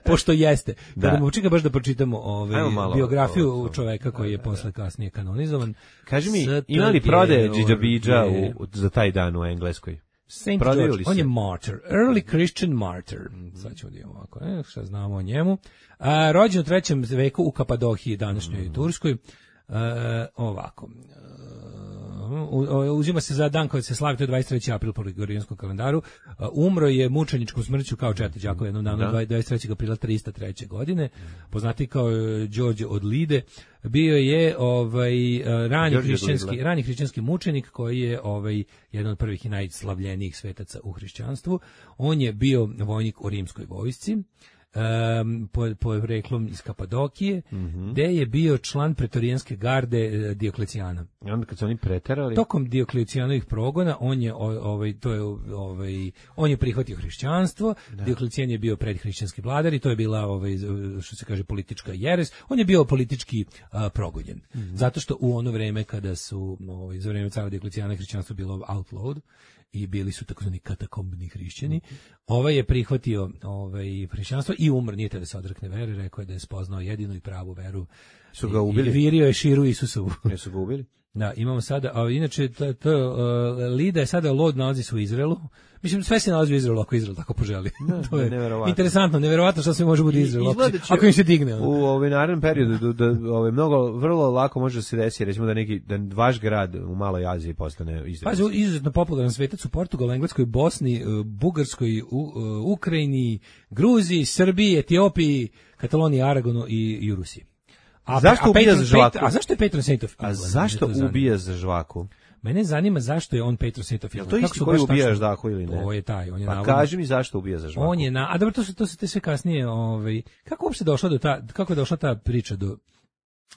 Speaker 6: Pošto jeste.
Speaker 7: Da.
Speaker 6: Kada mu čeka baš da pročitamo
Speaker 7: Ajmo
Speaker 6: ovaj,
Speaker 7: malo
Speaker 6: biografiju
Speaker 7: ovo, ovo.
Speaker 6: čoveka koji je posle kasnije kanonizovan.
Speaker 7: Kaži mi,
Speaker 6: S T
Speaker 7: ima li
Speaker 6: G
Speaker 7: prodaje
Speaker 6: O
Speaker 7: džidžabidža
Speaker 6: je-
Speaker 7: u, za taj dan u Engleskoj?
Speaker 6: Saint
Speaker 7: Prodaju
Speaker 6: George,
Speaker 7: li
Speaker 6: on
Speaker 7: se?
Speaker 6: je martyr, early Christian martyr. Sad ćemo da imamo ovako, e, šta znamo o njemu. A, rođen u trećem veku u Kapadohiji, današnjoj Turskoj. E, ovako. E, u- u- uzima se za dan koji se slavi, to je dvadeset treći april po Gregorijanskom kalendaru. E, umro je mučeničkom smrću kao Četa Đakov jednom danu,
Speaker 7: Da.
Speaker 6: dvadeset trećeg aprila trista treće. godine. Poznati kao e, Đorđe od Lide. Bio je ovaj e, rani
Speaker 7: Đorđe od
Speaker 6: hrišćanski
Speaker 7: Lidla.
Speaker 6: rani hrišćanski mučenik koji je ovaj jedan od prvih i najslavljenijih svetaca u hrišćanstvu. On je bio vojnik u rimskoj vojsci. um, po, poreklom iz Kapadokije,
Speaker 7: Mhm.
Speaker 6: gde je bio član pretorijanske garde e, Dioklecijana.
Speaker 7: I onda kad su oni preterali...
Speaker 6: Tokom Dioklecijanovih progona on je o- ovaj to je ovaj on je prihvatio hrišćanstvo. Dioklecijan je bio predhrišćanski vladar i to je bila ovaj što se kaže politička jeres. On je bio politički a, progonjen. Zato što u ono vreme kada su ovaj za vreme cara Dioklecijana hrišćanstvo bilo outlawed i bili su takozvani katakombni hrišćani. Ovaj je prihvatio ovaj hrišćanstvo i umro, nije te da se odrekne vere, rekao je da je spoznao jedinu i pravu veru.
Speaker 7: Su ga
Speaker 6: I-
Speaker 7: ubili?
Speaker 6: I virio je širu Isusovu.
Speaker 7: Jesu ga ubili?
Speaker 6: Da, imamo sada, a inače to, to uh, Lida je sada Lod nalazi se u Izraelu. Mislim, sve se nalazi u Izraelu ako Izrael tako poželi. To je
Speaker 7: neverovatno.
Speaker 6: interesantno, neverovatno što sve može biti Izrael, ako,
Speaker 7: Izgleda
Speaker 6: se-
Speaker 7: će
Speaker 6: ako im se digne. ono.
Speaker 7: U ovaj narednom periodu da, da ovaj mnogo vrlo lako može da se desi recimo da neki da vaš grad u Maloj Aziji postane
Speaker 6: Pazi,
Speaker 7: izraelski.
Speaker 6: izuzetno popularan svetac u Portugalu, Engleskoj, Bosni, uh, Bugarskoj, u, uh, Ukrajini, Gruziji, Srbiji, Etiopiji, Kataloniji, Aragonu i, i u Rusiji. A,
Speaker 7: Zašto ubija
Speaker 6: Patron-
Speaker 7: za žvaku?
Speaker 6: Pet- A zašto je Patron Saint of
Speaker 7: A
Speaker 6: England?
Speaker 7: zašto
Speaker 6: Mene to zanima.
Speaker 7: ubija za žvaku?
Speaker 6: Mene zanima zašto je on Patron Saint of England.
Speaker 7: to
Speaker 6: Kako
Speaker 7: isti
Speaker 6: su
Speaker 7: koji
Speaker 6: baš
Speaker 7: ubija
Speaker 6: tačno-
Speaker 7: ždahu ili ne?
Speaker 6: To je taj, on je
Speaker 7: Pa
Speaker 6: navodno-
Speaker 7: kaži mi zašto ubija za žvaku.
Speaker 6: On je na, a dobro, to su to su te sve kasnije, ovaj kako uopšte došla do ta kako je došla ta priča do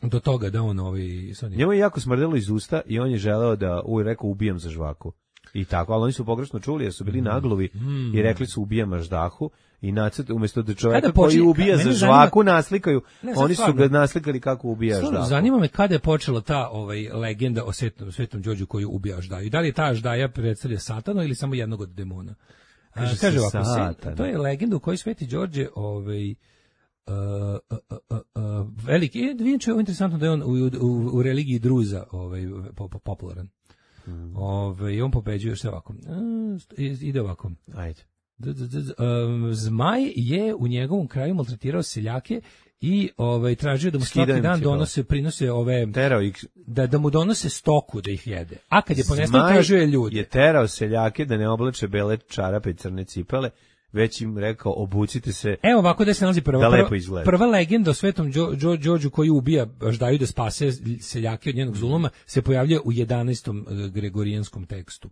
Speaker 6: do toga da on ovaj sad
Speaker 7: Njemu je jako smrdelo iz usta i on je želeo da uvijek rekao ubijam za žvaku. I tako, ali oni su pogrešno čuli jer su bili naglovi i rekli su ubijam ždahu i nacrt umjesto da čovjeka
Speaker 6: Kada
Speaker 7: koji
Speaker 6: počinje-
Speaker 7: ubija
Speaker 6: mene
Speaker 7: za
Speaker 6: zanima-
Speaker 7: žvaku naslikaju,
Speaker 6: Ne, sad
Speaker 7: oni su
Speaker 6: stvarno.
Speaker 7: ga naslikali kako ubija
Speaker 6: Stvarno,
Speaker 7: ždahu.
Speaker 6: zanima me kada je počela ta ovaj legenda o Svetom Svetom Đorđu koji ubija Aždaju. I da li je ta Aždaja predstavlja satana ili samo jednog od demona? A,
Speaker 7: Kaže se
Speaker 6: kaže ovako,
Speaker 7: Satan.
Speaker 6: se- to je legenda u kojoj Sveti Đorđe ovaj Uh, uh, uh, uh, uh, veliki, i vidim je ovo interesantno da je on u, u, u religiji Druza ovaj, po- po- popularan.
Speaker 7: Mm.
Speaker 6: Ovaj, on pobeđuje što je ovako. Uh, ide ovako.
Speaker 7: Ajde.
Speaker 6: D- d- d- um, Zmaj je u njegovom kraju maltretirao seljake i ovaj tražio da mu
Speaker 7: Skidao
Speaker 6: svaki
Speaker 7: im
Speaker 6: dan
Speaker 7: cipele.
Speaker 6: donose prinose ove
Speaker 7: Terao ih.
Speaker 6: da da mu donose stoku da ih jede. A kad je ponestao
Speaker 7: Zmaj
Speaker 6: tražio je ljude.
Speaker 7: je terao seljake da ne oblače bele čarape i crne cipele, već im rekao obucite se.
Speaker 6: Evo ovako da se nalazi prva,
Speaker 7: Da lepo
Speaker 6: prva,
Speaker 7: izgleda.
Speaker 6: prva legenda o Svetom Đo- Đo- Đorđu koji ubija Aždaju da spase seljake od njenog zuluma se pojavljuje u jedanaestom eh, gregorijanskom tekstu.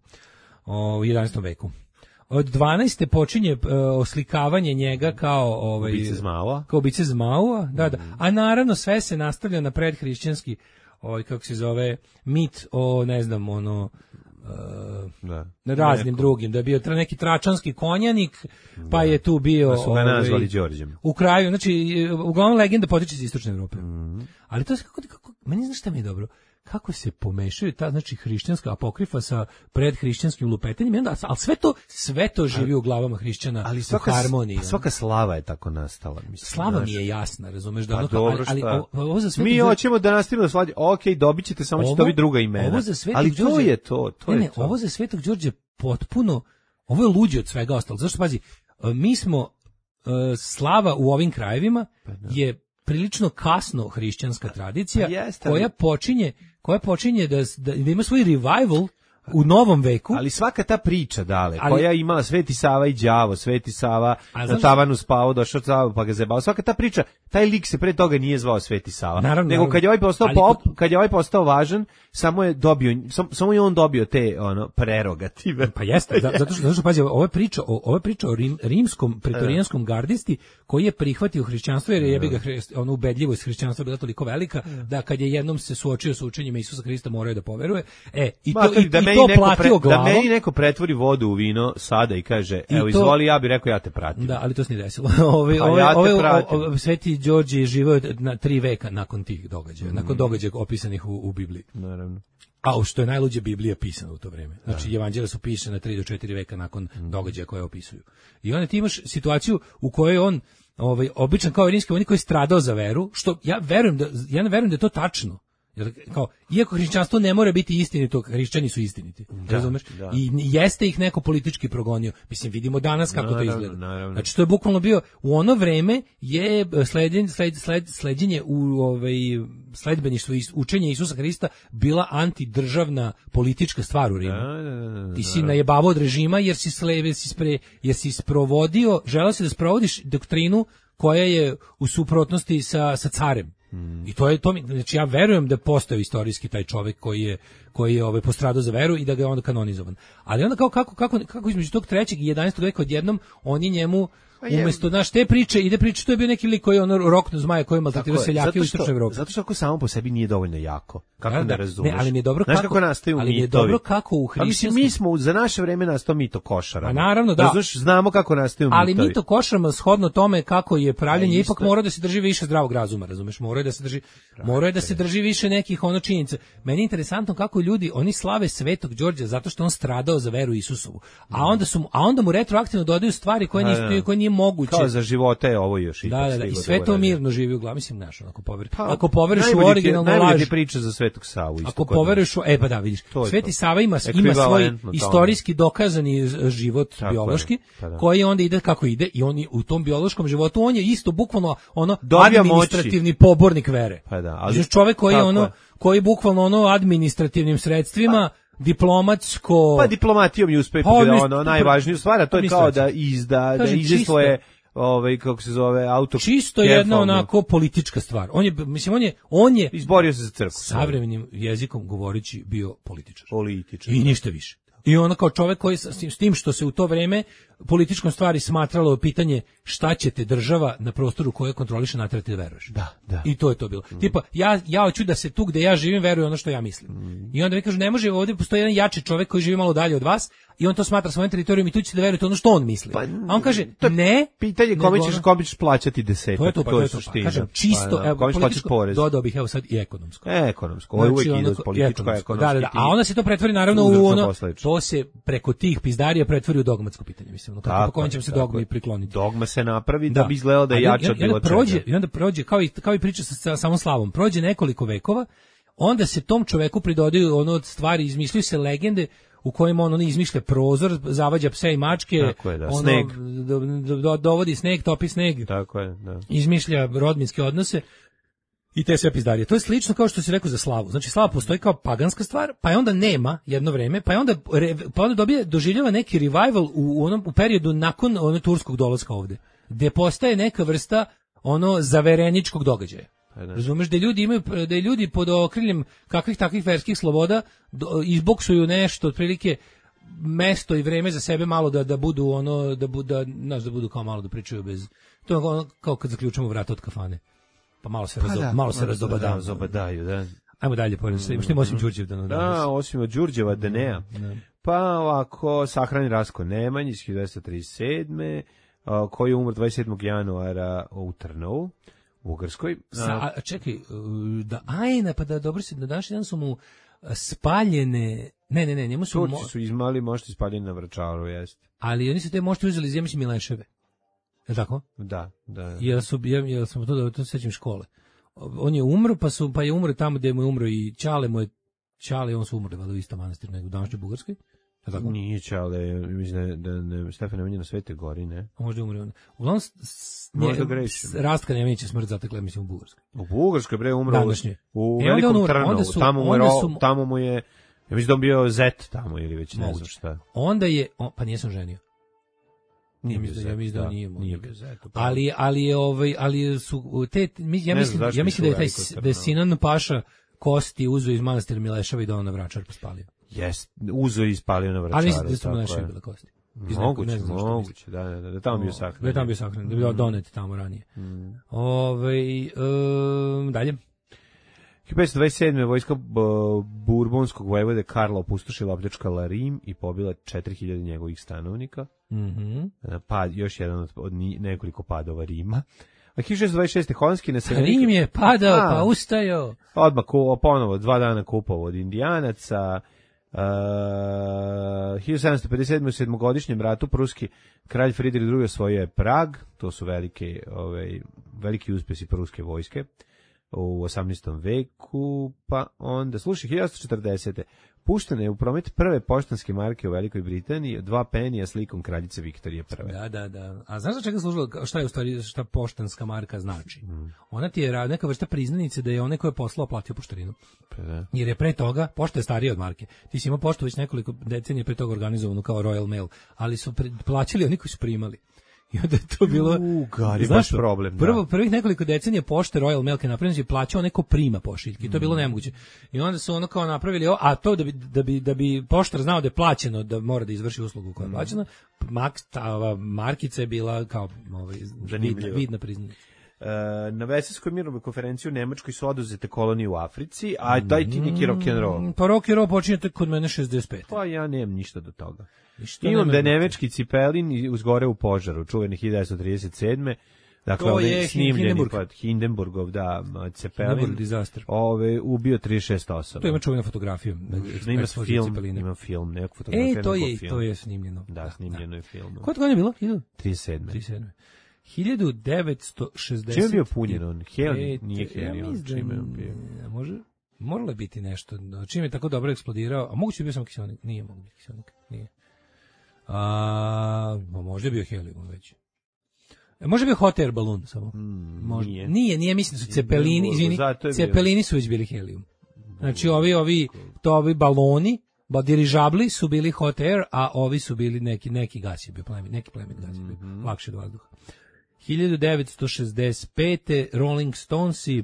Speaker 6: O, u jedanaestom veku. Od dvanaeste počinje eh, oslikavanje njega kao ovaj
Speaker 7: Ubice Zmaua.
Speaker 6: kao ubice Zmaua, da, da. A naravno sve se nastavlja na predhrišćanski ovaj kako se zove mit o ne znam ono eh,
Speaker 7: Da.
Speaker 6: na raznim
Speaker 7: Neko.
Speaker 6: drugim, da je bio tra- neki tračanski konjanik, pa je tu bio...
Speaker 7: Pa su ga
Speaker 6: ovaj,
Speaker 7: nazvali Đorđem.
Speaker 6: u kraju, znači, uglavnom legenda potiče iz istočne Evrope. Ali to je kako, kako, meni znaš šta mi je dobro? Kako se pomešaju ta, znači, hrišćanska apokrifa sa predhrišćanskim lupetanjem, i onda, ali sve to, sve to živi u glavama hrišćana
Speaker 7: Ali
Speaker 6: u
Speaker 7: svaka,
Speaker 6: harmoniji.
Speaker 7: a svaka slava je tako nastala. Mislim,
Speaker 6: Slava
Speaker 7: znaš.
Speaker 6: mi je jasna, razumeš, da
Speaker 7: Pa
Speaker 6: ono kao,
Speaker 7: dobro,
Speaker 6: ali, ali
Speaker 7: šta?
Speaker 6: ovo, ovo za Svetog
Speaker 7: Mi
Speaker 6: Đorđa-
Speaker 7: hoćemo da nastavimo da slađe. Ok, dobit ćete, samo ćete dobiti druga imena.
Speaker 6: Ovo za Svetog
Speaker 7: ali to
Speaker 6: Đorđe-
Speaker 7: je to, to
Speaker 6: ne,
Speaker 7: je
Speaker 6: ne,
Speaker 7: to.
Speaker 6: ovo za Svetog Đorđe potpuno, ovo je luđe od svega ostalog. Zašto, pazi, e, mi smo, e, slava u ovim krajevima je prilično kasno hrišćanska tradicija
Speaker 7: Pa jeste, ali-
Speaker 6: koja počinje, koja počinje da, da, da ima svoj revival u novom veku.
Speaker 7: Ali svaka ta priča, dale,
Speaker 6: Ali-
Speaker 7: koja je imala Sveti Sava i đavo, Sveti Sava
Speaker 6: A
Speaker 7: na
Speaker 6: znaš-
Speaker 7: tavanu spavao, došao Sava pa ga zebao. Svaka ta priča, taj lik se pre toga nije zvao Sveti Sava.
Speaker 6: Naravno,
Speaker 7: nego
Speaker 6: naravno.
Speaker 7: kad je ovaj postao
Speaker 6: Ali
Speaker 7: pop,
Speaker 6: kod-
Speaker 7: kad je ovaj postao važan, samo je dobio, sam, samo je on dobio te ono prerogative.
Speaker 6: Pa jeste, da, zato što zato što pazi, ovo je priča o ovo je priča o rim, rimskom pretorijanskom gardisti koji je prihvatio hrišćanstvo jer je jebi ga hri- ono ubedljivost hrišćanstva bila toliko velika da kad je jednom se suočio sa učenjima Isusa Hrista morao je da poveruje. E, i to
Speaker 7: Makar
Speaker 6: i,
Speaker 7: da
Speaker 6: i
Speaker 7: meni
Speaker 6: to
Speaker 7: neko
Speaker 6: platio
Speaker 7: pre-
Speaker 6: glavom.
Speaker 7: Da meni neko pretvori vodu u vino sada i kaže,
Speaker 6: I
Speaker 7: evo
Speaker 6: to-
Speaker 7: izvoli, ja bih rekao ja te pratim.
Speaker 6: Da, ali to se nije desilo. Ove,
Speaker 7: Pa
Speaker 6: ove,
Speaker 7: ja te
Speaker 6: ove,
Speaker 7: pratim.
Speaker 6: ove, Sveti Đorđe je živeo na tri veka nakon tih događaja, nakon događaja opisanih u, u Bibliji.
Speaker 7: Naravno.
Speaker 6: A u što je najluđe, Biblija pisana u to vreme. Znači, evanđelja su pisana tri do četiri veka nakon događaja koje opisuju. I onda ti imaš situaciju u kojoj on, ovaj, običan kao rimski vojnik koji je stradao za veru, što ja verujem da, ja ne verujem da je to tačno. Jer, kao, iako hrišćanstvo ne mora biti istinito, hrišćani su istiniti. Razumeš?
Speaker 7: da.
Speaker 6: I jeste ih neko politički progonio. Mislim, vidimo danas kako to
Speaker 7: Naravno,
Speaker 6: izgleda.
Speaker 7: naravno.
Speaker 6: Znači, to je bukvalno bio, u ono vreme je sledjen, sled, sled, sleđenje u ovaj, sledbeništvo i učenje Isusa Hrista bila antidržavna politička stvar u Rimu.
Speaker 7: Da, da, da, da,
Speaker 6: Ti si najebavao od režima jer si sleve, si spre, jer si sprovodio, želeo si da sprovodiš doktrinu koja je u suprotnosti sa, sa carem. I to je to mi, znači ja verujem da postoji istorijski taj čovjek koji je koji je ovaj postradao za veru i da ga je onda kanonizovan. Ali onda kao kako kako kako između tog trećeg i jedanaestog veka odjednom oni njemu Umesto naš te priče, ide priča, to je bio neki lik koji je ono roknu zmaja koji je maltretirao seljake u istočnoj Evropi.
Speaker 7: Zato što ako samo po sebi nije dovoljno jako. Kako da, da, ne razumeš?
Speaker 6: Ne, ali mi je dobro
Speaker 7: Znaš
Speaker 6: kako,
Speaker 7: kako nastaju
Speaker 6: ali mi je
Speaker 7: mitovi?
Speaker 6: dobro kako u hrišćanskom...
Speaker 7: Mi smo za naše vreme nastao mito košara.
Speaker 6: A naravno, da.
Speaker 7: Razumeš, znamo kako nastaju
Speaker 6: ali
Speaker 7: mitovi.
Speaker 6: Ali mito košarama shodno tome kako je pravljenje,
Speaker 7: A,
Speaker 6: ipak mora da se drži više zdravog razuma, razumeš? Mora da se drži, mora da se drži više nekih ono činjenica. Meni je interesantno kako ljudi, oni slave Svetog Đorđa zato što on stradao za veru Isusovu. A onda su a onda mu retroaktivno dodaju stvari koje nisu koje nije moguće.
Speaker 7: Kao za života je ovo još i
Speaker 6: da, da, da, i sve to mirno živi u glavi, mislim, znaš, ako poveruješ. Pa, ako poveruješ u originalnu laž.
Speaker 7: Najbolje priča za Svetog Savu isto.
Speaker 6: Ako poveruješ u, e pa da, vidiš. Sveti Sava ima ima svoj istorijski dokazani život tako biološki, pa koji onda ide kako ide i on u tom biološkom životu on je isto bukvalno ono
Speaker 7: dobija
Speaker 6: administrativni
Speaker 7: moći.
Speaker 6: Pobornik vere.
Speaker 7: Pa da, ali
Speaker 6: znači čovjek koji je ono koji bukvalno ono administrativnim sredstvima pa, diplomatsko
Speaker 7: pa diplomatijom je uspeo pa, da ono najvažniju stvar, a to je kao da izda da izda svoje ovaj kako se zove auto
Speaker 6: čisto jedna onako politička stvar. On je mislim on je on je
Speaker 7: izborio se za crkvu.
Speaker 6: Savremenim jezikom govoreći bio političar.
Speaker 7: Političar.
Speaker 6: I ništa više. I on kao čovjek koji s tim što se u to vreme političkom stvari smatralo pitanje šta će te država na prostoru koje kontroliše naterati da veruješ.
Speaker 7: Da, da.
Speaker 6: I to je to bilo. Mm. Tipa, ja, ja hoću da se tu gde ja živim veruje ono što ja mislim. Mm. I onda mi kažu, ne može, ovdje postoji jedan jači čovjek koji živi malo dalje od vas i on to smatra svojim teritorijom i tu ćete da verujete ono što on misli. Pa, a on kaže, ne.
Speaker 7: Pitanje kome ćeš, kome ćeš plaćati desetak.
Speaker 6: To je to, pa to je to. Pa, kažem, čisto,
Speaker 7: pa, kome ćeš plaćati porez.
Speaker 6: Dodao bih, evo sad, i ekonomsko.
Speaker 7: E, ekonomsko. Ovo je uvijek ide uz političko, ekonomsko.
Speaker 6: Da, da, da. A onda se to pretvori naravno u ono, to se preko tih pizdarija pretvori u dogmatsko pitanje, mislim. Ono, kako, po kojem ćemo se dogmi prikloniti.
Speaker 7: Dogma se napravi da, da bi izgledalo da je jače od bilo
Speaker 6: čega. I onda prođe, kao i, kao i priča sa, sa samom slavom, prođe nekoliko vekova, onda se tom čoveku pridodaju ono od stvari, izmišljaju se legende u kojima on, on izmišlja prozor, zavađa pse i mačke,
Speaker 7: tako je, da.
Speaker 6: Ono,
Speaker 7: sneg.
Speaker 6: Do, do, do, dovodi sneg, topi sneg,
Speaker 7: tako je, da.
Speaker 6: Izmišlja rodbinske odnose i te sve pizdarije. To je slično kao što si rekao za slavu. Znači slava postoji kao paganska stvar, pa je onda nema jedno vreme, pa je onda, pa onda dobije, doživljava neki revival u, onom, u periodu nakon onog turskog dolaska ovde, gde postaje neka vrsta ono zavereničkog događaja. Razumeš da ljudi imaju da je ljudi pod okriljem kakvih takvih verskih sloboda do, izboksuju nešto otprilike mesto i vreme za sebe malo da da budu ono da budu da, znaš, da budu kao malo da pričaju bez to je ono, kao kad zaključamo vrata od kafane. Pa malo se pa razdo, da, malo se razdobadaju,
Speaker 7: razobadaju, da.
Speaker 6: Ajmo dalje, pored sve, što ima osim Đurđevdana.
Speaker 7: Da, osim od Đurđeva Danea. Pa ovako sahrani Rasko Nemanj iz hiljadu devetsto trideset sedme koji je umro dvadeset sedmog januara u Trnovu. U Ugarskoj.
Speaker 6: Sa, a čekaj, da ajna, pa da dobro se, na današnji dan su mu spaljene, ne, ne, ne, njemu su...
Speaker 7: Turci mo... su izmali mošti spaljeni na Vračaru, jest.
Speaker 6: Ali oni su te mošti uzeli iz Jemići Mileševe. Je tako?
Speaker 7: Da, da.
Speaker 6: Jel su, jel, jel sam to da to sećam škole. On je umro, pa su, pa je umro tamo gde mu je umro i Ćale mu je, Ćale, on su umrli, valjda u istom manastiru nego u današnjoj Bugarskoj. Tako?
Speaker 7: Nije Ćale, mislim da ne, Stefan Nemanja na Svete Gori, ne?
Speaker 6: A možda umre on. Uglavnom, Rastka Nemanja smrt zatekla, mislim, u Bugarskoj.
Speaker 7: U Bugarskoj, bre, umro
Speaker 6: današnje.
Speaker 7: U e, Velikom Trnovu, tamo mu je, su, tamo mu je, ja mislim da on bio zet tamo ili već ne znam šta.
Speaker 6: Onda je, on, pa nisam ženio.
Speaker 7: Nije bio zet,
Speaker 6: ja mislim da,
Speaker 7: da
Speaker 6: nije,
Speaker 7: nije bio zet.
Speaker 6: Ali, ali je, ovaj, ali su, te, ja mislim, ja mislim da je taj, da je Sinan Paša kosti uzeo iz manastira Mileševa i da on na Vračar pospalio.
Speaker 7: Jest, uzo i ispalio na Vračaru.
Speaker 6: Ali mislim da su Mileševi bile kosti.
Speaker 7: Moguće, ne znam moguće, da, da, da, da tamo bio sahran.
Speaker 6: Da je tamo bio sahran, da je bio donet tamo ranije. Mm. Ove, um, dalje.
Speaker 7: hiljadu petsto dvadeset sedme vojska burbonskog vojvode Karla opustošila, opljačkala Rim i pobila četiri hiljade njegovih stanovnika.
Speaker 6: Mm-hmm.
Speaker 7: Pa još jedan od, od nekoliko padova Rima. A hiljadu šesto dvadeset šeste holandski naseljenik...
Speaker 6: Rim je padao, a, pa ustajao.
Speaker 7: Odmah ponovo dva dana kupovao od Indijanaca. Uh, hiljadu sedamsto pedeset sedme u sedmogodišnjem ratu pruski kralj Fridrik drugi osvojio je Prag. To su velike, ovaj, veliki uspjesi pruske vojske u osamnaestom veku. Pa onda, slušaj, hiljadu osamsto četrdesete puštene je u promet prve poštanske marke u Velikoj Britaniji, dva penija slikom kraljice Viktorije prve.
Speaker 6: Da, da, da. A znaš za čega služila, šta je u stvari, šta poštanska marka znači? Mm. Ona ti je neka vrsta priznanice da je onaj ko je poslao platio poštarinu.
Speaker 7: Pa da.
Speaker 6: Jer je pre toga, pošta je starija od marke. Ti si imao poštu već nekoliko decenija pre toga organizovanu kao Royal Mail, ali su pre, plaćali oni koji su primali. I onda je to bilo...
Speaker 7: U, Gari,
Speaker 6: znaš
Speaker 7: baš
Speaker 6: što?
Speaker 7: problem, da.
Speaker 6: Prvo, prvih nekoliko decenija pošte Royal Mail kad napravljeno je plaćao neko prima pošiljke. I to je bilo nemoguće. I onda su ono kao napravili ovo, a to da bi, da bi, da bi poštar znao da je plaćeno, da mora da izvrši uslugu koja je plaćena, Max, ta ova markica je bila kao ovaj, vidna, vidna priznanja.
Speaker 7: Uh, na Veselskoj mirovnoj konferenciji u Nemačkoj su oduzete kolonije u Africi, a daj ti neki rock'n'roll.
Speaker 6: Pa rock'n'roll počinjete kod mene šezdeset pet.
Speaker 7: Pa ja nemam ništa do toga.
Speaker 6: Ništa
Speaker 7: Imam
Speaker 6: nema
Speaker 7: da je
Speaker 6: do-
Speaker 7: nemački Cipelin uzgore u požaru, čuveni hiljadu devetsto trideset sedme. Dakle,
Speaker 6: To
Speaker 7: ovdje
Speaker 6: je
Speaker 7: snimljeni
Speaker 6: Hindenburg.
Speaker 7: pod Hindenburgov, da, Cepelin,
Speaker 6: Hindenburg disaster.
Speaker 7: ove, ubio trideset šest osoba.
Speaker 6: To ima čuvena fotografija.
Speaker 7: Ima
Speaker 6: eksplozije
Speaker 7: film,
Speaker 6: Cepeline.
Speaker 7: ima film, neku fotografiju.
Speaker 6: E, to
Speaker 7: nego
Speaker 6: je,
Speaker 7: film.
Speaker 6: to je snimljeno.
Speaker 7: Da, snimljeno je film.
Speaker 6: Koje godine je bilo?
Speaker 7: trideset sedme.
Speaker 6: trideset sedme. hiljadu devetsto šezdeset.
Speaker 7: Čime je bio punjen on? Helium? Nije
Speaker 6: Ja
Speaker 7: helium.
Speaker 6: mislim da
Speaker 7: Čime je on bio?
Speaker 6: n- može, moralo je biti nešto. Čime je tako dobro eksplodirao? A moguće je bio samo kiselnik? Nije mogu biti kiselnik. Nije. A, ma možda je bio helium već. E, može je bio hot air balon samo.
Speaker 7: Mm,
Speaker 6: Možda.
Speaker 7: nije.
Speaker 6: Nije, nije, mislim da su cepelini, izvini,
Speaker 7: Zato je bio.
Speaker 6: cepelini su već bili helium. Znači ovi, ovi, to ovi baloni, ba dirižabli su bili hot air, a ovi su bili neki, neki gas je bio, plemen, neki plemen gas je bio,
Speaker 7: Mhm.
Speaker 6: lakše od vazduha. hiljadu devetsto šezdeset pete. Rolling Stonesi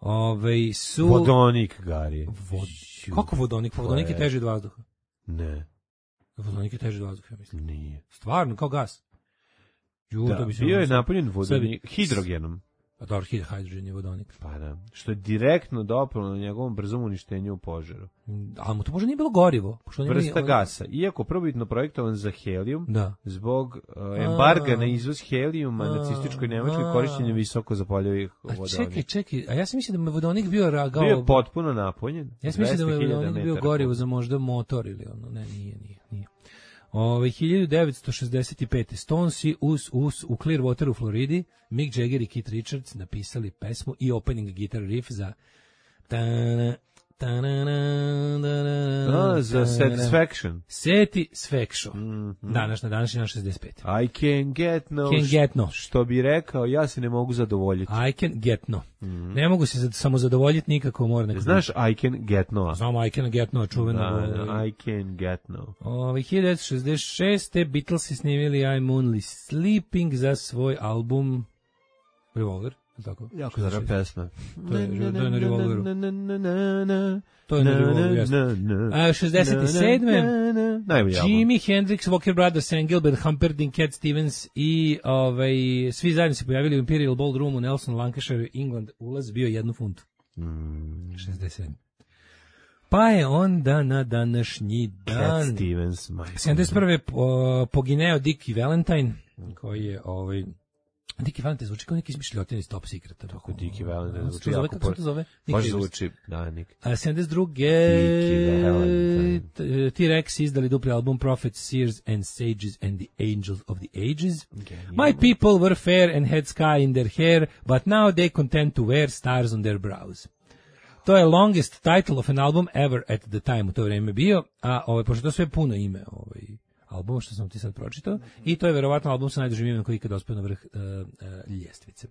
Speaker 6: ovaj, su...
Speaker 7: Vodonik, Gari.
Speaker 6: Vod... Kako vodonik? Pa vodonik je teži od vazduha.
Speaker 7: Ne,
Speaker 6: Vodonik je teži od vazduha, ja mislim.
Speaker 7: nije.
Speaker 6: Stvarno, kao gas. Ju,
Speaker 7: Da,
Speaker 6: to bi se
Speaker 7: bio je
Speaker 6: ono-
Speaker 7: napunjen vodonik,
Speaker 6: Sebi-
Speaker 7: hidrogenom.
Speaker 6: A dobro, hid- hydrogen je vodonik.
Speaker 7: Pa da, što je direktno dopalo na njegovom brzom uništenju u požaru.
Speaker 6: Ali mu to možda nije bilo gorivo. Pošto on je-
Speaker 7: Vrsta
Speaker 6: on-
Speaker 7: gasa, iako prvobitno projektovan za helijum,
Speaker 6: Da.
Speaker 7: zbog uh, embarga
Speaker 6: A.
Speaker 7: na izvoz helijuma
Speaker 6: A.
Speaker 7: nacističkoj Nemačkoj
Speaker 6: A.
Speaker 7: korišćenje visoko zapoljivih
Speaker 6: A
Speaker 7: vodonika.
Speaker 6: čekaj, čekaj, a ja sam mislio da mu je vodonik bio ragao...
Speaker 7: Bio je potpuno napunjen.
Speaker 6: Ja sam mislio da mu je
Speaker 7: dvesta hiljada
Speaker 6: vodonik bio
Speaker 7: metara
Speaker 6: gorivo
Speaker 7: kubnih.
Speaker 6: za možda motor ili ono, ne, nije, nije, nije. Ove, hiljadu devetsto šezdeset pete. Stonesi us, us, u Clearwater u Floridi, Mick Jagger i Keith Richards napisali pesmu i opening guitar riff za tana, tana, tana,
Speaker 7: A, za
Speaker 6: tana,
Speaker 7: Satisfaction.
Speaker 6: Satisfaction.
Speaker 7: Mhm.
Speaker 6: Današnja, današnja šezdeset pet.
Speaker 7: I can get no.
Speaker 6: Can get no.
Speaker 7: Što bi rekao, ja se ne mogu zadovoljiti.
Speaker 6: I can get no. Ne mogu se samo zadovoljiti nikako, mora neko...
Speaker 7: Znaš I can get no?
Speaker 6: Znamo I can get no, čuveno.
Speaker 7: Da, da,
Speaker 6: ovaj,
Speaker 7: I can get no.
Speaker 6: Ovaj hiljadu devetsto šezdeset šeste. Beatlesi snimili I'm Only Sleeping za svoj album Revolver, je li tako?
Speaker 7: Jako dobra pesma.
Speaker 6: To je, to je na Revolveru. To je na Revolveru, jeste. A, šezdeset sedme.
Speaker 7: Najbolji album.
Speaker 6: Jimi Hendrix, Walker Brothers, Engelbert Humperdinck, Cat Stevens i ovaj, svi zajedno se pojavili u Imperial Ballroomu u Nelson, Lancashire, England. Ulaz bio jednu funtu. šezdeset sedme. Pa je onda na današnji
Speaker 7: Cat
Speaker 6: dan...
Speaker 7: Stevens, majko.
Speaker 6: sedamdeset prve po, pogineo Dickie Valentine, koji je ovaj Dickie Valentine zvuči kao neki izmišljotin iz Top Secreta.
Speaker 7: Tako Dickie Valentine
Speaker 6: Kako
Speaker 7: zvuči
Speaker 6: se zove,
Speaker 7: jako
Speaker 6: kako se to zove?
Speaker 7: Baš
Speaker 6: Nick Davis.
Speaker 7: zvuči, da, Nick.
Speaker 6: A sedamdeset druge.
Speaker 7: Dickie Valentine.
Speaker 6: T- T-Rex izdali dupli album Prophets, Seers and Sages and the Angels of the Ages. My people were fair and had sky in their hair, but now they content to wear stars on their brows. To je longest title of an album ever at the time u to vreme bio, a ovaj, pošto to sve puno ime ovaj, albuma što sam ti sad pročitao, i to je verovatno album sa najdužim imenom koji ikada dospeo na vrh uh, uh, ljestvice.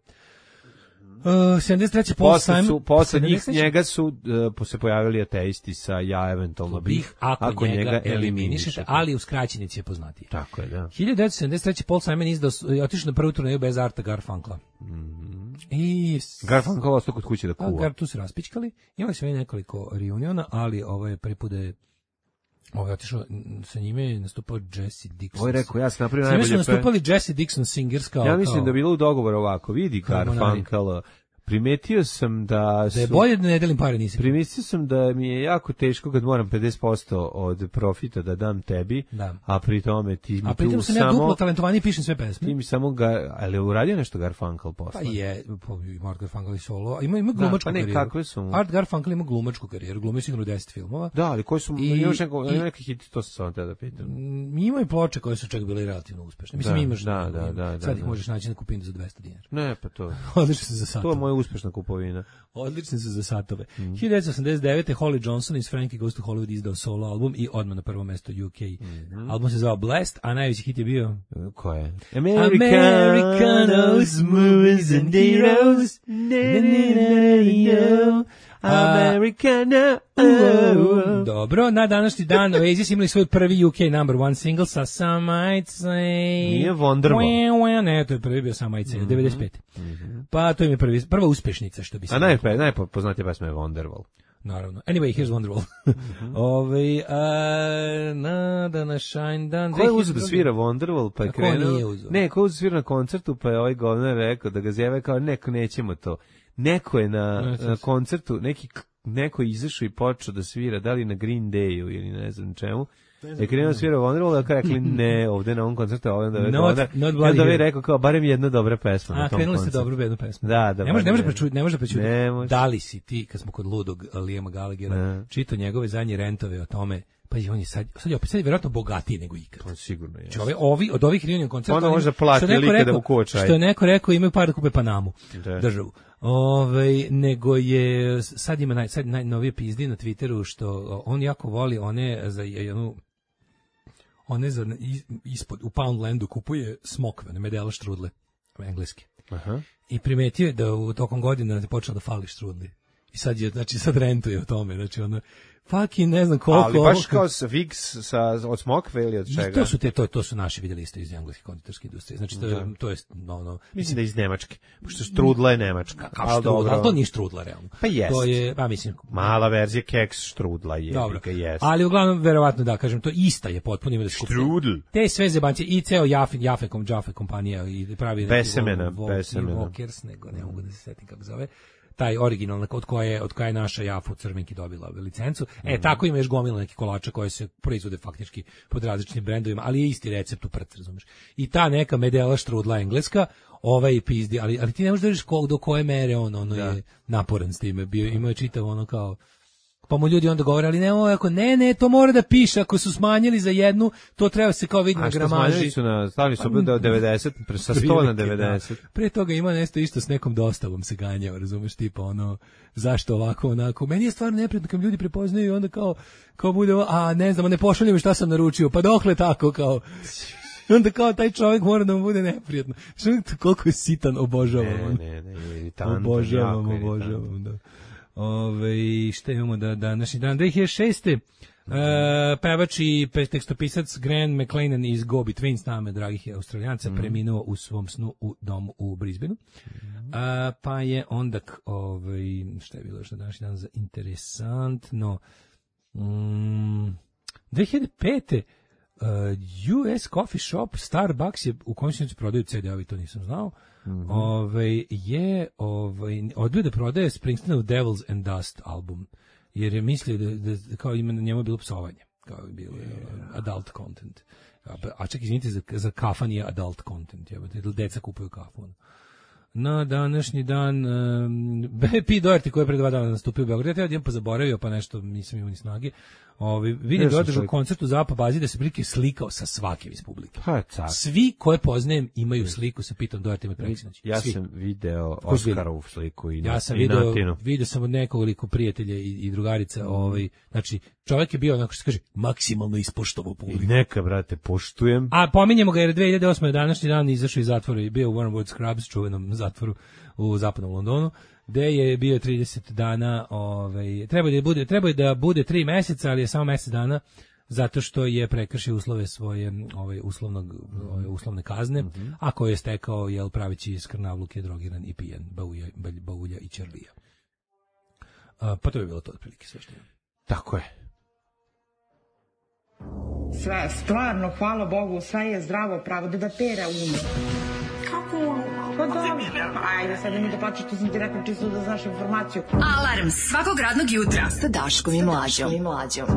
Speaker 6: Uh, sedamdeset treće. Paul
Speaker 7: Posle
Speaker 6: Simon.
Speaker 7: su, posle njih,
Speaker 6: sedamdeset treće.
Speaker 7: njega su uh, se pojavili ateisti sa ja eventualno bih,
Speaker 6: bih ako, njega, eliminišete, ali u skraćenici je poznatiji.
Speaker 7: Tako je, da.
Speaker 6: hiljadu devetsto sedamdeset treće. Paul Simon izdao, je otišao na prvu turneju bez Arta Garfunkla. I
Speaker 7: Garfunkel ostao kod kuće da
Speaker 6: a,
Speaker 7: kuva.
Speaker 6: Gar, tu se raspičkali, imali su i nekoliko reuniona, ali ovo je prvi put da je ovo je otišao, n- sa njime je nastupao Jesse Dixon.
Speaker 7: Ovo je rekao, ja sam napravio
Speaker 6: Sa njime su
Speaker 7: najbolje pe...
Speaker 6: nastupali Jesse Dixon Singers kao...
Speaker 7: Ja mislim
Speaker 6: kao,
Speaker 7: da je bilo u dogovoru ovako, vidi
Speaker 6: Harmonari.
Speaker 7: Garfunkel, primetio sam da su...
Speaker 6: da je bolje da ne delim pare, nisi.
Speaker 7: Primetio sam da mi je jako teško kad moram pedeset posto od profita da dam tebi,
Speaker 6: Da.
Speaker 7: a pri tome ti mi
Speaker 6: A pritom
Speaker 7: tu
Speaker 6: sam ja duplo
Speaker 7: samo...
Speaker 6: talentovaniji, pišem sve pesme.
Speaker 7: Ti mi samo ga... Ali je uradio nešto Garfunkel
Speaker 6: Pa
Speaker 7: posle?
Speaker 6: je, pa i Art Garfunkel i solo, a ima, ima glumačku
Speaker 7: pa ne,
Speaker 6: karijeru.
Speaker 7: kakve su mu?
Speaker 6: Art Garfunkel ima glumačku karijeru, glumio sigurno deset filmova.
Speaker 7: Da, ali koji su...
Speaker 6: I-
Speaker 7: I, imaš neko,
Speaker 6: i-
Speaker 7: ima neki hit, to sam samo te da pitam.
Speaker 6: Mm, Ima i ploče koje su čak bile relativno uspešne. Mislim,
Speaker 7: Da,
Speaker 6: imaš...
Speaker 7: da, da, da,
Speaker 6: Sad ih
Speaker 7: da.
Speaker 6: možeš naći na kupinu za dvesta dinara.
Speaker 7: Ne, pa to...
Speaker 6: Odlični su za
Speaker 7: To
Speaker 6: satove.
Speaker 7: je moja uspešna kupovina.
Speaker 6: Odlični su za satove.
Speaker 7: Mm.
Speaker 6: hiljadu devetsto osamdeset devete. Holly Johnson iz Frankie Goes to Hollywood izdao solo album i odmah na prvo mesto U K.
Speaker 7: Mm-hmm.
Speaker 6: Album se zvao Blessed, a najveći hit je bio...
Speaker 7: Ko je?
Speaker 6: Americanos, movies and heroes. Na, na, na, na, na.
Speaker 7: Americana.
Speaker 6: Uh, dobro, na današnji dan Oasis imali svoj prvi U K number one single sa Some Might Say.
Speaker 7: Nije Wonderwall.
Speaker 6: Ne, to je prvi bio Some Might Say, mm-hmm. devedeset pete. Mm-hmm. Pa to im je prvi, prva uspešnica, što bi se...
Speaker 7: A najpe, najpoznatija pesma je Wonderwall.
Speaker 6: Naravno. Anyway, here's Wonderwall. Mm-hmm. Ove, a, na današnji dan...
Speaker 7: Ko je uzeo da svira Wonderwall, pa je krenuo...
Speaker 6: Ko nije uzeo?
Speaker 7: Ne, ko je uzeo svira na koncertu, pa je ovaj govnar rekao da ga zjeve kao, neko, nećemo to. Neko je na, na koncertu, neki, neko je izašao i počeo da svira, da li na Green Dayu ili ne znam čemu, je krenuo svira Wonderwall, da rekli ne, ovde na ovom koncertu, ovdje da je onda, onda je rekao kao, barem jedna dobra pesma
Speaker 6: A,
Speaker 7: na tom koncertu. A, krenuli ste
Speaker 6: dobru jednu pesmu.
Speaker 7: Da, da.
Speaker 6: Ne može, ne može prečuti, ne može prečuti. Da li si ti, kad smo kod ludog Liama Gallaghera, čitao njegove zadnje rentove o tome, pa on je sad, sad je opet sad je vjerojatno bogatiji nego ikad.
Speaker 7: To sigurno je.
Speaker 6: Ove, ovi, od ovih reunion koncerta...
Speaker 7: Onda može plati like da mu kočaj.
Speaker 6: Što je neko rekao, imaju par da kupe Panamu, da. državu. Ove, nego je, sad ima naj, sad najnovije pizdi na Twitteru, što on jako voli one za jednu... one za, ispod, u Poundlandu kupuje smokve, ne medela štrudle, engleske. Aha. I primetio je da u tokom godina je počeo da fali štrudli. I sad je, znači sad rentuje o tome, znači ono, fucking ne znam koliko...
Speaker 7: Ali baš kao sa Vigs, sa, od smokve ili od čega?
Speaker 6: I to su, te, to, to su naši vidjeli isto iz engleske konditorske industrije, znači to, da. to je, no, no...
Speaker 7: Mislim da iz Nemačke, pošto štrudla je Nemačka.
Speaker 6: Kao štrudla, ali to nije štrudla, realno.
Speaker 7: Pa jest.
Speaker 6: To je, pa mislim...
Speaker 7: Mala verzija keks štrudla je, dobro, jest.
Speaker 6: Ali uglavnom, verovatno da, kažem, to ista je potpuno ima da skupi.
Speaker 7: Štrudl.
Speaker 6: Te sve zebancije, i ceo Jafe, Jafe, Jafe kompanija, i pravi...
Speaker 7: Besemena, besemena.
Speaker 6: Walkers, nego ne mogu da se setim kako zove. Taj originalna od koje od koje je naša Jafa u Crvenki dobila licencu. E, mm. tako ima još gomila neki kolača koje se proizvode faktički pod različitim brendovima, ali je isti recept u prc, razumeš. I ta neka medela štrudla engleska, ovaj pizdi, ali ali ti ne možeš da vidiš kog do koje mere on ono da. je naporan s time. Bio ima je čitav ono kao pa mu ljudi onda govore, ali ne, ovo, ako ne, ne, to mora da piše, ako su smanjili za jednu, to treba se kao vidi na gramaži. A što smanjili
Speaker 7: su na, stavili su do devedeset, sa sto na devedeset.
Speaker 6: Da. Pre toga ima nešto isto s nekom dostavom se ganjao, razumeš, tipa ono, zašto ovako, onako. Meni je stvarno neprijatno kad ljudi prepoznaju i onda kao, kao bude, a ne znam, ne pošalju mi šta sam naručio, pa dokle tako, kao... Onda kao taj čovjek mora da mu bude neprijatno. Što koliko je sitan, obožavam.
Speaker 7: Ne, ne, ne, iritantan,
Speaker 6: obožavam, obožavam, da. Ove, šta imamo da današnji dan? dve hiljade šeste. Uh, pevač i tekstopisac Graham McLennan iz Go Between, s nama, dragih Australijanca, mm. preminuo u svom snu u domu u Brisbaneu. Mm. Uh, pa je onda, ovaj, šta je bilo što današnji dan za interesantno? Um, dve hiljade pete. Uh, U S Coffee Shop Starbucks je u končnici prodaju ce de-ovi, to nisam znao. Mm-hmm. Ove, je ovaj, odbio da prodaje Springsteenov Devils and Dust album, jer je mislio da, da kao ima na njemu bilo psovanje, kao je bilo yeah. adult content. A, a čak izvinite, za, za kafan je adult content, jebate, deca kupuju kafu. Na današnji dan um, P. Doherty koji je pre dva dana nastupio u Beogradu, ja jedan pa zaboravio, pa nešto nisam imao ni snage. Ovi, vidim da održao koncert u Zapa bazi da se prilike slikao sa svakim iz publike.
Speaker 7: Pa,
Speaker 6: svi koje poznajem imaju sliku sa Pitom Dohertyjem i preksinoć.
Speaker 7: Ja
Speaker 6: svi.
Speaker 7: sam video Oskarovu sliku i,
Speaker 6: ja sam
Speaker 7: i
Speaker 6: video,
Speaker 7: Natinu.
Speaker 6: Vidio sam od nekoliko prijatelja i, i drugarica. Mm. Ovaj, znači, čovjek je bio, onako što se kaže, maksimalno ispoštovao publiku.
Speaker 7: I neka, brate, poštujem.
Speaker 6: A pominjemo ga jer dve hiljade osme današnji dan izašao iz zatvora i bio u Wormwood Scrubs, čuvenom zatvoru u zapadnom Londonu, gde je bio trideset dana, ovaj, treba da bude, treba da bude tri meseca, ali je samo mesec dana, zato što je prekršio uslove svoje, ovaj, uslovnog, ove, uslovne kazne, mm-hmm. a koje je stekao, jel, pravići skrnavluke, drogiran i pijan, baulja, baulja i čerlija. A, pa to je bilo to otprilike sve što je.
Speaker 7: Tako je.
Speaker 9: Sve, stvarno, hvala Bogu, sve je zdravo, pravo da da pera ume. Kako ume? Pa dobro, ajde, sad mi da plaćaš, što sam ti rekao čisto da znaš informaciju.
Speaker 2: Alarm svakog radnog jutra sa Daškom i Mlađom. I Mlađom.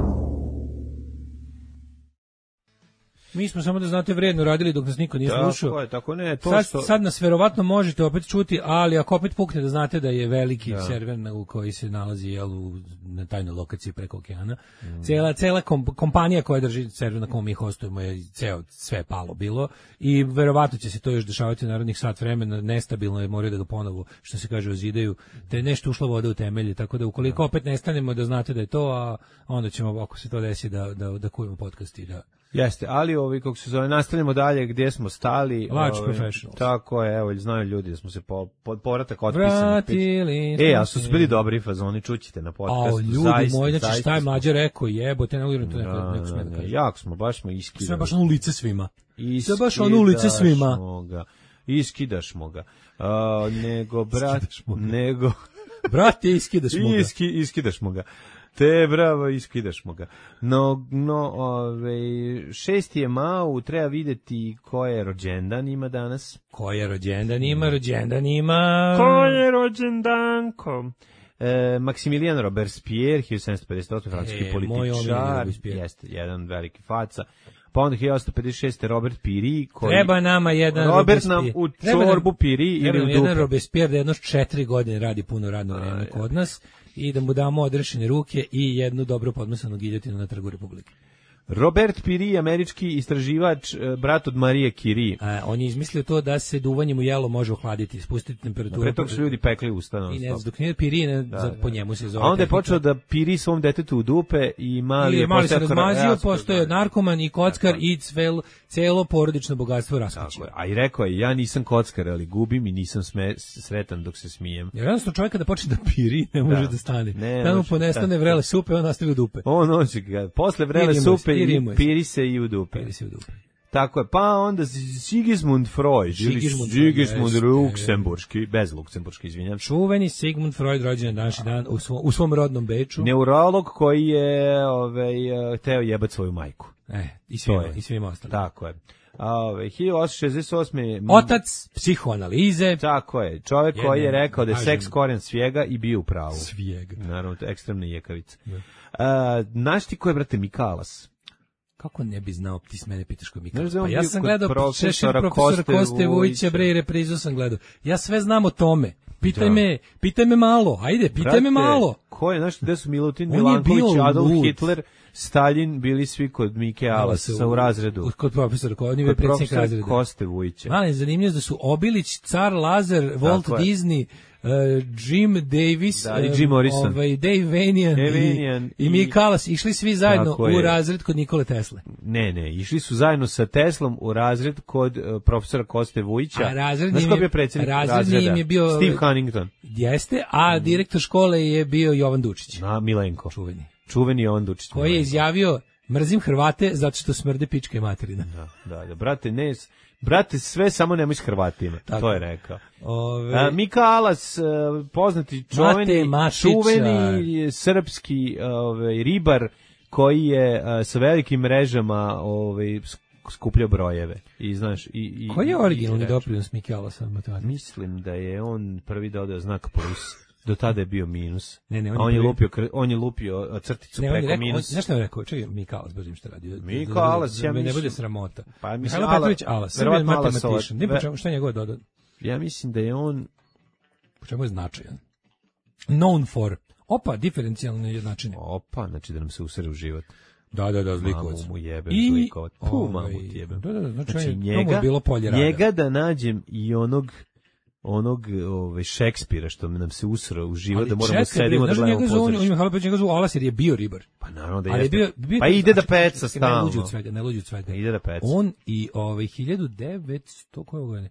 Speaker 6: Mi smo samo da znate vredno radili dok nas niko nije slušao.
Speaker 7: Tako je, tako ne. To
Speaker 6: sad,
Speaker 7: što...
Speaker 6: sad nas verovatno možete opet čuti, ali ako opet pukne da znate da je veliki da. server u koji se nalazi jel, u, na tajnoj lokaciji preko okeana. Mm. Cela, cela kom, kompanija koja drži server na kom mi hostujemo je ceo, sve palo bilo i verovatno će se to još dešavati u narednih sat vremena. Nestabilno je, moraju da ga ponovo, što se kaže, ozidaju, te je nešto ušla voda u temelje, tako da ukoliko opet nestanemo da znate da je to, a onda ćemo, ako se to desi, da, da, da kujemo podcast i da
Speaker 7: Jeste, ali ovi, kako se zove, nastavljamo dalje gdje smo stali.
Speaker 6: Large
Speaker 7: ovi,
Speaker 6: Professionals.
Speaker 7: Tako je, evo, znaju ljudi da smo se po, pod povratak otpisani.
Speaker 6: Vratili.
Speaker 7: E, a su bili dobri fazoni, čućite na podcastu.
Speaker 6: A, ljudi
Speaker 7: zaista,
Speaker 6: moji, znači
Speaker 7: zaista
Speaker 6: šta je
Speaker 7: smo-
Speaker 6: Mlađa rekao, jebote, ne mogu to neko,
Speaker 7: Da,
Speaker 6: neko sme
Speaker 7: da,
Speaker 6: da
Speaker 7: da,
Speaker 6: kaže.
Speaker 7: jako smo, baš smo iskidali.
Speaker 6: Sve baš ono u lice svima. Sve baš ono u lice svima.
Speaker 7: Iskidašmo ga. Iskidašmo ga. A, nego, brat, nego...
Speaker 6: Brate, iskidaš mu ga.
Speaker 7: Iski, iskidašmo ga. Te, bravo, iskidašmo ga. No, no, ove, šesti je Mau, treba videti ko je rođendan ima danas.
Speaker 6: Ko je rođendan ima, rođendan ima...
Speaker 7: Ko je rođendanko? E, Maksimilijan Robespierre, hiljadu sedamsto pedeset osme francuski
Speaker 6: E, moj omiljeni
Speaker 7: političar,
Speaker 6: Robespierre.
Speaker 7: jeste, jedan veliki faca. Pa onda hiljadu osamsto pedeset šeste Robert Piri, koji...
Speaker 6: Treba nama jedan
Speaker 7: Robert nam
Speaker 6: Robespierre.
Speaker 7: u
Speaker 6: Treba nam-
Speaker 7: čorbu Piri
Speaker 6: Treba
Speaker 7: ili u
Speaker 6: nam jedan
Speaker 7: dupe.
Speaker 6: Robespierre da jedno četiri godine radi puno radno vreme kod nas i da mu damo odrešene ruke i jednu dobro podmesanu giljotinu na Trgu Republike.
Speaker 7: Robert Piri, američki istraživač, e, brat od Marije Curie.
Speaker 6: A, on je izmislio to da se duvanjem u jelo može ohladiti, spustiti temperaturu.
Speaker 7: Pre toga su ljudi pekli usta.
Speaker 6: I ne znam, dok nije pirine,
Speaker 7: Da,
Speaker 6: za,
Speaker 7: da.
Speaker 6: po njemu se zove.
Speaker 7: A onda je
Speaker 6: tehnika.
Speaker 7: počeo da piri svom detetu u dupe i mali
Speaker 6: I
Speaker 7: je
Speaker 6: mali se
Speaker 7: postao
Speaker 6: razmazio,
Speaker 7: rasp-
Speaker 6: postoje narkoman i kockar i cvel, celo porodično bogatstvo
Speaker 7: Tako
Speaker 6: raskućio.
Speaker 7: je. A i rekao je, ja nisam kockar, ali gubim i nisam sme, sretan dok se smijem.
Speaker 6: Jer jednostavno čovjek kada počne da piri, ne može da,
Speaker 7: Da.
Speaker 6: stane.
Speaker 7: Ne
Speaker 6: Da mu
Speaker 7: može,
Speaker 6: ponestane
Speaker 7: da.
Speaker 6: vrele supe, on nastavi u dupe.
Speaker 7: On noći ga, posle vrele
Speaker 6: Pirimo se,
Speaker 7: supe i
Speaker 6: pirimo se.
Speaker 7: piri se i u dupe.
Speaker 6: Piri se u dupe.
Speaker 7: Tako je, pa onda Sigismund Freud, ili
Speaker 6: Sigismund Freud,
Speaker 7: Sigismund
Speaker 6: jeste.
Speaker 7: Luksemburški, bez Luksemburški, izvinjam.
Speaker 6: Čuveni Sigmund Freud rođen je današnji dan u svom, u svom rodnom Beču.
Speaker 7: Neurolog koji je ovaj, teo jebat svoju majku.
Speaker 6: E, i svima,
Speaker 7: To je.
Speaker 6: i svima ostalim.
Speaker 7: Tako je. A, ovaj, hiljadu osamsto šezdeset osme
Speaker 6: Otac psihoanalize.
Speaker 7: Tako je, čovjek
Speaker 6: Jedne,
Speaker 7: koji je rekao da je
Speaker 6: kažem-
Speaker 7: seks korijen svijega i bio u pravu.
Speaker 6: Svijega.
Speaker 7: Naravno, to je ekstremna jekavica. A, znaš ti ko je, brate, Mikalas?
Speaker 6: Kako ne bi znao, ti s mene pitaš ko mi
Speaker 7: Znaš da je
Speaker 6: Pa
Speaker 7: on
Speaker 6: ja
Speaker 7: bio
Speaker 6: sam
Speaker 7: kod
Speaker 6: gledao
Speaker 7: profesora
Speaker 6: šešir profesora
Speaker 7: Koste
Speaker 6: Koste Vujića,
Speaker 7: Vujića.
Speaker 6: bre, i reprizu sam gledao. Ja sve znam o tome. Pitaj
Speaker 7: Da.
Speaker 6: me, pitaj me malo, ajde, pitaj
Speaker 7: Brate,
Speaker 6: me malo.
Speaker 7: Ko je, znaš, gde su Milutin
Speaker 6: On je
Speaker 7: Milanković,
Speaker 6: bio
Speaker 7: Adolf
Speaker 6: lud.
Speaker 7: Hitler, Stalin, bili svi kod Mike Alasa u razredu.
Speaker 6: Kod profesora, kod on je bio
Speaker 7: Kod
Speaker 6: predsjednik
Speaker 7: profesora
Speaker 6: razreda.
Speaker 7: Koste Vujića.
Speaker 6: Mali, zanimljivo da su Obilić, Car Lazar, Walt
Speaker 7: Tako je.
Speaker 6: Disney, uh, Jim Davis,
Speaker 7: Da, i
Speaker 6: um,
Speaker 7: Jim Morrison.
Speaker 6: ovaj, Dave Vanian,
Speaker 7: Dave
Speaker 6: i,
Speaker 7: Vanian
Speaker 6: i
Speaker 7: i-
Speaker 6: Mike Kalas, išli svi zajedno
Speaker 7: Tako
Speaker 6: u
Speaker 7: je.
Speaker 6: razred kod Nikole Tesle.
Speaker 7: Ne, ne, išli su zajedno sa Teslom u razred kod uh, profesora Koste Vujića.
Speaker 6: A razredni
Speaker 7: Znaš
Speaker 6: im
Speaker 7: ko
Speaker 6: je-
Speaker 7: je bio predsjednik
Speaker 6: razredni
Speaker 7: razreda?
Speaker 6: im je bio-
Speaker 7: Steve Huntington.
Speaker 6: Jeste, a direktor škole je bio Jovan Dučić,
Speaker 7: Na Milenko.
Speaker 6: čuveni,
Speaker 7: Čuveni je on Dučić.
Speaker 6: koji je
Speaker 7: Milenko.
Speaker 6: izjavio, mrzim Hrvate zato što smrde pička i materina.
Speaker 7: Da, da, da, brate, ne, s- brate, sve samo nemoj s Hrvatima,
Speaker 6: Tako.
Speaker 7: to je rekao.
Speaker 6: Ove,
Speaker 7: A, Mika Alas, e, poznati čuveni,
Speaker 6: Mate Mašića.
Speaker 7: čuveni srpski ovaj, ribar koji je e, sa velikim mrežama ovaj, sk- skupljao brojeve. I, znaš, i, i,
Speaker 6: koji je
Speaker 7: i-
Speaker 6: originalni
Speaker 7: i-
Speaker 6: doprinos Mike Alasa matematici?
Speaker 7: Mislim da je on prvi dodao znak plus. Do tada je bio minus.
Speaker 6: Ne, ne, on
Speaker 7: A
Speaker 6: je
Speaker 7: on je
Speaker 6: prvi-
Speaker 7: lupio, kr- on je lupio crticu
Speaker 6: Ne, on je
Speaker 7: preko
Speaker 6: rekao, on,
Speaker 7: minus.
Speaker 6: znaš šta je rekao? Čekaj, Mika Alas, baš im šta radio.
Speaker 7: Mika
Speaker 6: Da- da- da-
Speaker 7: Alas,
Speaker 6: da
Speaker 7: ja
Speaker 6: me ne
Speaker 7: mislim-
Speaker 6: bude sramota.
Speaker 7: Pa, mislim,
Speaker 6: Mihajlo
Speaker 7: Ala-
Speaker 6: Petrović Alas,
Speaker 7: verovatno
Speaker 6: Srbijan
Speaker 7: Alasova-
Speaker 6: matematičan. Ni po
Speaker 7: ve-
Speaker 6: čemu, šta je njegove dodat?
Speaker 7: Ja mislim da je on...
Speaker 6: Po čemu je značajan? Known for. Opa, diferencijalne jednačine.
Speaker 7: Opa, znači da nam se usere u život.
Speaker 6: Da, da, da, zlikovac.
Speaker 7: Mamu mu jebem
Speaker 6: I-
Speaker 7: zlikovac. Pu,
Speaker 6: ovaj,
Speaker 7: mamu ti jebem.
Speaker 6: da, da, da, znači,
Speaker 7: Znači,
Speaker 6: on je- to mu je
Speaker 7: njega,
Speaker 6: bilo polje rada.
Speaker 7: njega da nađem i onog onog ovaj Šekspira što nam se usro u život da moramo
Speaker 6: čekaj,
Speaker 7: sedimo da
Speaker 6: znaš,
Speaker 7: gledamo
Speaker 6: njega zovu- on je
Speaker 7: pozorište.
Speaker 6: Mihajlo Petrović njega zovu Alas jer je bio ribar.
Speaker 7: Pa naravno da
Speaker 6: Ali je
Speaker 7: jeste.
Speaker 6: bio, bio
Speaker 7: Pa ide da
Speaker 6: znači,
Speaker 7: peca
Speaker 6: čekaj, Ne luđi
Speaker 7: stalno.
Speaker 6: od svega, ne luđi od svega.
Speaker 7: Ide da peca.
Speaker 6: On i ovaj hiljadu devetsto koje godine?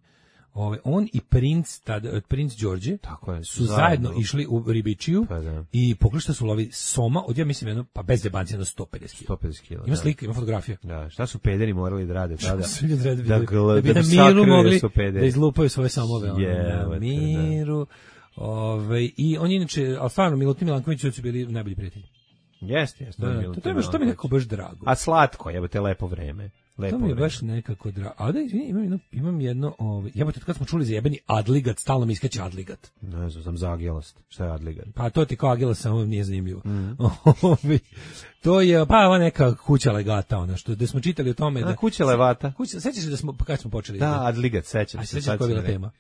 Speaker 6: Ovaj on i princ tad princ Đorđe
Speaker 7: Tako je,
Speaker 6: su zajedno, išli u ribičiju
Speaker 7: Pa da.
Speaker 6: i pogledaj šta su lovi soma, od ja mislim jedno pa bez zebancija na sto pedeset kila.
Speaker 7: sto pedeset kila.
Speaker 6: Ima
Speaker 7: da.
Speaker 6: slika, ima fotografija.
Speaker 7: Da, šta su pederi morali da rade tada?
Speaker 6: Su ljudi radi-
Speaker 7: Da, gl-
Speaker 6: da bi
Speaker 7: da
Speaker 6: na
Speaker 7: bi
Speaker 6: miru
Speaker 7: sakrili
Speaker 6: mogli
Speaker 7: da su pederi.
Speaker 6: da izlupaju svoje samove. ono,
Speaker 7: Jebote,
Speaker 6: na
Speaker 7: da.
Speaker 6: miru. Ovaj i oni inače, al stvarno Milutin Milanković su bili najbolji prijatelji.
Speaker 7: Jeste, jeste.
Speaker 6: Da, da, to, to, je baš- to mi je nekako baš drago.
Speaker 7: A slatko, jebote, lepo vreme. Lepo
Speaker 6: To mi je
Speaker 7: vreme.
Speaker 6: baš nekako drago. A da, izvini, imam jedno, imam jedno ovaj, jebote, kad smo čuli za jebeni Adligat, stalno mi iskače Adligat.
Speaker 7: Ne znam, sam zagijelost. Šta je Adligat?
Speaker 6: Pa to ti kao Agila samo nije zanimljivo.
Speaker 7: Mhm.
Speaker 6: Ovaj, to je, pa ova neka kuća legata, ona što, da smo čitali o tome.
Speaker 7: Da,
Speaker 6: Da,
Speaker 7: kuća levata.
Speaker 6: Kuća, sećaš se da smo, kad smo počeli?
Speaker 7: Da, Adligat, sećam
Speaker 6: A
Speaker 7: se.
Speaker 6: sećaš
Speaker 7: sad
Speaker 6: koja je
Speaker 7: sam
Speaker 6: bila
Speaker 7: rekao.
Speaker 6: tema?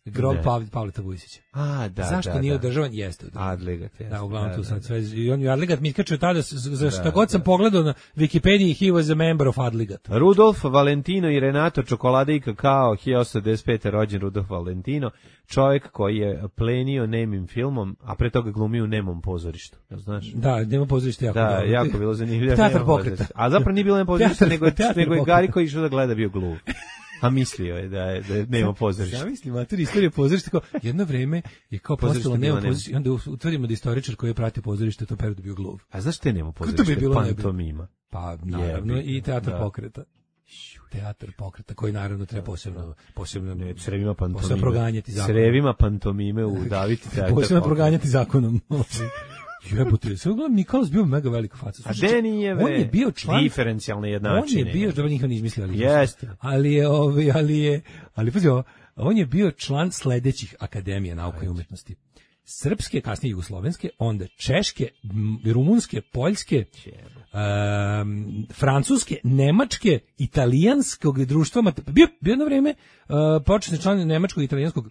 Speaker 6: Grob
Speaker 7: Ne.
Speaker 6: Pav, Pavleta Vujsića.
Speaker 7: A, da,
Speaker 6: Zašto
Speaker 7: da,
Speaker 6: nije
Speaker 7: da.
Speaker 6: održavan? Jeste održavan.
Speaker 7: Adligat, jeste.
Speaker 6: Da, uglavnom
Speaker 7: Da,
Speaker 6: tu
Speaker 7: da,
Speaker 6: sad
Speaker 7: da.
Speaker 6: sve, i on je Adligat, mi kačio tada, s- s- za šta
Speaker 7: Da,
Speaker 6: god sam
Speaker 7: da.
Speaker 6: pogledao na Wikipediji, he was a member of Adligat.
Speaker 7: Rudolf Valentino i Renato Čokolade i kakao, hiljadu osamsto devedeset pete rođen Rudolf Valentino, čovjek koji je plenio nemim filmom, a pre toga glumio u nemom pozorištu, jel znaš?
Speaker 6: Da, nema pozorište jako
Speaker 7: Da,
Speaker 6: dobro.
Speaker 7: jako bilo zanimljivo.
Speaker 6: Teatar
Speaker 7: Nemo
Speaker 6: pokreta.
Speaker 7: pozorište. A zapravo nije bilo nemo pozorište,
Speaker 6: Teatar-
Speaker 7: nego,
Speaker 6: teatar
Speaker 7: nego je
Speaker 6: pokreta.
Speaker 7: Gari koji išao da gleda bio gluv. A mislio je da je, da je nema pozorišta.
Speaker 6: Zamisli, mater, istorija pozorišta, kao jedno vreme je kao
Speaker 7: Pozorište
Speaker 6: postalo
Speaker 7: bilo
Speaker 6: nema
Speaker 7: nema.
Speaker 6: pozorište, i onda utvrdimo da istoričar koji je pratio pozorište to periodu bio gluv.
Speaker 7: A znaš te nema
Speaker 6: Kako
Speaker 7: pozorište?
Speaker 6: to bi bilo najbolje?
Speaker 7: Pantomima.
Speaker 6: Pa, naravno,
Speaker 7: Jebi ga,
Speaker 6: i teatar
Speaker 7: da.
Speaker 6: pokreta. Teatar pokreta, koji naravno treba posebno, posebno,
Speaker 7: Ne, crevima pantomime.
Speaker 6: posebno proganjati zakonom.
Speaker 7: Crevima pantomime u Daviti teatar.
Speaker 6: Posebno
Speaker 7: pokreta.
Speaker 6: proganjati zakonom. Jebote, sve uglavnom Nikolaus bio mega velika faca.
Speaker 7: A
Speaker 6: Slušaj,
Speaker 7: Denijeve
Speaker 6: on je bio član
Speaker 7: diferencijalne
Speaker 6: On
Speaker 7: jednačine.
Speaker 6: je bio, dobro, njih on izmislio, ali
Speaker 7: Jeste.
Speaker 6: ali je, ovaj, ali je, ali pazi ovo, on je bio član sledećih akademija nauka i umetnosti. Srpske, kasnije jugoslovenske, onda češke, m, rumunske, poljske, um, francuske, nemačke, italijanskog društva, mate- bio, bio jedno vreme uh, početni član nemačkog i italijanskog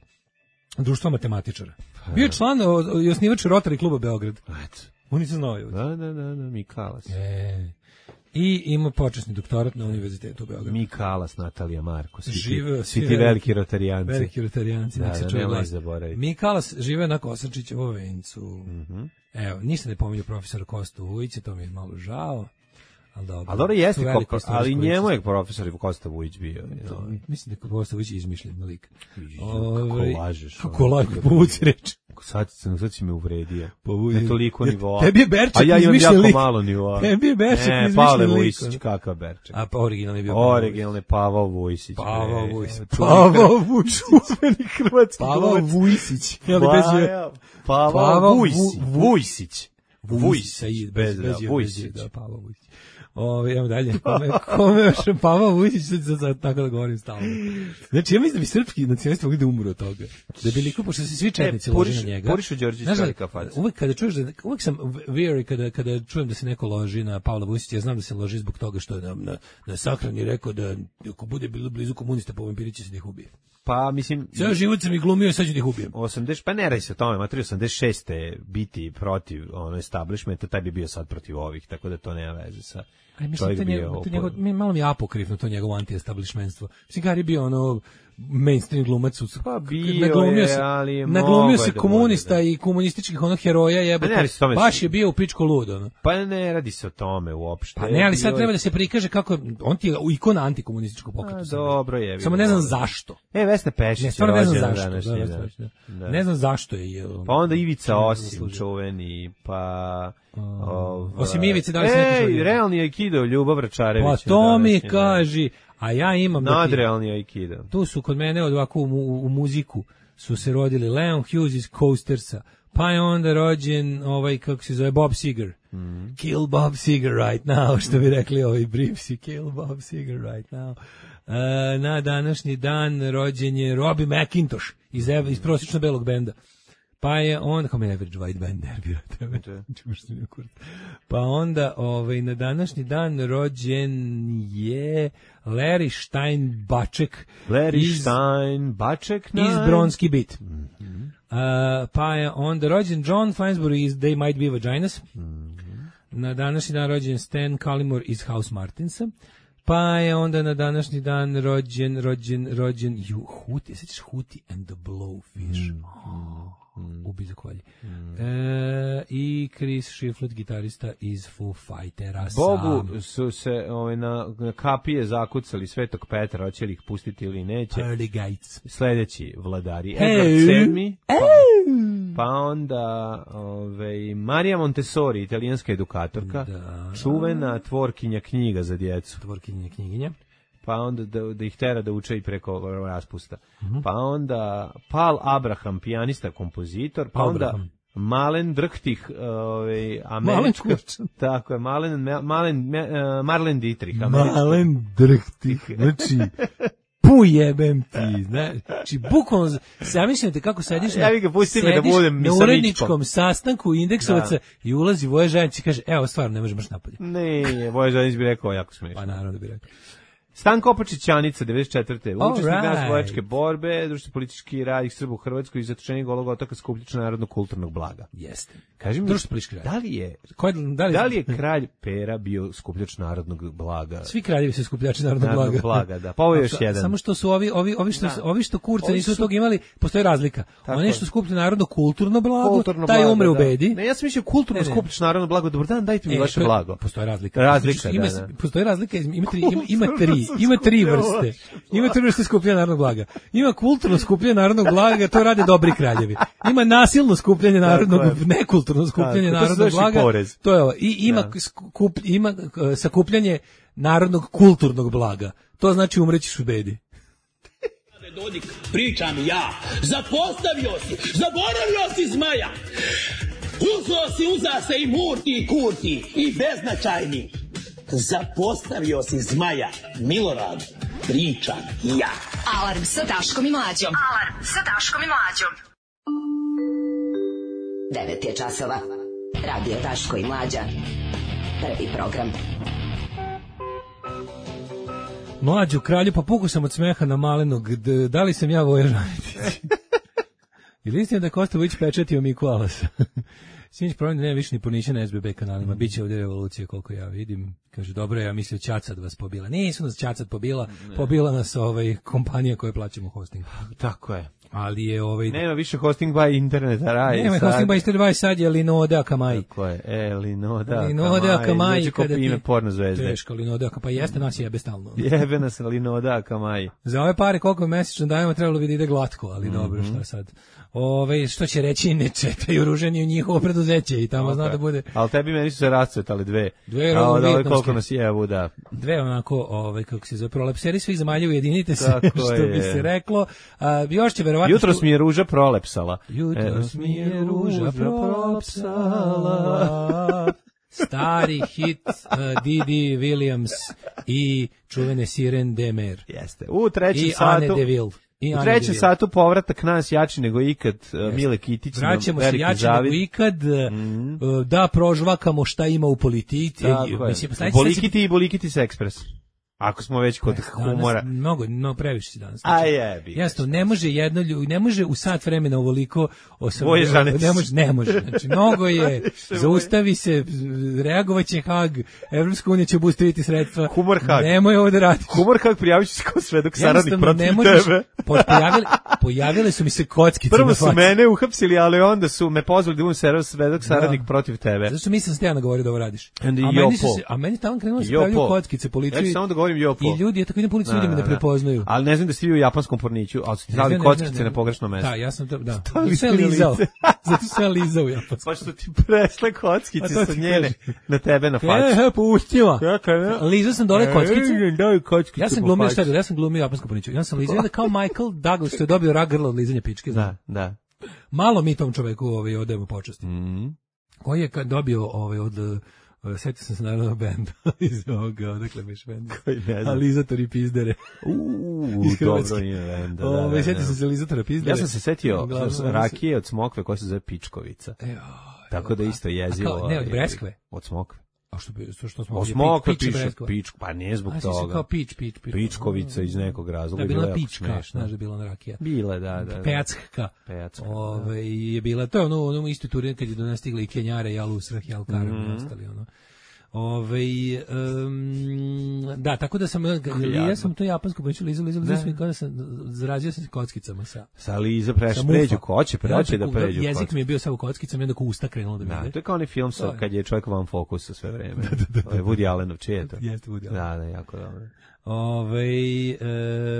Speaker 6: društva matematičara. Bio je član o, o, i osnivač Rotary kluba Beograd.
Speaker 7: Eto.
Speaker 6: On nisam znao. je.
Speaker 7: Da, da, da, da, Mikalas.
Speaker 6: E, I ima počasni doktorat na univerzitetu u Beogradu.
Speaker 7: Mikalas, Natalija Marko, svi,
Speaker 6: Živeo,
Speaker 7: ti,
Speaker 6: svi
Speaker 7: svi ti
Speaker 6: veliki-
Speaker 7: veliki rotarijanci.
Speaker 6: Veliki rotarijanci,
Speaker 7: Da,
Speaker 6: nek se
Speaker 7: da,
Speaker 6: čuje
Speaker 7: nemoj
Speaker 6: glas.
Speaker 7: zaboraviti.
Speaker 6: Mikalas žive na Kosančićevo vencu.
Speaker 7: Mhm.
Speaker 6: Evo, ništa ne pominju profesora Kostu Vujića, to mi je malo žao. Ali dobro.
Speaker 7: A dobro jeste,
Speaker 6: To je veliko
Speaker 7: ko-
Speaker 6: istorijsko
Speaker 7: ali njemu
Speaker 6: lice.
Speaker 7: je profesor Kosta Vujić bio.
Speaker 6: To,
Speaker 7: no.
Speaker 6: mislim da je Kosta Vujić izmišljen lik.
Speaker 7: Kako
Speaker 6: Ovaj,
Speaker 7: lažeš.
Speaker 6: Kako
Speaker 7: ono.
Speaker 6: lažeš, povuci reč.
Speaker 7: Sad, sam- sad si me uvredio.
Speaker 6: Povuci.
Speaker 7: Ne toliko
Speaker 6: Ja-
Speaker 7: nivoa.
Speaker 6: Tebi je Berček
Speaker 7: A ja imam
Speaker 6: izmišljen
Speaker 7: jako
Speaker 6: lik.
Speaker 7: malo nivoa.
Speaker 6: Tebi je Berček
Speaker 7: Ne,
Speaker 6: izmišljen
Speaker 7: Pavle
Speaker 6: lik,
Speaker 7: Vujsić,
Speaker 6: ono.
Speaker 7: kakav Berček.
Speaker 6: A pa originalni je bio Pavao
Speaker 7: Originalni Pavao Vujsić.
Speaker 6: Pavao
Speaker 7: bre.
Speaker 6: Vujsić.
Speaker 7: Čuveni
Speaker 6: Pavao
Speaker 7: Hr-
Speaker 6: Vujsić.
Speaker 7: Čuveni hrvatski
Speaker 6: Pavao
Speaker 7: glumac.
Speaker 6: Vujsić. Je li bez je?
Speaker 7: Paja- Pavao
Speaker 6: Pavao
Speaker 7: Vujsić.
Speaker 6: Vu-
Speaker 7: Vujsić.
Speaker 6: Vujsić, sa i- bez,
Speaker 7: bez
Speaker 6: bez,
Speaker 7: da,
Speaker 6: bez,
Speaker 7: Vujsić.
Speaker 6: da, Pavao Vujsić. Ovo, idemo dalje. Kome, kome još Pavao Vujsić, sad, sad, sad, tako da govorim stalno. Znači, ja mislim da bi srpski nacionalisti mogli da umru od toga. Da bi liko, pošto se svi četnici
Speaker 7: E,
Speaker 6: lože
Speaker 7: Puriš-
Speaker 6: na njega.
Speaker 7: Purišu Đorđević
Speaker 6: Znaš da,
Speaker 7: velika faca.
Speaker 6: uvek kada čuješ da, uvek sam weary kada, kada čujem da se neko loži na Pavla Vujsića, ja znam da se loži zbog toga što je na, na, na sahrani rekao da ako bude bilo blizu komunista po vampiri će se da ih ubije.
Speaker 7: Pa, mislim...
Speaker 6: Ceo život sam ih glumio i sad ću da ih ubijem.
Speaker 7: osamdeset, pa ne radi se o tome, materi osamdeset šeste biti protiv ono establishmenta, taj bi bio sad protiv ovih, tako da to nema veze sa...
Speaker 6: Aj, mislim,
Speaker 7: čovjek
Speaker 6: to,
Speaker 7: bio
Speaker 6: njegov, to
Speaker 7: opo-
Speaker 6: njegov, mi- malo mi je apokrifno to njegovo anti-establishmentstvo. Mislim, Gari je bio ono mainstream glumac. u-
Speaker 7: Pa bio
Speaker 6: naglumio
Speaker 7: je,
Speaker 6: se,
Speaker 7: ali je
Speaker 6: naglumio
Speaker 7: mogao
Speaker 6: se
Speaker 7: je da
Speaker 6: komunista
Speaker 7: bude, da.
Speaker 6: i komunističkih onog heroja jebote.
Speaker 7: Pa ne, ali s tome
Speaker 6: baš
Speaker 7: se-
Speaker 6: je bio u pičko lud, ono.
Speaker 7: Pa ne radi se o tome uopšte.
Speaker 6: Pa ne, ali sad
Speaker 7: Bio je-
Speaker 6: treba da se prikaže kako on ti je ikona antikomunističkog pokreta.
Speaker 7: A,
Speaker 6: u Srbiji.
Speaker 7: dobro je.
Speaker 6: Samo ne znam zašto.
Speaker 7: E, Vesna Pešić
Speaker 6: Ne,
Speaker 7: je
Speaker 6: stvarno ne znam
Speaker 7: rođena
Speaker 6: zašto.
Speaker 7: današnji
Speaker 6: Da,
Speaker 7: dan.
Speaker 6: da, da.
Speaker 7: Da.
Speaker 6: Ne znam zašto je. je on-
Speaker 7: Pa onda Ivica
Speaker 6: on
Speaker 7: Osim,
Speaker 6: zaslužio.
Speaker 7: čuveni, pa... ovaj-
Speaker 6: Osim Ivice, da li se neko
Speaker 7: Ej,
Speaker 6: šalio?
Speaker 7: realni aikido, Ljubav Račarević.
Speaker 6: Pa to mi
Speaker 7: današnji dan.
Speaker 6: kaži, a ja imam da ti-
Speaker 7: Nadrealni aikido.
Speaker 6: tu su kod mene od ovako u, mu- u muziku su se rodili Leon Hughes iz Coastersa, pa je onda rođen ovaj, kako se zove, Bob Seger.
Speaker 7: Mhm.
Speaker 6: Kill Bob Seger right now, što bi rekli ovi Briefsi, kill Bob Seger right now. E, na današnji dan rođen je Robbie McIntosh iz, ev- iz prosječno belog benda. Pa je on, kao me Average White Band nervira tebe. Čuš što mi je kurac. Pa onda ovaj, na današnji dan rođen je Larry Steinbaček
Speaker 7: Larry
Speaker 6: iz,
Speaker 7: Stein, Baček,
Speaker 6: iz Bronski Beat.
Speaker 7: Mhm.
Speaker 6: Uh, pa je onda rođen John Finesbury iz They Might Be Vaginas. Na današnji dan rođen Stan Cullimore iz House Martinsa. Pa je onda na današnji dan rođen, rođen, rođen, ju, Huti, sećaš Huti and the Blowfish? Oh, ubi za kolje. E, I Chris Shiflett, gitarista iz Foo Fightera.
Speaker 7: Bogu
Speaker 6: sam.
Speaker 7: su se ovaj, na, na kapije zakucali Svetog Petra, hoće li ih pustiti ili neće.
Speaker 6: Pearly Gates.
Speaker 7: Sledeći vladari,
Speaker 6: Hey.
Speaker 7: Edward sedmi, pa, pa onda ovaj, Marija Montessori, italijanska edukatorka,
Speaker 6: Da.
Speaker 7: čuvena tvorkinja knjiga za djecu.
Speaker 6: Tvorkinje knjiginje.
Speaker 7: Pa onda da, da ih tera da uče i preko raspusta.
Speaker 6: Mhm.
Speaker 7: Pa onda Paul Abraham, pijanista, kompozitor, pa onda
Speaker 6: Abraham.
Speaker 7: Malen Drhtih, ovaj, američka,
Speaker 6: Malen Kurčan.
Speaker 7: tako je, Malen, Malen, Me- eh, Marlen Dietrich, američka.
Speaker 6: Malen drhtih, znači, pujebem ti, znači, bukvalno, zamišljate kako sediš na,
Speaker 7: Ja bih ga pustio da
Speaker 6: sediš
Speaker 7: budem
Speaker 6: na
Speaker 7: misaličkom.
Speaker 6: uredničkom sastanku indeksovaca
Speaker 7: Da.
Speaker 6: i ulazi Voja Žanić i kaže, evo, stvarno, ne možeš baš napolje.
Speaker 7: Ne, Voja Žanić bi rekao jako smiješno.
Speaker 6: Pa naravno da bi rekao.
Speaker 7: Stanko Opačićanica, devedeset četvrte Učesnik
Speaker 6: right.
Speaker 7: narodnooslobodilačke borbe, društveno politički rad Srba u Hrvatskoj i zatočenik Golog otoka skupljač narodnog kulturnog blaga.
Speaker 6: Jeste.
Speaker 7: Kaži mi,
Speaker 6: Društveno-politički rad.
Speaker 7: da li je,
Speaker 6: Koji, da, li,
Speaker 7: da li je kralj Pera bio skupljač narodnog blaga?
Speaker 6: Svi kraljevi su skupljači narodnog blaga.
Speaker 7: Narodnog blaga, da. Pa ovo je još jedan.
Speaker 6: Samo što su ovi, ovi, ovi što,
Speaker 7: Da.
Speaker 6: ovi što kurca
Speaker 7: Ovi
Speaker 6: nisu
Speaker 7: su-
Speaker 6: tog imali, postoji razlika.
Speaker 7: Tako
Speaker 6: Oni
Speaker 7: je.
Speaker 6: što skuplja narodno kulturno blago,
Speaker 7: Kulturno
Speaker 6: taj
Speaker 7: blago,
Speaker 6: umre u
Speaker 7: da.
Speaker 6: bedi.
Speaker 7: Ne, ja sam mislio kulturno
Speaker 6: Ne, ne.
Speaker 7: skupljač narodno blago. Dobar dan, dajte mi
Speaker 6: E,
Speaker 7: vaše
Speaker 6: to je-
Speaker 7: blago.
Speaker 6: Postoji razlika.
Speaker 7: Razlika,
Speaker 6: Znači,
Speaker 7: da,
Speaker 6: ima,
Speaker 7: da.
Speaker 6: Postoji razlika, ima tri, ima, ima tri, ima tri vrste. Ima tri vrste skupljanja narodnog blaga. Ima kulturno skupljanje narodnog blaga, to rade dobri kraljevi. Ima nasilno skupljanje narodnog,
Speaker 7: je.
Speaker 6: nekulturno skupljanje
Speaker 7: Tako, to se
Speaker 6: narodnog
Speaker 7: zove
Speaker 6: blaga.
Speaker 7: porez.
Speaker 6: To je ovo. I ima,
Speaker 7: Da.
Speaker 6: skup, ima uh, sakupljanje narodnog kulturnog blaga. To znači umrećiš u bedi.
Speaker 10: Dodik, pričam ja. Zapostavio si, zaboravio si zmaja. Uzo si, uza se i murti i kurti i beznačajni. Zapostavio si zmaja, Milorad, pričam ja.
Speaker 2: Alarm sa Daškom i Mlađom. Alarm sa Daškom i Mlađom. devet je časova. Radio Daško i Mlađa. Prvi program.
Speaker 6: Mlađu kralju, pa puku sam od smeha na malenog. D- da li sam ja Voja Žanetić? Ili istina da je Kostović pečetio Miku Alasa? Sinoć problem da nema više ni pornića na S B B kanalima. Biće ovdje revolucija koliko ja vidim. Kaže, dobro, ja mislio Ćacat vas pobila. Nisu nas Ćacat pobila, pobila nas ovaj kompanija koja plaćamo hosting.
Speaker 7: Tako je.
Speaker 6: Ali je ovaj...
Speaker 7: Nema više hosting by interneta, raj.
Speaker 6: Nema
Speaker 7: sad.
Speaker 6: hosting by Stervaj, sad je Linoda Akamai.
Speaker 7: Tako je, e, Linoda,
Speaker 6: Linoda Akamai.
Speaker 7: Dođe ko ime porno zvezde.
Speaker 6: Teško, Linoda Akamai, pa jeste nas jebe stalno.
Speaker 7: Jebe nas Linoda Akamai.
Speaker 6: Za ove pare koliko mesečno dajemo trebalo bi da ide glatko, ali mm-hmm. dobro, šta sad. Ove, što će reći, ne četaju ruženje u njihovo preduzeće i tamo okay. Zna da bude...
Speaker 7: Ali tebi meni su se rascvetali dve.
Speaker 6: Dve
Speaker 7: Kao da ove koliko
Speaker 6: vijetnamske.
Speaker 7: nas jevu, da.
Speaker 6: Dve onako, ovaj, kako se zove, prolepseri svih zemalja, ujedinite se,
Speaker 7: Tako
Speaker 6: što
Speaker 7: je.
Speaker 6: bi se reklo. A, još će verovatno...
Speaker 7: Jutros mi je ruža prolepsala.
Speaker 6: Jutros mi je ruža prolepsala. Stari hit uh, Didi Williams i čuvene Siren Demer.
Speaker 7: Jeste. U trećem
Speaker 6: I
Speaker 7: satu...
Speaker 6: Anne Deville. I
Speaker 7: U
Speaker 6: Anne
Speaker 7: trećem
Speaker 6: Deville.
Speaker 7: satu povratak nas jači nego ikad, uh, Mile Kitić.
Speaker 6: Vraćamo se
Speaker 7: veliki
Speaker 6: jače
Speaker 7: zavid.
Speaker 6: nego ikad, mm. uh, da prožvakamo šta ima u politici.
Speaker 7: Tako
Speaker 6: Mislim,
Speaker 7: je.
Speaker 6: sledeći-
Speaker 7: Bolikiti i Bolikitis Ekspres. Ako smo već kod humora.
Speaker 6: Danas, mnogo, no, previše si danas.
Speaker 7: A jebi.
Speaker 6: Jasno, ne može jedno, lju- ne može u sat vremena ovoliko osam,
Speaker 7: Voje Žanetić.
Speaker 6: ne može, ne može. Znači, mnogo je, zaustavi se, reagovaće Hag, Evropska unija će obustaviti sredstva.
Speaker 7: Humor Hag.
Speaker 6: Nemoj ovo da radiš.
Speaker 7: Humor kako prijavit ću se kao svedok saradnik
Speaker 6: Jednostavno,
Speaker 7: protiv
Speaker 6: ne možeš-
Speaker 7: tebe.
Speaker 6: po- Pojavili, pojavile su mi se kockice
Speaker 7: Prvo
Speaker 6: na
Speaker 7: su
Speaker 6: faci.
Speaker 7: mene uhapsili, ali onda su me pozvali da budem server svedok saradnik
Speaker 6: Da.
Speaker 7: protiv tebe.
Speaker 6: Zato što mislim ste ja nagovorio da ovo radiš.
Speaker 7: Onda i
Speaker 6: a, meni su
Speaker 7: Jopo.
Speaker 6: se, a meni tamo krenulo da se
Speaker 7: Jopo.
Speaker 6: pravljaju kockice
Speaker 7: Ja
Speaker 6: policiju.
Speaker 7: ću samo da govorim Jopo.
Speaker 6: I ljudi, ja tako idem policiju, ljudi me ne
Speaker 7: Da, da.
Speaker 6: prepoznaju.
Speaker 7: Ali ne znam da ste vi u japanskom porniću, ali su ti
Speaker 6: Ne
Speaker 7: stavili
Speaker 6: znam, ne znam,
Speaker 7: kockice
Speaker 6: ne
Speaker 7: na
Speaker 6: znam.
Speaker 7: pogrešno mesto.
Speaker 6: Da, ja sam to, da.
Speaker 7: Stavili
Speaker 6: Sve
Speaker 7: ste na
Speaker 6: lizao.
Speaker 7: lice.
Speaker 6: Zato sve lizao ja.
Speaker 7: Pa što ti presle
Speaker 6: A
Speaker 7: kockice
Speaker 6: to
Speaker 7: sa
Speaker 6: ti
Speaker 7: njene
Speaker 6: kažem.
Speaker 7: na tebe na
Speaker 6: E,
Speaker 7: facu.
Speaker 6: he, pustila.
Speaker 7: Kaka, ne?
Speaker 6: Lizao sam dole kockice.
Speaker 7: E, daj kockice
Speaker 6: Ja sam
Speaker 7: po
Speaker 6: glumio
Speaker 7: faci.
Speaker 6: šta je bilo, ja sam glumio japansku porniću. Ja sam lizao, onda kao Michael Douglas što je dobio rak grla od lizanja pičke.
Speaker 7: Da, da.
Speaker 6: Malo mi tom čoveku ovaj, odajemo počasti.
Speaker 7: Mhm.
Speaker 6: Koji je kad dobio ovaj, od... Uh, sjetio sam se naravno benda iz ovoga, odakle biš benda.
Speaker 7: Koji ne znam.
Speaker 6: Alizatori pizdere.
Speaker 7: Uuu,
Speaker 6: Iz
Speaker 7: dobro
Speaker 6: Hrvatske.
Speaker 7: ime benda. Da,
Speaker 6: Ove,
Speaker 7: da,
Speaker 6: sjetio
Speaker 7: da.
Speaker 6: sam se Alizatora pizdere.
Speaker 7: Ja sam se setio
Speaker 6: Uglavnom,
Speaker 7: s-
Speaker 6: oni su-
Speaker 7: rakije od smokve koja se zove Pičkovica.
Speaker 6: E, oj,
Speaker 7: Tako da isto jezivo.
Speaker 6: A kao- ne, od
Speaker 7: ovaj,
Speaker 6: breskve?
Speaker 7: Od smokve.
Speaker 6: A što bi, što, što smo
Speaker 7: Od
Speaker 6: ovdje,
Speaker 7: smokve
Speaker 6: pi- pič
Speaker 7: piše
Speaker 6: breskova.
Speaker 7: pičku, pa nije zbog
Speaker 6: A, si se
Speaker 7: toga.
Speaker 6: kao pič, pič, pič.
Speaker 7: Pičkovica iz nekog razloga.
Speaker 6: Da,
Speaker 7: je
Speaker 6: bila
Speaker 7: bilo
Speaker 6: je
Speaker 7: jako
Speaker 6: pička,
Speaker 7: smešno.
Speaker 6: znaš da je bila ona rakija.
Speaker 7: Bila, da, da. da.
Speaker 6: Pecka.
Speaker 7: Pecka,
Speaker 6: Ove, je bila, to je ono, ono isto turi kad je do nas stigli i Kenjare, i Alusrah, i Alkaram,
Speaker 7: Mhm.
Speaker 6: i ostali, ono. Ove, um, da, tako da sam, ja sam to japansko počeo lizao, lizao, lizao, i kada sam, zrazio sam se kockicama sa...
Speaker 7: Sa Liza preš,
Speaker 6: sa
Speaker 7: pređu,
Speaker 6: mufa.
Speaker 7: ko hoće,
Speaker 6: Ja,
Speaker 7: pređe da
Speaker 6: preko-
Speaker 7: pređu.
Speaker 6: Jezik
Speaker 7: kockice.
Speaker 6: mi je bio samo kockicama i onda ko usta krenulo da mi
Speaker 7: Da,
Speaker 6: ide.
Speaker 7: to je kao onaj film sa,
Speaker 6: To je.
Speaker 7: kad je čovjek van fokusa sve vreme. To je Woody Allenov, čije je to?
Speaker 6: Jeste Woody Allen.
Speaker 7: Da, da, jako dobro.
Speaker 6: Ove,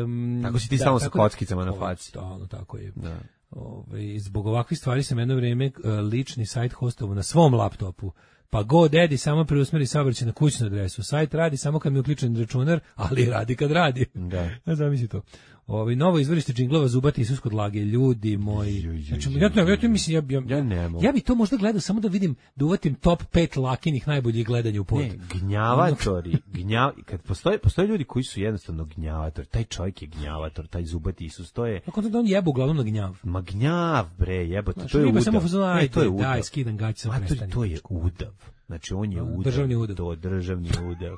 Speaker 6: um,
Speaker 7: Tako si ti stalno sa kockicama na faci.
Speaker 6: Stalno, tako je.
Speaker 7: Da.
Speaker 6: Ove, zbog ovakvih stvari sam jedno vrijeme uh, lični sajt hostovo na svom laptopu. Pa GoDaddy samo preusmeri saobraćaj na kućnu adresu. Sajt radi samo kad mi je uključen računar, ali radi kad radi.
Speaker 7: Da.
Speaker 6: Ja zamisli to. Ovi novo izvorište džinglova Zubati Isus kod lage, ljudi moji. Znači, ja, ja, ja, to mislim, ja, ja,
Speaker 7: Ja ne mogu.
Speaker 6: ja bi to možda gledao samo da vidim, da uvatim top pet lakinih najboljih gledanja u pod.
Speaker 7: Ne, gnjavatori, gnjav, kad postoje, postoje ljudi koji su jednostavno gnjavatori, taj čovjek je gnjavator, taj Zubati Isus, to je,
Speaker 6: Kako da on jebe uglavnom na gnjav.
Speaker 7: ma gnjav bre, jebote,
Speaker 6: Znači,
Speaker 7: to je
Speaker 6: riba
Speaker 7: udav.
Speaker 6: samo fazon,
Speaker 7: Ne,
Speaker 6: ajde,
Speaker 7: to je udav.
Speaker 6: daj, skidam gaće, samo
Speaker 7: Ma, to,
Speaker 6: prestani.
Speaker 7: to je udav. Znači, on je udel.
Speaker 6: Državni udel.
Speaker 7: To, državni udel.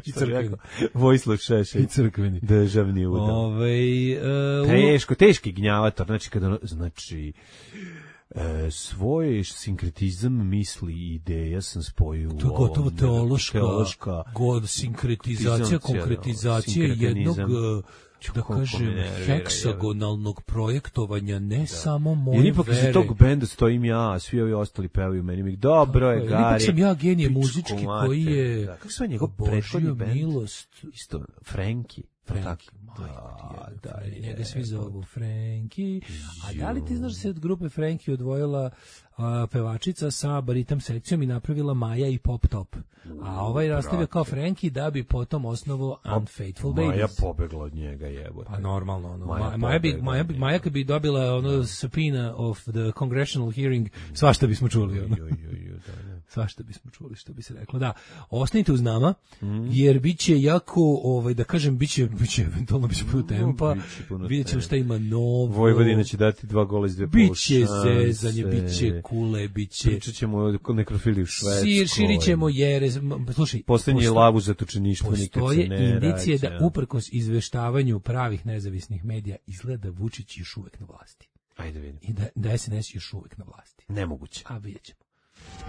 Speaker 6: I crkveni.
Speaker 7: Vojislav Šešelj.
Speaker 6: I crkveni.
Speaker 7: Državni udel.
Speaker 6: Ove, uh,
Speaker 7: Teško, teški gnjavator. Znači, kada, znači, e, svoj sinkretizam misli i ideja sam spojio u
Speaker 6: to je
Speaker 7: ovom.
Speaker 6: gotovo teološka,
Speaker 7: teološka
Speaker 6: god, sinkretizacija, konkretizacija jednog, da kažem, heksagonalnog projektovanja, ne da. samo moje
Speaker 7: jer ipak
Speaker 6: vere.
Speaker 7: Jer ipak iz tog benda stojim ja, svi ovi ostali pevaju meni mi, dobro je, Gari.
Speaker 6: Ipak sam ja genije muzički koji je
Speaker 7: da. Kako se njegov prethodni bend?
Speaker 6: Milost.
Speaker 7: Isto, Franki.
Speaker 6: Franki, da, da, da, njega svi zovu Franki. A da li ti znaš da se od grupe Franki odvojila a, pevačica sa baritam sekcijom i napravila Maja i Pop Top? A ovaj nastavio kao Franki da bi potom osnovu Unfaithful Babies.
Speaker 7: Maja pobegla od njega, jebote.
Speaker 6: Pa normalno, ono.
Speaker 7: Maja,
Speaker 6: Maja, bi, Maja, bi, Maja kad bi dobila ono subpoena of the congressional hearing, svašta bismo čuli. Ono. Svašta bismo čuli, što bi se reklo. Da, ostanite uz nama, jer biće jako, ovaj, da kažem, biće, biće eventualno biće puno tempa, vidjet ćemo šta ima novo.
Speaker 7: Vojvodina će dati dva gola iz dve polušanse.
Speaker 6: Biće zezanje, biće kule, biće...
Speaker 7: Pričat ćemo o nekrofiliji u Švedskoj.
Speaker 6: Sir, širit ćemo jere, slušaj...
Speaker 7: Posljednji je lavu zatočeništvo, nikad se ne
Speaker 6: postoje indicije da uprkos izveštavanju pravih nezavisnih medija izgleda Vučić još uvek na vlasti.
Speaker 7: Ajde vidim.
Speaker 6: I da, da S N S još uvek na vlasti.
Speaker 7: Nemoguće.
Speaker 6: A vidjet ćemo.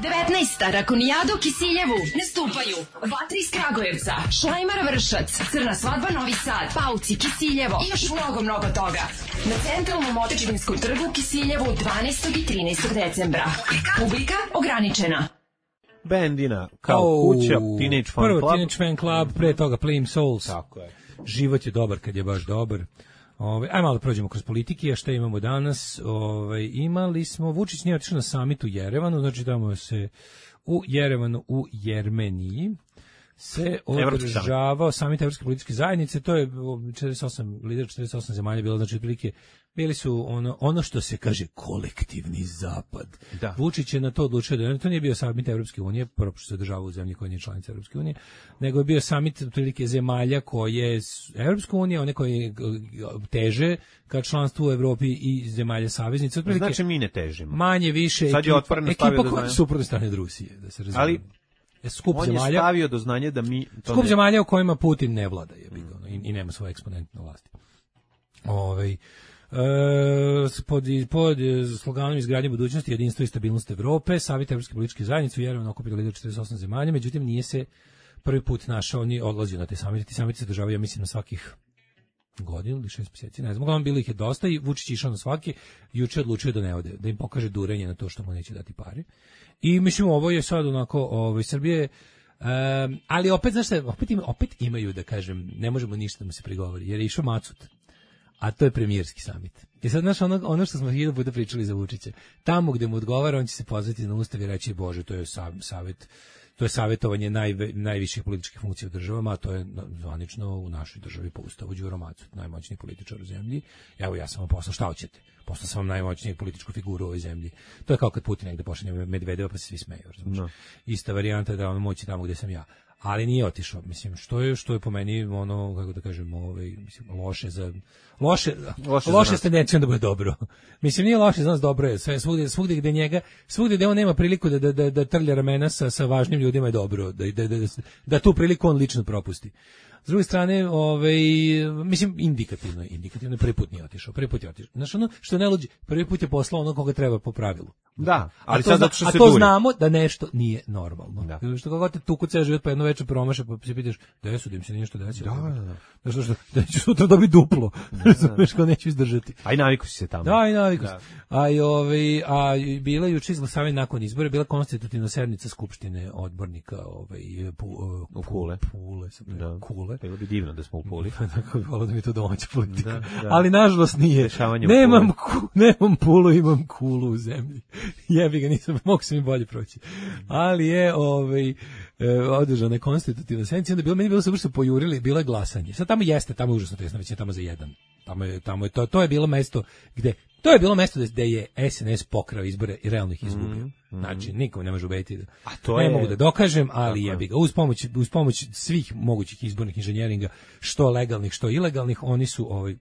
Speaker 2: devetnaesta Rakonijada u Kisiljevu. Nastupaju Vatri iz Kragujevca, Šlajmar Vršac, Crna svadba Novi Sad, Pauci Kisiljevo i još mnogo, mnogo toga. Na centralnom Otečevinskom trgu u Kisiljevu dvanaestog i trinaestog decembra. Publika ograničena.
Speaker 7: Bendina, kao oh, kuća, Teenage Fan
Speaker 6: prvo
Speaker 7: Club.
Speaker 6: Prvo Teenage Fan Club, pre toga Flame Souls.
Speaker 7: Tako je.
Speaker 6: Život je dobar kad je baš dobar. Ove, aj malo da prođemo kroz politike, a šta imamo danas? Ove, imali smo, Vučić nije otišao na samit u Jerevanu, znači tamo se u Jerevanu, u Jermeniji, se održavao samit Evropske političke zajednice, to je četrdeset osam, lider četrdeset osam zemalja bilo, znači otprilike bili su ono, ono što se kaže kolektivni zapad. Da. Vučić je na to odlučio da to nije bio samit Evropske unije, prvo što se održava u zemlji koja nije članica Evropske unije, nego je bio samit otprilike zemalja koje Evropska unija, one koje teže ka članstvu u Evropi i zemalja saveznice. Otprilike,
Speaker 7: znači mi ne težimo.
Speaker 6: Manje više
Speaker 7: sad je otvoreno stavio
Speaker 6: ekipa koja je suprotna strane od Rusije, da se razumije.
Speaker 7: Ali
Speaker 6: skup
Speaker 7: on
Speaker 6: zemalja,
Speaker 7: je stavio do znanja da mi...
Speaker 6: To skup ne... zemalja u kojima Putin ne vlada je bilo, mm. i, i nema svoje eksponente na vlasti. Ovaj e, pod, pod sloganom izgradnje budućnosti, jedinstvo i stabilnost Evrope, Savjet Evropske političke zajednice u Jerevanu okupio lider četrdeset osam zemalja, međutim nije se prvi put našao, oni odlazio na te samite, ti samiti se državaju, ja mislim, na svakih godinu ili šest mjeseci, ne znam, uglavnom bilo ih je dosta i Vučić išao na svaki, juče odlučio da ne ode, da im pokaže durenje na to što mu neće dati pare. I mislim, ovo je sad onako, ovaj, Srbije, um, ali opet, znaš šta, opet, ima, opet imaju, da kažem, ne možemo ništa da mu se prigovori, jer je išao Macut, a to je premijerski samit. I sad, znaš, ono, ono što smo hiljadu puta pričali za Vučića, tamo gde mu odgovara, on će se pozvati na ustav i reći, Bože, to je savjet, to je savjetovanje naj, najviših političkih funkcija u državama, a to je zvanično u našoj državi po ustavu Đuro Macut, najmoćniji političar u zemlji. Evo, ja sam vam poslao, šta hoćete? Poslao sam vam najmoćnijeg političku figuru u ovoj zemlji. To je kao kad Putin negde pošalje Medvedeva pa se svi smeju. No. Ista varijanta da on moći tamo gde sam ja. Ali nije otišao, mislim, što je što je po meni ono, kako da kažem, ovaj, mislim, loše za loše loše, loše s tendencijom da bude dobro. Mislim, nije loše za nas, dobro je. Sve svugde, svugde gde njega, svugde gde on nema priliku da da da, da trlja ramena sa sa važnim ljudima je dobro, da da da, da tu priliku on lično propusti. S druge strane, ovaj, mislim, indikativno je, indikativno je, prvi put nije otišao, prvi put je otišao. Znaš, ono što ne luđi, prvi put je poslao ono koga treba po pravilu.
Speaker 7: Da, ali
Speaker 6: a to,
Speaker 7: sad zato što
Speaker 6: a
Speaker 7: se
Speaker 6: to
Speaker 7: duri.
Speaker 6: znamo da nešto nije normalno.
Speaker 7: Da.
Speaker 6: Što kako te tuku ceo život, pa jedno večer promaša, pa se pitaš, da su da im se nešto desilo.
Speaker 7: Da, da, da.
Speaker 6: Da što, što, da ću sutra dobiti duplo, razumeš, kao neću izdržati.
Speaker 7: Aj naviku si se tamo.
Speaker 6: Da, i naviku da. A, i, ovaj, a bila juče izglasavanje nakon izbora, bila konstitutivna sednica Skupštine odbornika ovaj, pu,
Speaker 7: u Kule.
Speaker 6: Pule, sam da. Kule.
Speaker 7: Bilo bi divno da smo u Puli.
Speaker 6: Tako bi volao da mi to domaća politika.
Speaker 7: Da, da.
Speaker 6: Ali nažalost nije. Nemam, ku, nemam Pulu, imam Kulu u zemlji. Jebi ga, nisam, mogu se mi bolje proći. Ali je ovaj, e, održana je konstitutivna sednica, onda bilo, meni bilo se vrsto pojurili, bilo je glasanje. Sad tamo jeste, tamo je užasno tesno, već je tamo za jedan. Tamo je, tamo je to, to je bilo mesto gde, to je bilo mesto gde je S N S pokrao izbore i realno ih izgubio. Mm, mm. Znači, nikom ne može ubediti da,
Speaker 7: a to
Speaker 6: ne
Speaker 7: je...
Speaker 6: mogu da dokažem, ali jebi ga, uz pomoć, uz pomoć svih mogućih izbornih inženjeringa, što legalnih, što ilegalnih, oni su ovaj,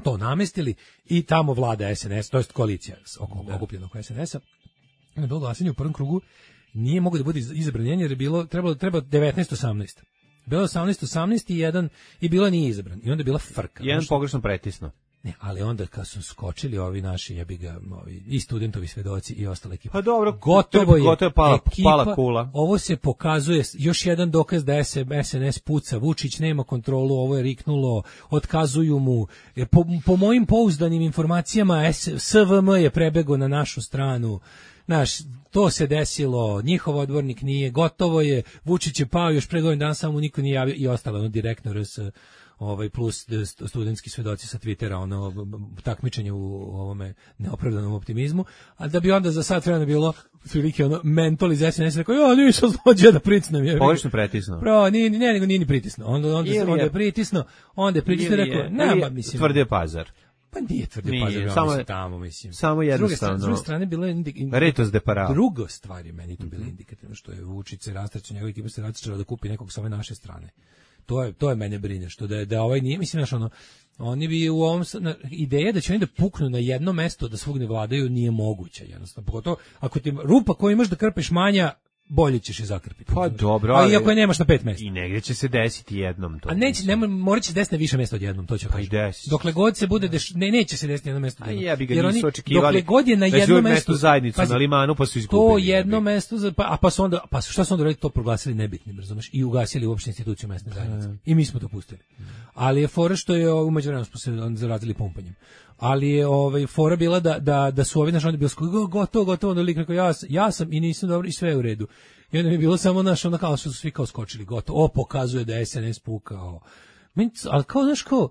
Speaker 6: to namestili i tamo vlada S N S, to jest koalicija okupljena oko S N S-a. Na bilo glasanje u prvom krugu nije mogao da bude izabran jer je bilo trebalo treba devetnaest osamnaest. Bilo osamnaest osamnaest i jedan i bilo nije izabran. I onda je bila frka.
Speaker 7: Jedan pogrešno pretisno.
Speaker 6: Ne, ali onda kad su skočili ovi naši jebi ga, ovi i studentovi svedoci i ostale ekipe.
Speaker 7: Pa dobro,
Speaker 6: gotovo je,
Speaker 7: gotovo je pala,
Speaker 6: ekipa,
Speaker 7: pala kula.
Speaker 6: Ovo se pokazuje još jedan dokaz da S N S puca, Vučić nema kontrolu, ovo je riknulo, otkazuju mu. Po, po mojim pouzdanim informacijama S V M je prebegao na našu stranu. Znaš, to se desilo, njihov odbornik nije, gotovo je, Vučić je pao još pre godinu dana, samo niko nije javio i ostalo, ono direktno R S ovaj plus studentski svedoci sa Twittera, ono takmičenje u ovome neopravdanom optimizmu, a da bi onda za sat vremena bilo prilike ono mental iz S N S rekao, ja nisam zlođe da pricnem. Je
Speaker 7: pogrešno pritisnuo.
Speaker 6: Pro, nije, ne, nego nije ni pritisnuo. Onda, onda, onda, onda je pritisnuo, onda je pritisnuo, rekao, nema, mislim.
Speaker 7: Tvrdio Pazar.
Speaker 6: Pa nije tvrdio Pazar, samo je tamo, mislim.
Speaker 7: Samo jednostavno.
Speaker 6: S druge strane, bilo je indik...
Speaker 7: Retos de para.
Speaker 6: Druga stvar je meni to bilo indikativno, što je Vučić se rastračio, njegova ekipa se rastračila da kupi nekog sa ove naše strane. To je to je mene brine što da je, da ovaj nije, mislim, znaš, ono, oni bi u ovom na, ideja da će oni da puknu na jedno mesto da svugde vladaju nije moguća jednostavno, pogotovo ako ti rupa koju imaš da krpeš manja, bolje ćeš je zakrpiti.
Speaker 7: Pa dobro,
Speaker 6: ali iako je nemaš na pet mesta.
Speaker 7: I negdje će se desiti jednom to.
Speaker 6: A neće, nema, morat će se desiti na više mesta odjednom, to će
Speaker 7: pa
Speaker 6: kažem. Dokle god se bude deš, ne neće se desiti na jedno mesto odjednom.
Speaker 7: A ja bi ga nisu očekivali.
Speaker 6: Dokle god je na jednom mestu
Speaker 7: zajednicu pazi, na Limanu pa su izgubili.
Speaker 6: To jedno mesto za pa a pa su onda pa su šta su onda radili, to proglasili nebitnim, razumeš, i ugasili uopšte instituciju mesne zajednice. I mi smo to pustili. Ali je fora što je u međuvremenu smo se zarazili pumpanjem. Ali je ovaj fora bila da da da su ovi naši onda bili gotovo gotovo onda lik rekao ja ja sam i nisam dobro i sve je u redu. I onda mi je bilo samo naš onda kao što su svi kao skočili gotovo. O, pokazuje da je S N S pukao. Ali kao znaš kao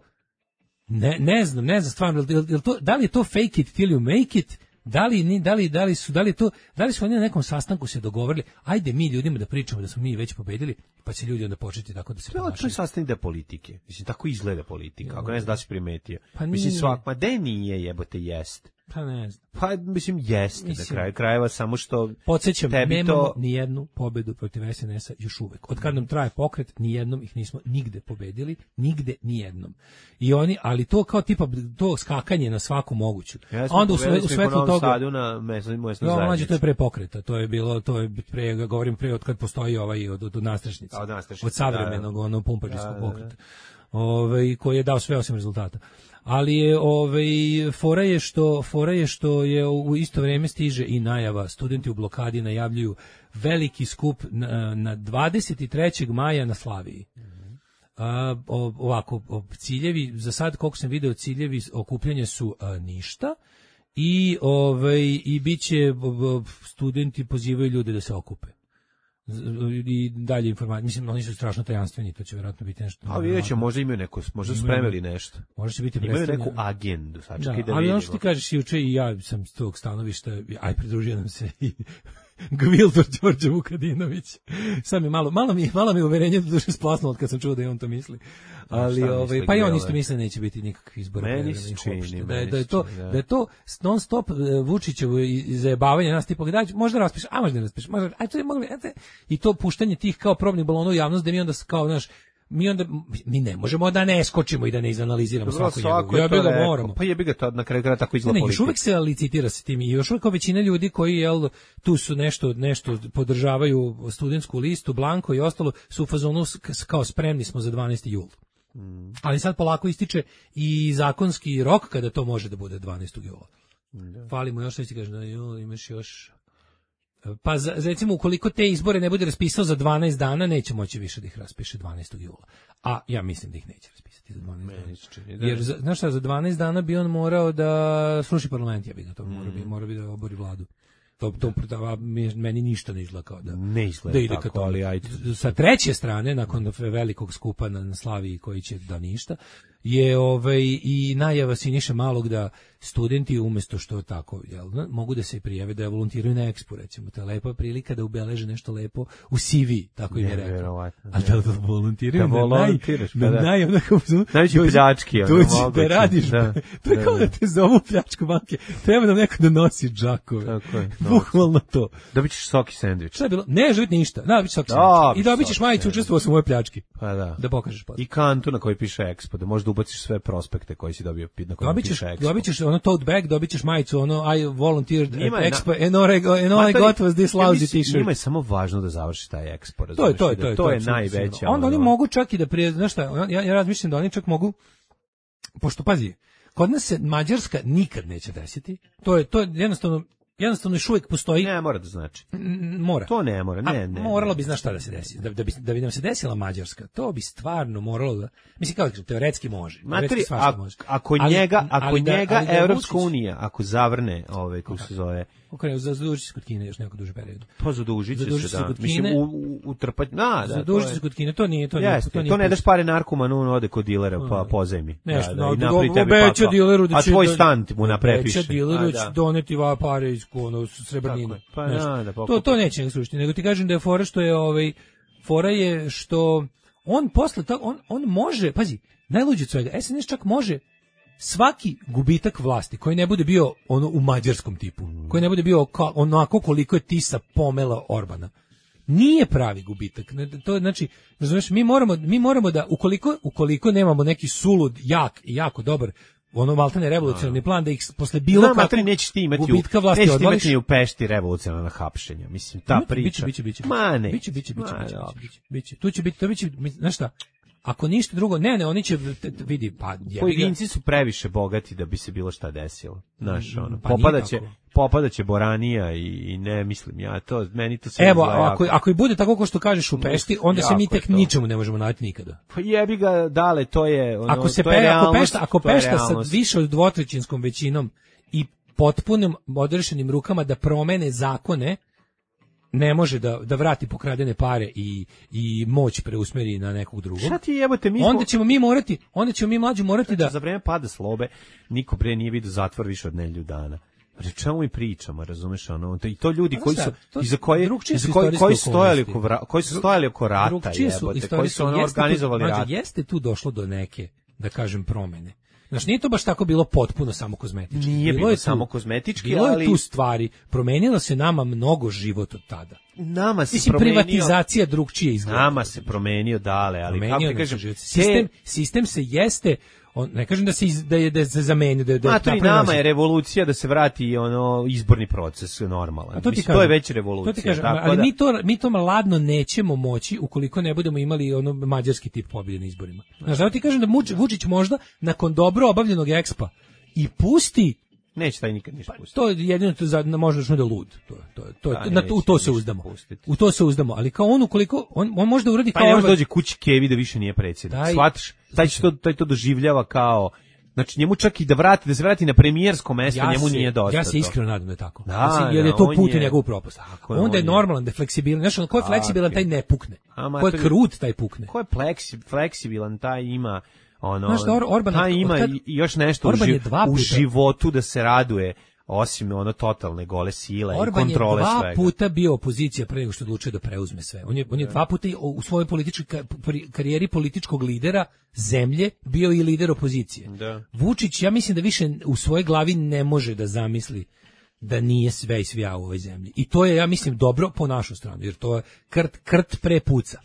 Speaker 6: ne ne znam, ne znam stvarno jel, jel to, da li je to fake it till you make it? Da li ni da li da li su da li to da li su oni na nekom sastanku se dogovorili ajde mi ljudima da pričamo da smo mi već pobedili pa će ljudi onda početi tako da se ponašaju.
Speaker 7: To je sastavni deo politike. Mislim tako izgleda politika. Ako ne znaš da si primetio. Pa mislim svak ma de nije jebote jest.
Speaker 6: Pa ne znam.
Speaker 7: Pa mislim jeste na kraju krajeva samo što
Speaker 6: podsjećam nemamo to... ni jednu pobedu protiv S N S-a još uvek. Od kad nam traje pokret ni jednom ih nismo nigde pobedili, nigde ni jednom. I oni ali to kao tipa to skakanje na svaku moguću.
Speaker 7: Ja onda u, sve, u svetlu toga Sadu na mesnoj mesnoj zajednici.
Speaker 6: To je pre pokreta, to je bilo to je pre govorim pre od kad postoji ovaj od od, od nastrešnice.
Speaker 7: Od,
Speaker 6: od savremenog da, onog pumpačkog pokreta. Ovaj koji je dao sve osim rezultata. Ali je ovaj fora je što fora je što je u isto vrijeme stiže i najava, studenti u blokadi najavljuju veliki skup na, na dvadeset trećeg maja na Slaviji. A, ovako o, ciljevi za sad koliko sam video ciljevi okupljanja su a, ništa i ovaj i biće studenti pozivaju ljude da se okupe. I dalje informacije, mislim, oni su strašno tajanstveni, to će vjerojatno biti nešto.
Speaker 7: A vidjet ćemo, možda imaju neko, možda su spremili nešto.
Speaker 6: Možda će biti
Speaker 7: imaju neku agendu, sačekaj da, da vidimo.
Speaker 6: Ali ono što ti kažeš juče i ja sam s tog stanovišta, aj pridružio nam se i Gviltor Đorđe Vukadinović. Sad mi malo, malo mi, malo mi uverenje da duše splasnulo od kad sam čuo da je on to misli. Ali ovaj pa i on isto misli da neće biti nikakvih izbora.
Speaker 7: Meni se čini,
Speaker 6: da je da je to da je to non stop Vučićevo zajebavanje nas tipa da možda raspiš, a možda ne raspiš. Možda aj to je mogli i to puštanje tih kao probnih balona u javnost da mi onda kao naš mi onda mi ne možemo da ne skočimo i da ne izanaliziramo svaku njegovu. Ja bih ga moramo.
Speaker 7: Pa jebi ga to na kraju kraja tako izgleda politika.
Speaker 6: Još uvek se licitira sa tim i još uvek većina ljudi koji jel tu su nešto nešto podržavaju studentsku listu, Blanko i ostalo su u fazonu kao spremni smo za dvanaesti jula. Mm. Ali sad polako ističe i zakonski rok kada to može da bude dvanaestog jula. Mm. Fali mu još što ti kaže da jul imaš još pa za, recimo ukoliko te izbore ne bude raspisao za dvanaest dana neće moći više da ih raspiše dvanaestog jula. A ja mislim da ih neće raspisati za dvanaest dana. Jer za, znaš šta, za dvanaest dana bi on morao da sruši parlament, ja bih ga to mm. mora bi mora bi da obori vladu. To to da. Meni ništa ne izgleda kao da
Speaker 7: ne izgleda
Speaker 6: da ide
Speaker 7: tako, ali ajde.
Speaker 6: Sa treće strane nakon velikog skupa na, na Slaviji koji će da ništa je ovaj i najava Siniše Malog da studenti umjesto što tako jel mogu da se prijave da volontiraju na Expo recimo, to je lepa prilika da ubeleže nešto lepo u C V, tako im je rekao. A da da volontiraju
Speaker 7: da volontiraš
Speaker 6: na naj onako
Speaker 7: najveći pljački
Speaker 6: ono mogu da radiš. Da, to je kao da te zovu pljačku banke. Treba nam neko da nosi džakove. Tako je. Bukvalno to.
Speaker 7: Dobićeš soki sendvič.
Speaker 6: Šta je bilo? Ne živit ništa. Da, dobićeš soki sendvič. I dobićeš majicu učestvovao sam u mojoj pljački.
Speaker 7: Pa da.
Speaker 6: Da pokažeš pa.
Speaker 7: I kantu na kojoj piše Expo, da možeš da ubaciš sve prospekte koji si dobio na kojoj piše Expo.
Speaker 6: Dobićeš ono tote bag, dobit ćeš majicu, ono I volunteered at
Speaker 7: Njima je na-
Speaker 6: Expo, and all I, go- and all I
Speaker 7: Matori,
Speaker 6: got was this
Speaker 7: ja
Speaker 6: lousy
Speaker 7: mislim,
Speaker 6: t-shirt.
Speaker 7: Njima je samo važno da završi taj Expo,
Speaker 6: To je,
Speaker 7: razumeš,
Speaker 6: to je,
Speaker 7: da
Speaker 6: to je,
Speaker 7: to je
Speaker 6: apsolutno
Speaker 7: najveća.
Speaker 6: sigurno. Onda oni
Speaker 7: ono-
Speaker 6: mogu čak i da prije, znaš šta, ja, ja razmišljam da oni čak mogu, pošto, pazi, kod nas se Mađarska nikad neće desiti, to je, to je jednostavno, jednostavno još uvijek postoji.
Speaker 7: Ne, mora da znači.
Speaker 6: N- Mora.
Speaker 7: To ne mora, ne,
Speaker 6: A,
Speaker 7: ne.
Speaker 6: moralo
Speaker 7: ne.
Speaker 6: bi, znaš šta da se desi, da, da, bi, da bi nam se desila Mađarska, to bi stvarno moralo da, mislim kao da kažem, teoretski može.
Speaker 7: Materi,
Speaker 6: teoretski svašta
Speaker 7: ako,
Speaker 6: može.
Speaker 7: ako
Speaker 6: Ali-
Speaker 7: njega, ako
Speaker 6: ali da-
Speaker 7: njega
Speaker 6: ali da je
Speaker 7: Evropska
Speaker 6: Vučić-
Speaker 7: unija, ako zavrne, ovaj, kako se zove,
Speaker 6: Okrenu, zadužit se kod Kine još neko duže period.
Speaker 7: pa zadužit će
Speaker 6: Zadužit
Speaker 7: se,
Speaker 6: se
Speaker 7: da.
Speaker 6: kod
Speaker 7: Mislim,
Speaker 6: Kine.
Speaker 7: u, u, utrpać, da, da.
Speaker 6: Zadužit
Speaker 7: to
Speaker 6: se
Speaker 7: je-
Speaker 6: kod Kine, to nije, to nije,
Speaker 7: Jeste,
Speaker 6: to nije
Speaker 7: to ne
Speaker 6: put.
Speaker 7: daš pare narkomanu, on ode kod dilera pa pozajmi.
Speaker 6: Nešto,
Speaker 7: da, da,
Speaker 6: no,
Speaker 7: i napravi
Speaker 6: do-
Speaker 7: tebi
Speaker 6: obeća
Speaker 7: pakao.
Speaker 6: dileru da
Speaker 7: A
Speaker 6: će
Speaker 7: tvoj
Speaker 6: da-
Speaker 7: stan ti mu naprepiše.
Speaker 6: Obeća dileru
Speaker 7: A,
Speaker 6: da će
Speaker 7: da.
Speaker 6: doneti va pare iz ono srebrnine.
Speaker 7: Tako je. Pa
Speaker 6: Nešto.
Speaker 7: da, da,
Speaker 6: to
Speaker 7: pokupi.
Speaker 6: to neće nego slušati, nego ti kažem da je fora što je ovaj fora je što on posle toga on on može, pazi, najluđe od svega, S N S čak može svaki gubitak vlasti koji ne bude bio ono u mađarskom tipu, koji ne bude bio ka, onako koliko je Tisa pomela Orbana. Nije pravi gubitak. Ne, to je znači, razumeš, mi moramo mi moramo da ukoliko ukoliko nemamo neki sulud jak i jako dobar ono maltene revolucionarni plan da ih posle bilo
Speaker 7: Znam,
Speaker 6: kakvog
Speaker 7: materi, nećeš ti imati
Speaker 6: gubitka
Speaker 7: u,
Speaker 6: vlasti
Speaker 7: nećeš ti
Speaker 6: odvališ.
Speaker 7: imati ni u Pešti revolucionarna hapšenja. Mislim, ta
Speaker 6: Biće,
Speaker 7: priča.
Speaker 6: biće, biće, biće.
Speaker 7: Ma ne.
Speaker 6: Biće, biće, biće,
Speaker 7: Ma,
Speaker 6: biće,
Speaker 7: dobro.
Speaker 6: biće, biće. Tu će biti, to biće, znaš šta? Ako ništa drugo, ne, ne, oni će t- t- vidi, pa jebi ga.
Speaker 7: Pojedinci su previše bogati da bi se bilo šta desilo. Znaš, ono,
Speaker 6: Pa nije
Speaker 7: popadaće,
Speaker 6: tako.
Speaker 7: popadaće Boranija i, i ne mislim ja, to, meni to sve
Speaker 6: Evo,
Speaker 7: izgleda
Speaker 6: ako,
Speaker 7: jako.
Speaker 6: ako i bude tako kao što kažeš u Pešti, onda se mi
Speaker 7: Jako je
Speaker 6: tek
Speaker 7: to.
Speaker 6: ničemu ne možemo naći nikada.
Speaker 7: Pa jebi ga, dale, to je, ono,
Speaker 6: Ako se
Speaker 7: to je
Speaker 6: pe, ako
Speaker 7: realnost,
Speaker 6: Pešta, ako
Speaker 7: to je
Speaker 6: Pešta sa
Speaker 7: realnost.
Speaker 6: više od dvotrećinskom većinom i potpunim odrešenim rukama da promene zakone, ne može da da vrati pokradene pare i i moć preusmeri na nekog drugog.
Speaker 7: Šta ti jebote, mi smo-
Speaker 6: Onda ćemo mi morati, onda ćemo mi mlađi morati da
Speaker 7: Za vreme pada slobe, niko pre nije vidio zatvor više od nedelju dana. O čemu mi pričamo, razumeš, ono, to- i to ljudi
Speaker 6: A
Speaker 7: koji
Speaker 6: znaš
Speaker 7: su,
Speaker 6: šta, to
Speaker 7: iza koje,
Speaker 6: drugčije
Speaker 7: iza
Speaker 6: su
Speaker 7: koji, koji
Speaker 6: istorijske
Speaker 7: stojali
Speaker 6: okolnosti.
Speaker 7: oko, vra- koji su stojali oko rata,
Speaker 6: Drugčije su
Speaker 7: jebote, koji
Speaker 6: istorijske,
Speaker 7: su ono
Speaker 6: jeste tu-
Speaker 7: organizovali
Speaker 6: mlađe,
Speaker 7: rat.
Speaker 6: Jeste tu došlo do neke, da kažem, promene. Znaš, nije to baš tako bilo potpuno samo kozmetički.
Speaker 7: Nije bilo
Speaker 6: je tu-
Speaker 7: samo kozmetički,
Speaker 6: bilo
Speaker 7: ali-
Speaker 6: je tu stvari. Promenilo se nama mnogo život od tada.
Speaker 7: Nama se
Speaker 6: Mislim,
Speaker 7: promenio,
Speaker 6: privatizacija drugčije izgleda.
Speaker 7: nama se promenio dale, ali kako
Speaker 6: Promenio
Speaker 7: ti
Speaker 6: nam se
Speaker 7: kažem,
Speaker 6: život.
Speaker 7: te-
Speaker 6: Sistem, sistem se jeste, on, ne kažem da se, iz, da je, da se zamenio, da je, da je
Speaker 7: Matori,
Speaker 6: napravio
Speaker 7: nama
Speaker 6: novi-
Speaker 7: je revolucija da se vrati ono izborni proces normalan.
Speaker 6: A to ti
Speaker 7: Mislim,
Speaker 6: kažem,
Speaker 7: to je već revolucija.
Speaker 6: To ti kažem,
Speaker 7: tako
Speaker 6: ali
Speaker 7: da-
Speaker 6: mi to mi to ladno nećemo moći ukoliko ne budemo imali ono mađarski tip pobjede na izborima. Znaš, da ti kažem da Muč- Vučić možda nakon dobro obavljenog ekspa i pusti
Speaker 7: neće taj nikad ništa pustiti.
Speaker 6: to je jedino to za možda što da je lud. To je to je to, je-
Speaker 7: Da,
Speaker 6: na to, u
Speaker 7: neće
Speaker 6: to se
Speaker 7: ništa
Speaker 6: uzdamo.
Speaker 7: pustiti.
Speaker 6: U to se uzdamo, ali kao on ukoliko on on može da uradi
Speaker 7: Pa
Speaker 6: kao
Speaker 7: ne može
Speaker 6: Orban.
Speaker 7: dođe kući Kevi da više nije predsjednik.
Speaker 6: Taj-
Speaker 7: Shvataš? Taj će to, taj to doživljava kao, znači njemu čak i da vrati, da se vrati na premijersko mesto, njemu
Speaker 6: se,
Speaker 7: nije dosta.
Speaker 6: Ja se
Speaker 7: to.
Speaker 6: iskreno nadam da je tako.
Speaker 7: Da,
Speaker 6: Znači, jer je
Speaker 7: da,
Speaker 6: to
Speaker 7: on
Speaker 6: put u
Speaker 7: je-
Speaker 6: njegovu propast.
Speaker 7: Tako je,
Speaker 6: Onda je
Speaker 7: on je-
Speaker 6: normalan, da je fleksibilan. Znaš, on ko je
Speaker 7: Tako
Speaker 6: fleksibilan,
Speaker 7: je.
Speaker 6: taj ne pukne.
Speaker 7: A,
Speaker 6: Ko je
Speaker 7: mater-
Speaker 6: krut, taj pukne.
Speaker 7: Ko je pleksi, fleksibilan, taj ima ono,
Speaker 6: Znaš šta, Or- Orban-
Speaker 7: taj ima
Speaker 6: otkad-
Speaker 7: i- i još nešto u,
Speaker 6: Orban je
Speaker 7: ži-
Speaker 6: dva
Speaker 7: u
Speaker 6: puta-
Speaker 7: životu da se raduje, osim ono totalne gole sile i
Speaker 6: Orban je
Speaker 7: kontrole
Speaker 6: dva
Speaker 7: svega.
Speaker 6: puta bio opozicija pre nego što je odlučio da preuzme sve. On je, on je dva puta i u svojoj političkoj ka- pri- karijeri političkog lidera zemlje bio i lider opozicije.
Speaker 7: Da.
Speaker 6: Vučić, ja mislim da više u svojoj glavi ne može da zamisli da nije sve i svija u ovoj zemlji. I to je, ja mislim, dobro po našu stranu, jer to je krt, krt prepuca.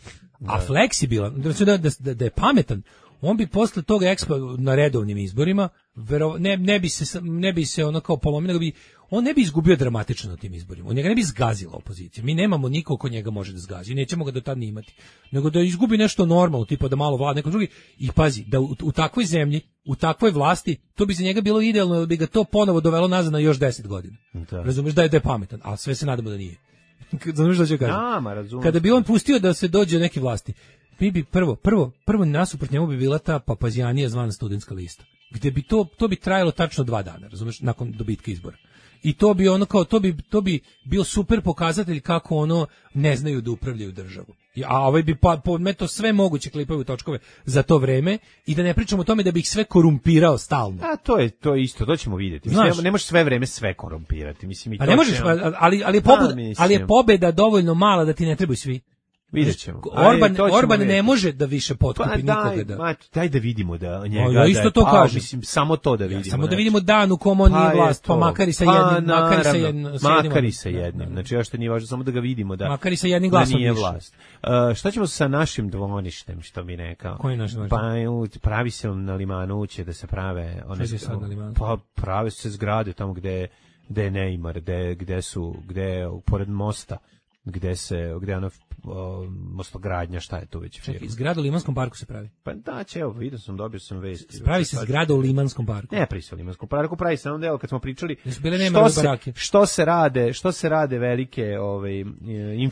Speaker 6: A fleksibilan, da, da, da, da je pametan, on bi posle toga ekspa na redovnim izborima vero, ne, ne bi se ne bi se ono kao polomio, nego bi on ne bi izgubio dramatično na tim izborima. On njega ne bi zgazila opozicija. Mi nemamo nikog ko njega može da zgazi. Nećemo ga do tad ni imati. Nego da izgubi nešto normalno, tipa da malo vlada neko drugi. I pazi, da u, u takvoj zemlji, u takvoj vlasti, to bi za njega bilo idealno, da bi ga to ponovo dovelo nazad na još deset godina.
Speaker 7: Da.
Speaker 6: Razumeš da je da je pametan, a sve se nadamo da nije. Razumeš da ću kažem?
Speaker 7: Nama, razumem.
Speaker 6: Kada bi on pustio da se dođe do neke vlasti, mi bi prvo, prvo, prvo nasuprot njemu bi bila ta papazijanija zvana studentska lista. Gde bi to, to bi trajalo tačno dva dana, razumeš, nakon dobitka izbora. I to bi ono kao, to bi, to bi bio super pokazatelj kako ono ne znaju da upravljaju državu. I- A ovaj bi pa, podmeto sve moguće klipove u točkove za to vreme i da ne pričamo o tome da bi ih sve korumpirao stalno.
Speaker 7: A to je to je isto, to ćemo vidjeti. Mislim,
Speaker 6: Znaš.
Speaker 7: ne, ne možeš sve vreme sve korumpirati. Mislim i
Speaker 6: A
Speaker 7: to
Speaker 6: ne možeš,
Speaker 7: će-
Speaker 6: ali, ali, je
Speaker 7: Da,
Speaker 6: pobeda,
Speaker 7: mislim.
Speaker 6: ali je pobeda dovoljno mala da ti ne trebaju svi.
Speaker 7: Vidjet ćemo.
Speaker 6: Orban,
Speaker 7: Ajde, to ćemo
Speaker 6: Orban
Speaker 7: vidjeti.
Speaker 6: ne može da više potkupi
Speaker 7: Pa
Speaker 6: nikoga.
Speaker 7: daj,
Speaker 6: Da.
Speaker 7: ma, daj da vidimo da njega
Speaker 6: Ja isto
Speaker 7: da je
Speaker 6: to
Speaker 7: pao,
Speaker 6: kažem.
Speaker 7: mislim, samo to da vidimo.
Speaker 6: Ja, samo da
Speaker 7: znači.
Speaker 6: vidimo dan u kom on
Speaker 7: Pa
Speaker 6: nije
Speaker 7: je
Speaker 6: vlast, pa
Speaker 7: to.
Speaker 6: makar i sa
Speaker 7: Pa,
Speaker 6: jednim, makar i sa
Speaker 7: naravno,
Speaker 6: jednim, sa jednim-
Speaker 7: makar i sa
Speaker 6: Da,
Speaker 7: jednim.
Speaker 6: da.
Speaker 7: Znači, još što nije važno, samo da ga vidimo da,
Speaker 6: Makar i sa jednim
Speaker 7: da
Speaker 6: glasom
Speaker 7: nije
Speaker 6: više.
Speaker 7: vlast. Uh, šta ćemo sa našim dvoništem, što mi rekao?
Speaker 6: Koji naš dvorište?
Speaker 7: Pa u- pravi se na limanu, će da se prave... One,
Speaker 6: Šta će sad na limanu?
Speaker 7: Pa prave se zgrade tamo gde, gde je Neymar, gde, gde su, gde je pored mosta, gde se, gde je ono o, mostogradnja, šta je to već?
Speaker 6: Čekaj, zgrada u Limanskom parku se pravi.
Speaker 7: Pa da, će, evo, vidio sam, dobio sam vesti.
Speaker 6: Pravi se zgrada u Limanskom parku.
Speaker 7: Ne, pravi se u Limanskom parku, pravi se na onom delu kad smo pričali
Speaker 6: Jesu bile
Speaker 7: što
Speaker 6: Neymarove
Speaker 7: se,
Speaker 6: barake?
Speaker 7: što se rade, što se rade velike ovaj, e,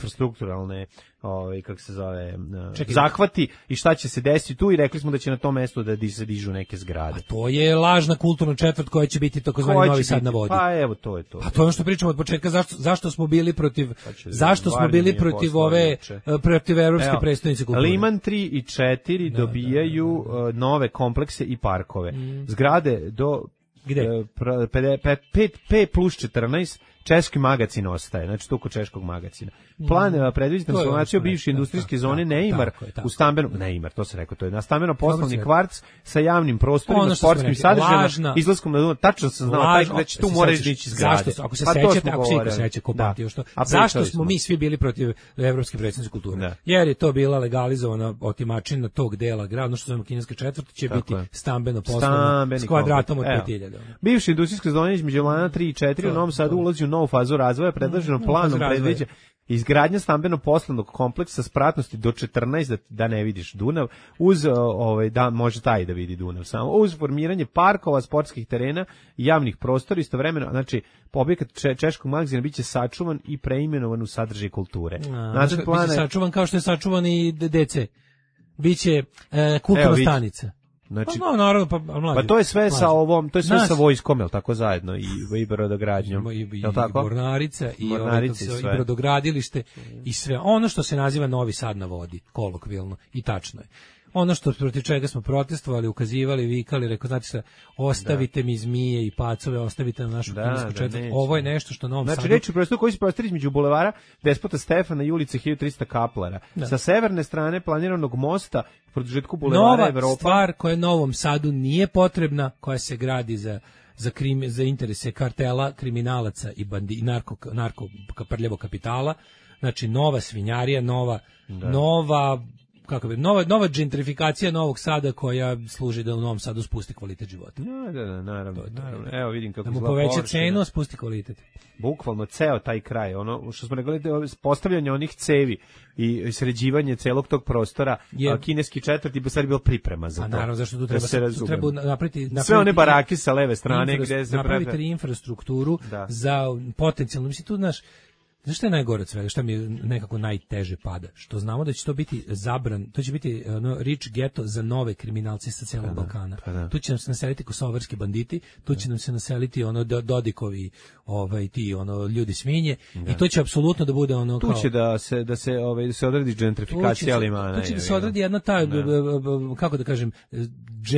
Speaker 7: infrastrukturalne ovaj, kako se zove, e,
Speaker 6: Čekaj.
Speaker 7: zahvati i šta će se desiti tu i rekli smo da će na tom mestu da di- se dižu neke zgrade.
Speaker 6: To je lažna kulturna četvrt koja će biti takozvani
Speaker 7: Ko će
Speaker 6: Novi Sad
Speaker 7: biti?
Speaker 6: na vodi.
Speaker 7: Pa evo, to je to.
Speaker 6: Pa to je ono što pričamo od početka, zašto, zašto smo bili protiv,
Speaker 7: Pa će-
Speaker 6: zašto smo
Speaker 7: Varnje
Speaker 6: bili
Speaker 7: mi je
Speaker 6: protiv
Speaker 7: poslao
Speaker 6: ove,
Speaker 7: juče.
Speaker 6: protiv evropske
Speaker 7: Evo,
Speaker 6: prestonice kulture.
Speaker 7: Liman tri i četiri dobijaju uh, nove komplekse i parkove. Zgrade do
Speaker 6: Gde?
Speaker 7: e, pr- pede- pe- pet P plus četrnaest češki magacin ostaje, znači to kod češkog magacina. Plan mm. predviđa
Speaker 6: To je
Speaker 7: transformaciju
Speaker 6: ono što
Speaker 7: bivše
Speaker 6: rekao,
Speaker 7: industrijske
Speaker 6: tako,
Speaker 7: zone
Speaker 6: tako,
Speaker 7: Neymar
Speaker 6: tako je, tako.
Speaker 7: u stambeno, Neymar, to se rekao, to je na stambeno poslovni
Speaker 6: Dobro si
Speaker 7: kvarc sa javnim prostorima,
Speaker 6: Ono što smo
Speaker 7: sportskim
Speaker 6: rekli,
Speaker 7: sadržajima,
Speaker 6: lažna-
Speaker 7: izlaskom na Dunav. Tačno sam znao, taj
Speaker 6: Lažno-
Speaker 7: da će tu
Speaker 6: se
Speaker 7: moraš
Speaker 6: sećaš,
Speaker 7: dići zgrade.
Speaker 6: Zašto, su- ako se
Speaker 7: Pa to
Speaker 6: sećate,
Speaker 7: smo
Speaker 6: ako se iko
Speaker 7: govorili.
Speaker 6: seća ko
Speaker 7: Da.
Speaker 6: pamti još to,
Speaker 7: A
Speaker 6: zašto
Speaker 7: pričali
Speaker 6: smo mi svi bili protiv evropske prestonice kulture?
Speaker 7: Da.
Speaker 6: Jer je to bila legalizovana otimačina tog dela grada, ono što zovemo kineska četvrt, će
Speaker 7: Tako
Speaker 6: biti
Speaker 7: je.
Speaker 6: stambeno poslovno
Speaker 7: Stambeni
Speaker 6: s kvadratom od
Speaker 7: kompleks.
Speaker 6: pet
Speaker 7: Evo.
Speaker 6: hiljada.
Speaker 7: Bivša industrijska zona između Lana tri i četiri u Novom Sadu ulazi u novu fazu razvoja, predloženo
Speaker 6: Mm,
Speaker 7: planom
Speaker 6: fazu razvoja.
Speaker 7: predviđa izgradnja stambeno-poslovnog kompleksa spratnosti do četrnaest da, da ne vidiš Dunav, uz o, ovaj da može taj da vidi Dunav samo, uz formiranje parkova, sportskih terena i javnih prostora istovremeno, znači objekat če, češkog magazina biće sačuvan i preimenovan u sadržaj kulture.
Speaker 6: Znači,
Speaker 7: Nacrt
Speaker 6: biće
Speaker 7: plana je-
Speaker 6: sačuvan kao što je sačuvan i D C. Biće e, kulturna
Speaker 7: Evo, vidi.
Speaker 6: stanica.
Speaker 7: Znači,
Speaker 6: Pa, no, naravno, pa, mlađe,
Speaker 7: pa to je sve sa
Speaker 6: mlađe.
Speaker 7: ovom, to je sve
Speaker 6: Nas-
Speaker 7: sa vojskom, jel tako zajedno i i brodogradnjom.
Speaker 6: I, i,
Speaker 7: Jel tako?
Speaker 6: i Mornarica i, ovaj,
Speaker 7: Mornarica
Speaker 6: kako
Speaker 7: i
Speaker 6: se zove,
Speaker 7: sve.
Speaker 6: i brodogradilište i sve ono što se naziva Novi Sad na vodi, kolokvijalno, i tačno je. Ono što protiv čega smo protestovali, ukazivali, vikali, rekao, znate šta, ostavite mi zmije i pacove, ostavite na našu
Speaker 7: Da,
Speaker 6: kinesku
Speaker 7: da,
Speaker 6: četvrt.
Speaker 7: neće.
Speaker 6: Ovo je nešto što Novom
Speaker 7: Znači,
Speaker 6: Sadu...
Speaker 7: reč je o prostoru koji se prostire između bulevara Despota Stefana i ulice hiljadu trista Kaplara.
Speaker 6: Da.
Speaker 7: Sa severne strane planiranog mosta, produžetku bulevara
Speaker 6: Nova
Speaker 7: Evropa.
Speaker 6: stvar koja Novom Sadu nije potrebna, koja se gradi za za krim, za interese kartela, kriminalaca i bandi i narko narko prljavog kapitala. Znači nova svinjarija, nova nova kako bi nova nova gentrifikacija Novog Sada koja služi da u Novom Sadu spusti kvalitet života.
Speaker 7: Da, da, da, naravno,
Speaker 6: To je to.
Speaker 7: naravno. Evo vidim kako
Speaker 6: Da mu
Speaker 7: izgleda
Speaker 6: poveća
Speaker 7: površina.
Speaker 6: cenu, a spusti kvalitet.
Speaker 7: Bukvalno ceo taj kraj, ono što smo rekli, da je postavljanje onih cevi i sređivanje celog tog prostora,
Speaker 6: Je-
Speaker 7: a kineski četvrti bi sad bilo priprema za
Speaker 6: A
Speaker 7: to.
Speaker 6: naravno zašto tu
Speaker 7: Da
Speaker 6: treba
Speaker 7: se
Speaker 6: tu
Speaker 7: razumemo.
Speaker 6: treba napraviti, napraviti
Speaker 7: Sve one barake sa leve strane
Speaker 6: infra-
Speaker 7: gde se
Speaker 6: napraviti
Speaker 7: pre-
Speaker 6: infrastrukturu
Speaker 7: Da.
Speaker 6: za potencijalno, mislim tu znaš, znaš šta je najgore od svega, šta mi je nekako najteže pada, što znamo da će to biti zabran, to će biti ono, rich ghetto za nove kriminalce sa celog Balkana.
Speaker 7: pa da.
Speaker 6: Tu će nam se naseliti kosovarski banditi, tu će nam se naseliti ono do- Dodikovi, ovaj ti ono ljudi svinje i to će apsolutno da bude ono
Speaker 7: Tu
Speaker 6: kao
Speaker 7: će da se da se ovaj da se odradi gentrifikacija limana.
Speaker 6: Tu će da se
Speaker 7: je,
Speaker 6: odradi jedna ta, b- b- b- kako da kažem,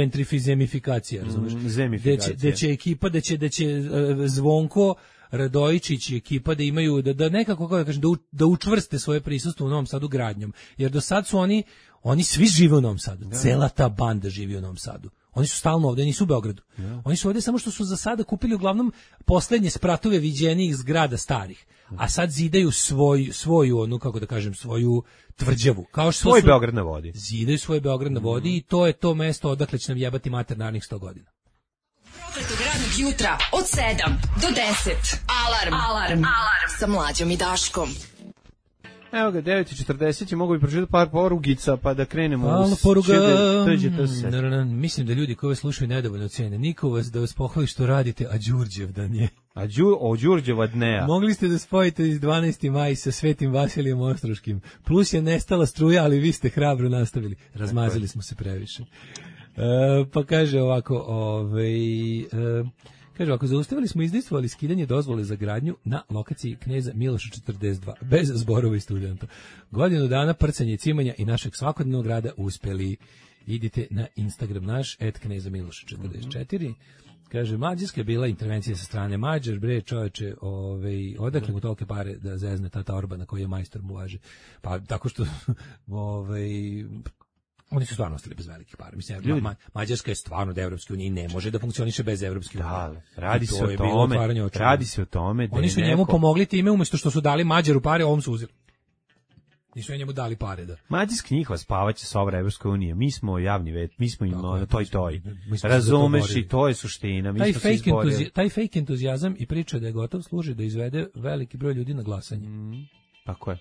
Speaker 6: gentrifizemifikacija, razumiješ?
Speaker 7: Mm, zemifikacija.
Speaker 6: Da će, da će ekipa, da će, da će e, Zvonko, Radojičić i ekipa da imaju, da, da nekako, kako da kažem, da, u, da učvrste svoje prisustvo u Novom Sadu gradnjom. Jer do sad su oni, oni svi žive u Novom Sadu. Cela ta banda živi u Novom Sadu. Oni su stalno ovde, nisu u Beogradu. Oni su ovde samo što su za sada kupili uglavnom poslednje spratove viđenijih zgrada starih. A sad zidaju svoj, svoju, onu, kako da kažem, svoju tvrđavu. Kao što
Speaker 7: Svoj
Speaker 6: su,
Speaker 7: Beograd na vodi.
Speaker 6: Zidaju svoj Beograd na vodi i to je to mesto odakle će nam jebati mater narednih sto godina.
Speaker 2: Prokletog radnog jutra od sedam do deset. Alarm. Alarm. Alarm. Sa Mlađom i Daškom.
Speaker 7: Evo ga, devet i četrdeset će mogu bi pročitati par porugica pa da krenemo.
Speaker 6: Hvala
Speaker 7: uz
Speaker 6: poruga.
Speaker 7: čede- Dođete se.
Speaker 6: Na, na, na, mislim da ljudi koji vas slušaju nedovoljno cene. Niko vas da vas pohvali što radite, a Đurđevdan je.
Speaker 7: A Đu, o Đurđeva dneja.
Speaker 6: Mogli ste da spojite iz dvanaesti maj sa Svetim Vasilijem Ostroškim. Plus je nestala struja, ali vi ste hrabro nastavili. Razmazili smo se previše. E, pa kaže ovako, ovaj, e, kaže ovako, zaustavili smo i izdejstvovali skidanje dozvole za gradnju na lokaciji Kneza Miloša četrdeset dva, bez zborova i studenta. Godinu dana prcanje i cimanja i našeg svakodnevnog rada uspeli. Idite na Instagram naš, et Kneza Miloša četrdeset četiri. Kaže, Mađarska je bila intervencija sa strane Mađar, bre, čoveče, ovaj, odakle mu tolike pare da zezne tata Orbana koji je majstor mu važe. Pa tako što, ovaj, oni su stvarno ostali bez velikih para. Mislim, ma, Mađarska je stvarno od Evropske unije i ne može da funkcioniše bez Evropske unije.
Speaker 7: Da, radi se o tome, radi se o tome da
Speaker 6: oni su
Speaker 7: neko...
Speaker 6: njemu pomogli time umjesto što su dali Mađaru pare, ovom su uzeli. Nisu njemu dali pare da.
Speaker 7: Mađarska njihova spavaće sobra Evropske unije. Mi smo javni vet, mi smo im ono toj toj. Razumeš i to je suština. Mi
Speaker 6: taj
Speaker 7: smo
Speaker 6: fake
Speaker 7: se izborili.
Speaker 6: taj fake entuzijazam i priča da je gotov služi da izvede veliki broj ljudi na glasanje.
Speaker 7: Mm, tako je.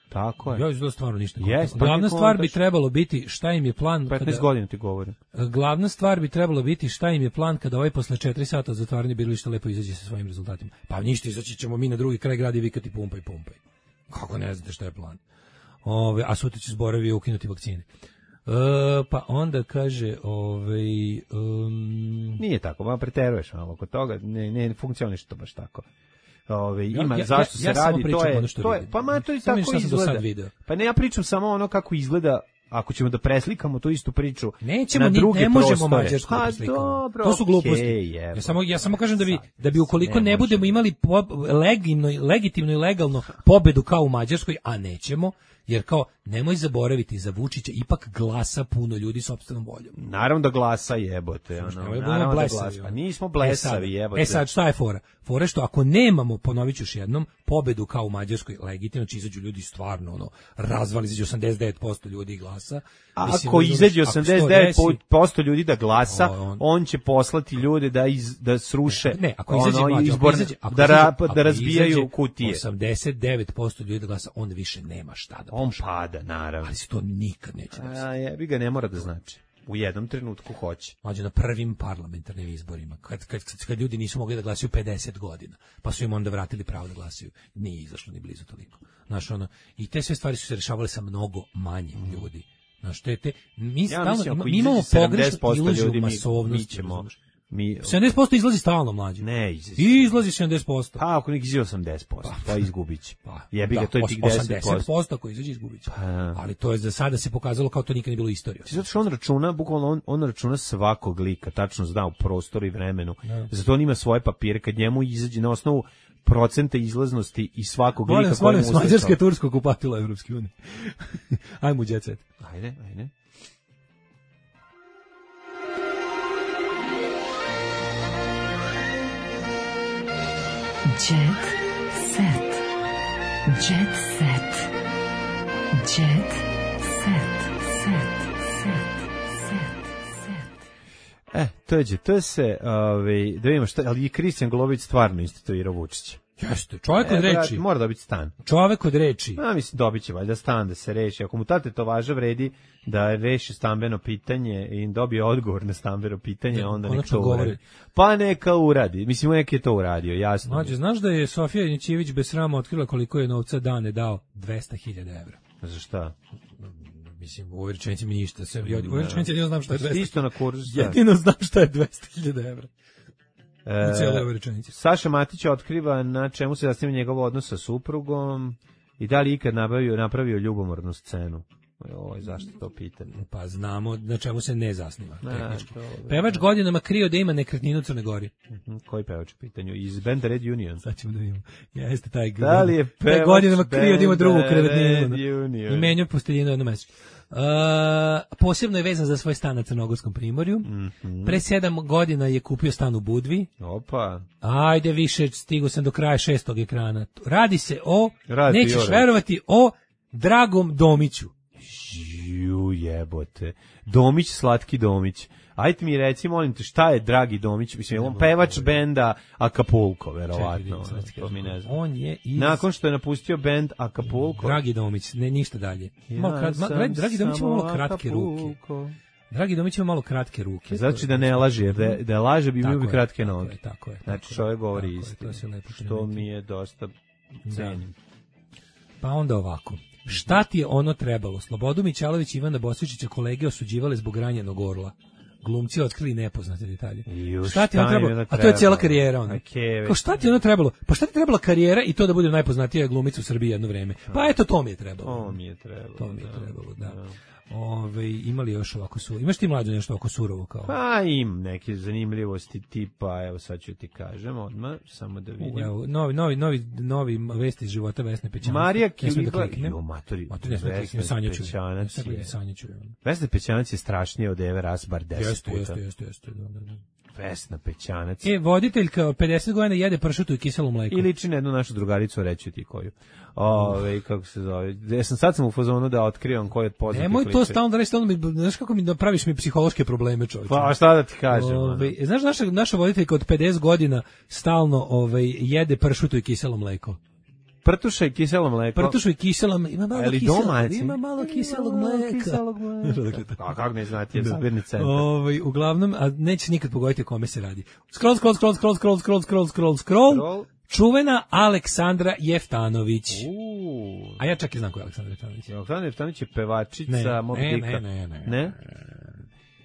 Speaker 7: Tako je.
Speaker 6: Ja izgleda stvarno ništa.
Speaker 7: Yes,
Speaker 6: glavna stvar bi trebalo biti šta im je plan.
Speaker 7: petnaest kada, godina ti govorim.
Speaker 6: Glavna stvar bi trebalo biti šta im je plan kada ovaj posle četiri sata zatvaranja birališta lepo izađe sa svojim rezultatima. Pa ništa, izaći ćemo mi na drugi kraj grada i vikati pumpaj, pumpaj. Kako ne znate šta je plan? Ove, a sutra će zborovi ukinuti vakcine. E, pa onda kaže, ovaj um,
Speaker 7: nije tako, ma preteruješ malo kod toga, ne ne funkcioniše to baš tako. Ove, ima
Speaker 6: ja,
Speaker 7: zašto
Speaker 6: ja, ja
Speaker 7: se radi, to je,
Speaker 6: to
Speaker 7: je pa ma to i tako izgleda. Pa ne, ja pričam samo ono kako izgleda. Ako ćemo da preslikamo tu istu priču
Speaker 6: nećemo,
Speaker 7: na druge
Speaker 6: ne
Speaker 7: prostore.
Speaker 6: možemo mađarsku da preslikamo.
Speaker 7: Dobro,
Speaker 6: to su gluposti.
Speaker 7: Okay,
Speaker 6: ja, samo, ja samo kažem da bi, da bi ukoliko ne, ne budemo imali po, legitimno, legitimno i legalno pobedu kao u Mađarskoj, a nećemo, jer kao nemoj zaboraviti za Vučića ipak glasa puno ljudi sopstvenom voljom.
Speaker 7: Naravno da glasa jebote, ono. Naravno da glasa. Pa nismo blesavi jebote.
Speaker 6: E sad šta je fora? Fora je što ako nemamo, ponoviću još jednom, pobedu kao u Mađarskoj, legitimno će izađu ljudi stvarno ono razvali izađe osamdeset devet posto ljudi glasa.
Speaker 7: A ako izađe osamdeset devet posto ljudi da glasa, on, on će poslati ljude da iz, da sruše
Speaker 6: ne, ako izađe
Speaker 7: ono,
Speaker 6: mlađe,
Speaker 7: izborne,
Speaker 6: ako izađe, ako
Speaker 7: da,
Speaker 6: izađe,
Speaker 7: ra,
Speaker 6: ako
Speaker 7: da razbijaju kutije.
Speaker 6: osamdeset devet posto ljudi da glasa, on više nema šta da
Speaker 7: on pošle. Pada, naravno.
Speaker 6: Ali se to nikad neće desiti.
Speaker 7: A jebi ga, ne mora da znači. U jednom trenutku hoće.
Speaker 6: Mlađe na prvim parlamentarnim izborima, kad, kad, kad, kad ljudi nisu mogli da glasaju pedeset godina, pa su im onda vratili pravo da glasaju. Nije izašlo ni blizu toliko. Znaš, ono, i te sve stvari su se rešavale sa mnogo manje ljudi. Znaš, te, te, mi,
Speaker 7: ja
Speaker 6: stalno,
Speaker 7: mislim,
Speaker 6: mi imamo pogrešnu iluziju masovnosti.
Speaker 7: Mi,
Speaker 6: sedamdeset posto izlazi stalno, mlađe.
Speaker 7: Ne, izlazi.
Speaker 6: Izlazi sedamdeset posto.
Speaker 7: Pa ako nek izađe osamdeset posto, pa, pa izgubić.
Speaker 6: Pa,
Speaker 7: jebi ga,
Speaker 6: da,
Speaker 7: to je tih deset posto.
Speaker 6: osamdeset posto ako izađe izgubić. Pa, ali to je za sada se pokazalo kao to nikad nije bilo istorija.
Speaker 7: Zato što on računa, bukvalno on, on računa svakog lika, tačno zna u prostoru i vremenu.
Speaker 6: Da.
Speaker 7: Zato on ima svoje papire, kad njemu izađe na osnovu procenta izlaznosti i svakog
Speaker 6: molim,
Speaker 7: lika koji mu
Speaker 6: uzme. Mađarska je Tursku okupatila Evropske unije. Ajmo u jet set.
Speaker 7: Ajde, ajde.
Speaker 2: Jet set. Jet set. Jet set. Set. Set. Set.
Speaker 7: E, to je, to se, ovaj, da vidimo šta, ali i Kristijan Golović stvarno instituirao Vučića.
Speaker 6: Jeste, čovjek od reči.
Speaker 7: Mora dobiti stan.
Speaker 6: Čovjek od reči.
Speaker 7: Ja mislim, dobit će valjda stan da se reši. Ako mu tate to važa vredi da reši stambeno pitanje i dobije odgovor na stambeno pitanje, onda neka to uradi. Pa neka uradi. Mislim, nek je to uradio, jasno.
Speaker 6: Mađe, znaš da je Sofija Inićević bez srama otkrila koliko je novca dane dao? dvesta hiljada evra.
Speaker 7: Za šta?
Speaker 6: Mislim, u ovoj rečenici mi ništa. Ja, u ovoj rečenici jedino znam šta je dvesta.
Speaker 7: Isto na kursu.
Speaker 6: Jedino znam šta je dvesta hiljada evra.
Speaker 7: E, Saša Matić otkriva na čemu se zasniva njegov odnos sa suprugom i da li ikad napravio, napravio ljubomornu scenu. Oj, zašto to pitanje?
Speaker 6: Pa znamo na čemu se ne zasniva.
Speaker 7: Ne,
Speaker 6: pevač godinama krio da ima nekretninu u Crnoj Gori.
Speaker 7: Uh-huh. Koji pevač u pitanju? Iz benda Red Union.
Speaker 6: Sad ćemo da vidimo. Jeste taj,
Speaker 7: da li je pevač
Speaker 6: taj godinama krio da ima drugu nekretninu.
Speaker 7: I
Speaker 6: menjao posteljinu jedno mesečno. Uh, posebno je vezan za svoj stan na Crnogorskom primorju.
Speaker 7: Mm-hmm.
Speaker 6: Pre sedam godina je kupio stan u Budvi.
Speaker 7: Opa.
Speaker 6: Ajde više, stigo sam do kraja šestog ekrana. Radi se o,
Speaker 7: Radi
Speaker 6: nećeš verovati, o Dragom Domiću.
Speaker 7: Ju jebote. Domić, slatki Domić. Ajde mi reci, molim te, šta je Dragi Domić? Mislim, on pevač benda Acapulco, verovatno. To mi ne znam.
Speaker 6: On je iz...
Speaker 7: Nakon što je napustio bend Acapulco.
Speaker 6: Dragi Domić, ne ništa dalje. Ja malo krat... Ma, Dragi Domić ima malo kratke ruke. Dragi Domić ima malo kratke ruke.
Speaker 7: Znači da ne laže, jer da, da laže bi imao bi kratke
Speaker 6: tako
Speaker 7: noge.
Speaker 6: Je, tako je.
Speaker 7: Znači čovjek govori istinu.
Speaker 6: To
Speaker 7: što mi je dosta cenim.
Speaker 6: Pa onda ovako. Šta ti je ono trebalo? Slobodu Mićalović i Ivana Bosvičića kolege osuđivale zbog ranjenog orla. Glumci otkrili nepoznate detalje.
Speaker 7: Ju,
Speaker 6: šta ti ono trebalo? A to je cijela karijera ona.
Speaker 7: Okay,
Speaker 6: Kao šta ti ono trebalo? Pa šta ti trebala karijera i to da bude najpoznatija glumica u Srbiji jedno vreme? Pa eto to mi je trebalo.
Speaker 7: To mi je trebalo.
Speaker 6: To mi je trebalo, da. da. Ove, imali još ovako su. Imaš ti mlađe nešto oko surovo kao?
Speaker 7: Pa im neke zanimljivosti tipa, evo sad ću ti kažem odmah, samo da vidim.
Speaker 6: Evo, novi, novi, novi, novi vesti iz života Vesne Pećanac.
Speaker 7: Marija Kiliba,
Speaker 6: da
Speaker 7: jo, matori,
Speaker 6: matori Vesne
Speaker 7: Pećanac je.
Speaker 6: Sanjaću.
Speaker 7: Vesna Pećanac je strašnije od Eve Ras bar deset
Speaker 6: jeste,
Speaker 7: puta.
Speaker 6: Jeste, jeste, jeste, da, da, da.
Speaker 7: Vesna Pećanac.
Speaker 6: E, voditeljka od pedeset godina jede pršutu i kiselo mleko.
Speaker 7: I liči na jednu našu drugaricu, reći ti koju. Ove, kako se zove. Ja sam sad sam u fazonu da otkrivam koji od poznatih liči.
Speaker 6: Nemoj to stalno da reći, stalno mi, znaš kako mi da praviš mi psihološke probleme, čovječe.
Speaker 7: Pa šta da ti kažem?
Speaker 6: Ove, znaš, naša, naša voditeljka od pedeset godina stalno ove, jede pršutu i kiselo mleko.
Speaker 7: Prtuša i kiselo mleko.
Speaker 6: Prtuša i kiselo mleko. Ima malo, kiselo, ima malo kiselog mleka.
Speaker 7: Kiselog mleka. A kako ne znati, je zabirni centar.
Speaker 6: Ove, uglavnom, a nećeš nikad pogoditi o kome se radi. Scroll, scroll, scroll, scroll, scroll, scroll, scroll, scroll, scroll. Čuvena Aleksandra Jeftanović.
Speaker 7: Uuu.
Speaker 6: A ja čak i znam ko je Aleksandra Jeftanović.
Speaker 7: Aleksandra Jeftanović je pevačica
Speaker 6: ne,
Speaker 7: Mob
Speaker 6: ne,
Speaker 7: Dika.
Speaker 6: ne, ne, ne,
Speaker 7: ne.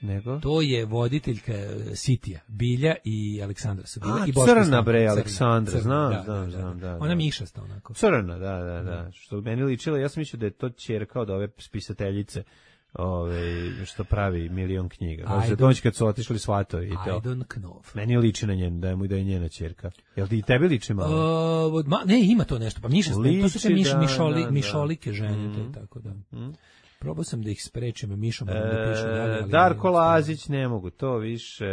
Speaker 7: Nego?
Speaker 6: To je voditeljka Sitija. Bilja i Aleksandra su bile.
Speaker 7: A,
Speaker 6: i Boško
Speaker 7: crna bre, Aleksandra,
Speaker 6: crna,
Speaker 7: znam,
Speaker 6: da,
Speaker 7: znam,
Speaker 6: da,
Speaker 7: znam, da.
Speaker 6: Ona mišasta onako.
Speaker 7: Crna, da, da, da. Što meni ličilo, ja sam mislio da je to ćerka od ove spisateljice. Ove, što pravi milion knjiga. Možda doći kad su otišli svatovi i to.
Speaker 6: I don't know.
Speaker 7: Meni liči na njen, da je mu da je njena ćerka. Jel ti i tebi liči malo?
Speaker 6: Uh, ma, ne, ima to nešto. Pa mišasta, to su sve miš,
Speaker 7: da,
Speaker 6: mišoli,
Speaker 7: da,
Speaker 6: mišolike žene,
Speaker 7: mm.
Speaker 6: to je tako da.
Speaker 7: Mm.
Speaker 6: Probao sam da ih sprečim mišom, e, da pišu dalje. Ali
Speaker 7: Darko Lazić, ne mogu to više.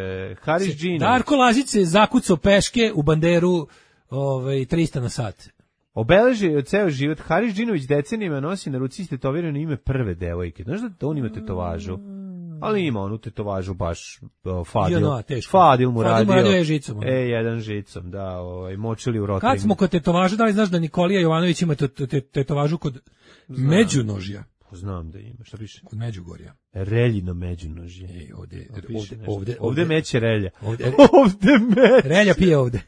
Speaker 7: Haris Džinović.
Speaker 6: Darko Lazić se zakucao peške u banderu ovaj, trista na sat.
Speaker 7: Obeležio je ceo život. Haris Džinović decenijima nosi na ruci istetovirano ime prve devojke. Znaš da on ima tetovažu? Ali ima onu tetovažu baš uh, Fadil.
Speaker 6: No,
Speaker 7: Fadil mu radio.
Speaker 6: Fadil mu radio je žicom.
Speaker 7: E, jedan žicom, da, ovaj, močili u rotarima.
Speaker 6: Kad smo kod tetovaža, da li znaš da Nikolija Jovanović ima tetovažu kod Znam. Međunožja?
Speaker 7: Znam da ima, šta piše?
Speaker 6: Kod Međugorja.
Speaker 7: Reljino međunožje.
Speaker 6: Ej, ovde,
Speaker 7: ovde,
Speaker 6: ovde,
Speaker 7: ovde, ovde meće relja.
Speaker 6: Ovde,
Speaker 7: ovde meće.
Speaker 6: Relja pije ovde.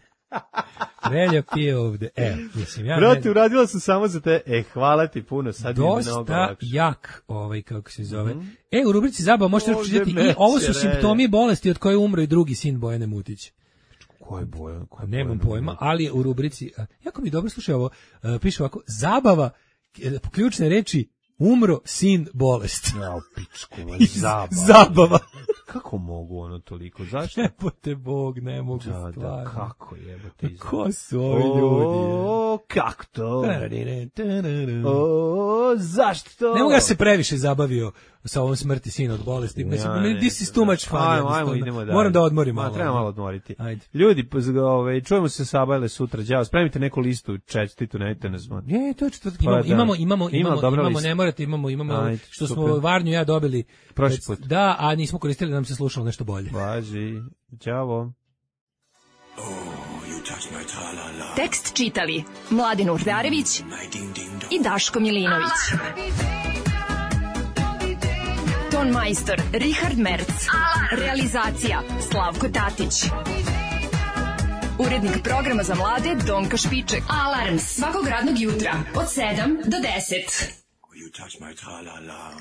Speaker 6: Relja pije ovde. E, mislim, ja...
Speaker 7: Brate, uradila sam samo za te. E, hvala ti puno, sad je mnogo lakše.
Speaker 6: Dosta jak, ovaj, kako se zove. Mm-hmm. E, u rubrici Zabava možete pročitati i ovo su simptomi bolesti od koje umro i drugi sin Bojane Mutić.
Speaker 7: Koje Bojan? Koje
Speaker 6: Nemam pojma, ali u rubrici, jako mi dobro slušaj ovo, piše ovako, zabava, ključne reči, umro sin bolest.
Speaker 7: Ja, pičku, zabava.
Speaker 6: Zabava.
Speaker 7: Kako mogu ono toliko? Zašto?
Speaker 6: Jebote Bog, ne mogu
Speaker 7: da,
Speaker 6: stvarno.
Speaker 7: Da, kako jebote izabava?
Speaker 6: Ko su ovi ljudi?
Speaker 7: O, kako to? O, zašto to?
Speaker 6: Ne mogu ja se previše zabavio sa ovom smrti sina od bolesti. Ja, ne, this is too much fun.
Speaker 7: Ajmo, ajmo, idemo dalje.
Speaker 6: Moram da odmorim
Speaker 7: Ma,
Speaker 6: malo.
Speaker 7: treba malo odmoriti.
Speaker 6: Ajde.
Speaker 7: Ljudi, ove, čujemo se Sabajle sutra. Đavo, spremite neku listu, čestitu, nemojte nas zvoniti.
Speaker 6: Je, to je četvrtak. Imamo,
Speaker 7: pa,
Speaker 6: imamo, imamo,
Speaker 7: Ima
Speaker 6: imamo, imamo ne morate, imamo, imamo, Ajde, što super. Smo Varnju ja dobili.
Speaker 7: Prošli put.
Speaker 6: Da, a nismo koristili da nam se slušalo nešto bolje.
Speaker 7: Važi. Ćao.
Speaker 2: Oh, tekst čitali Mladin Urdarević i Daško Milinović. Ton majstor Richard Merc. Realizacija Slavko Tatić. Urednik programa za mlade Donka Špiček. Alarms svakog radnog jutra od sedam do deset. You touch my tra-la-la.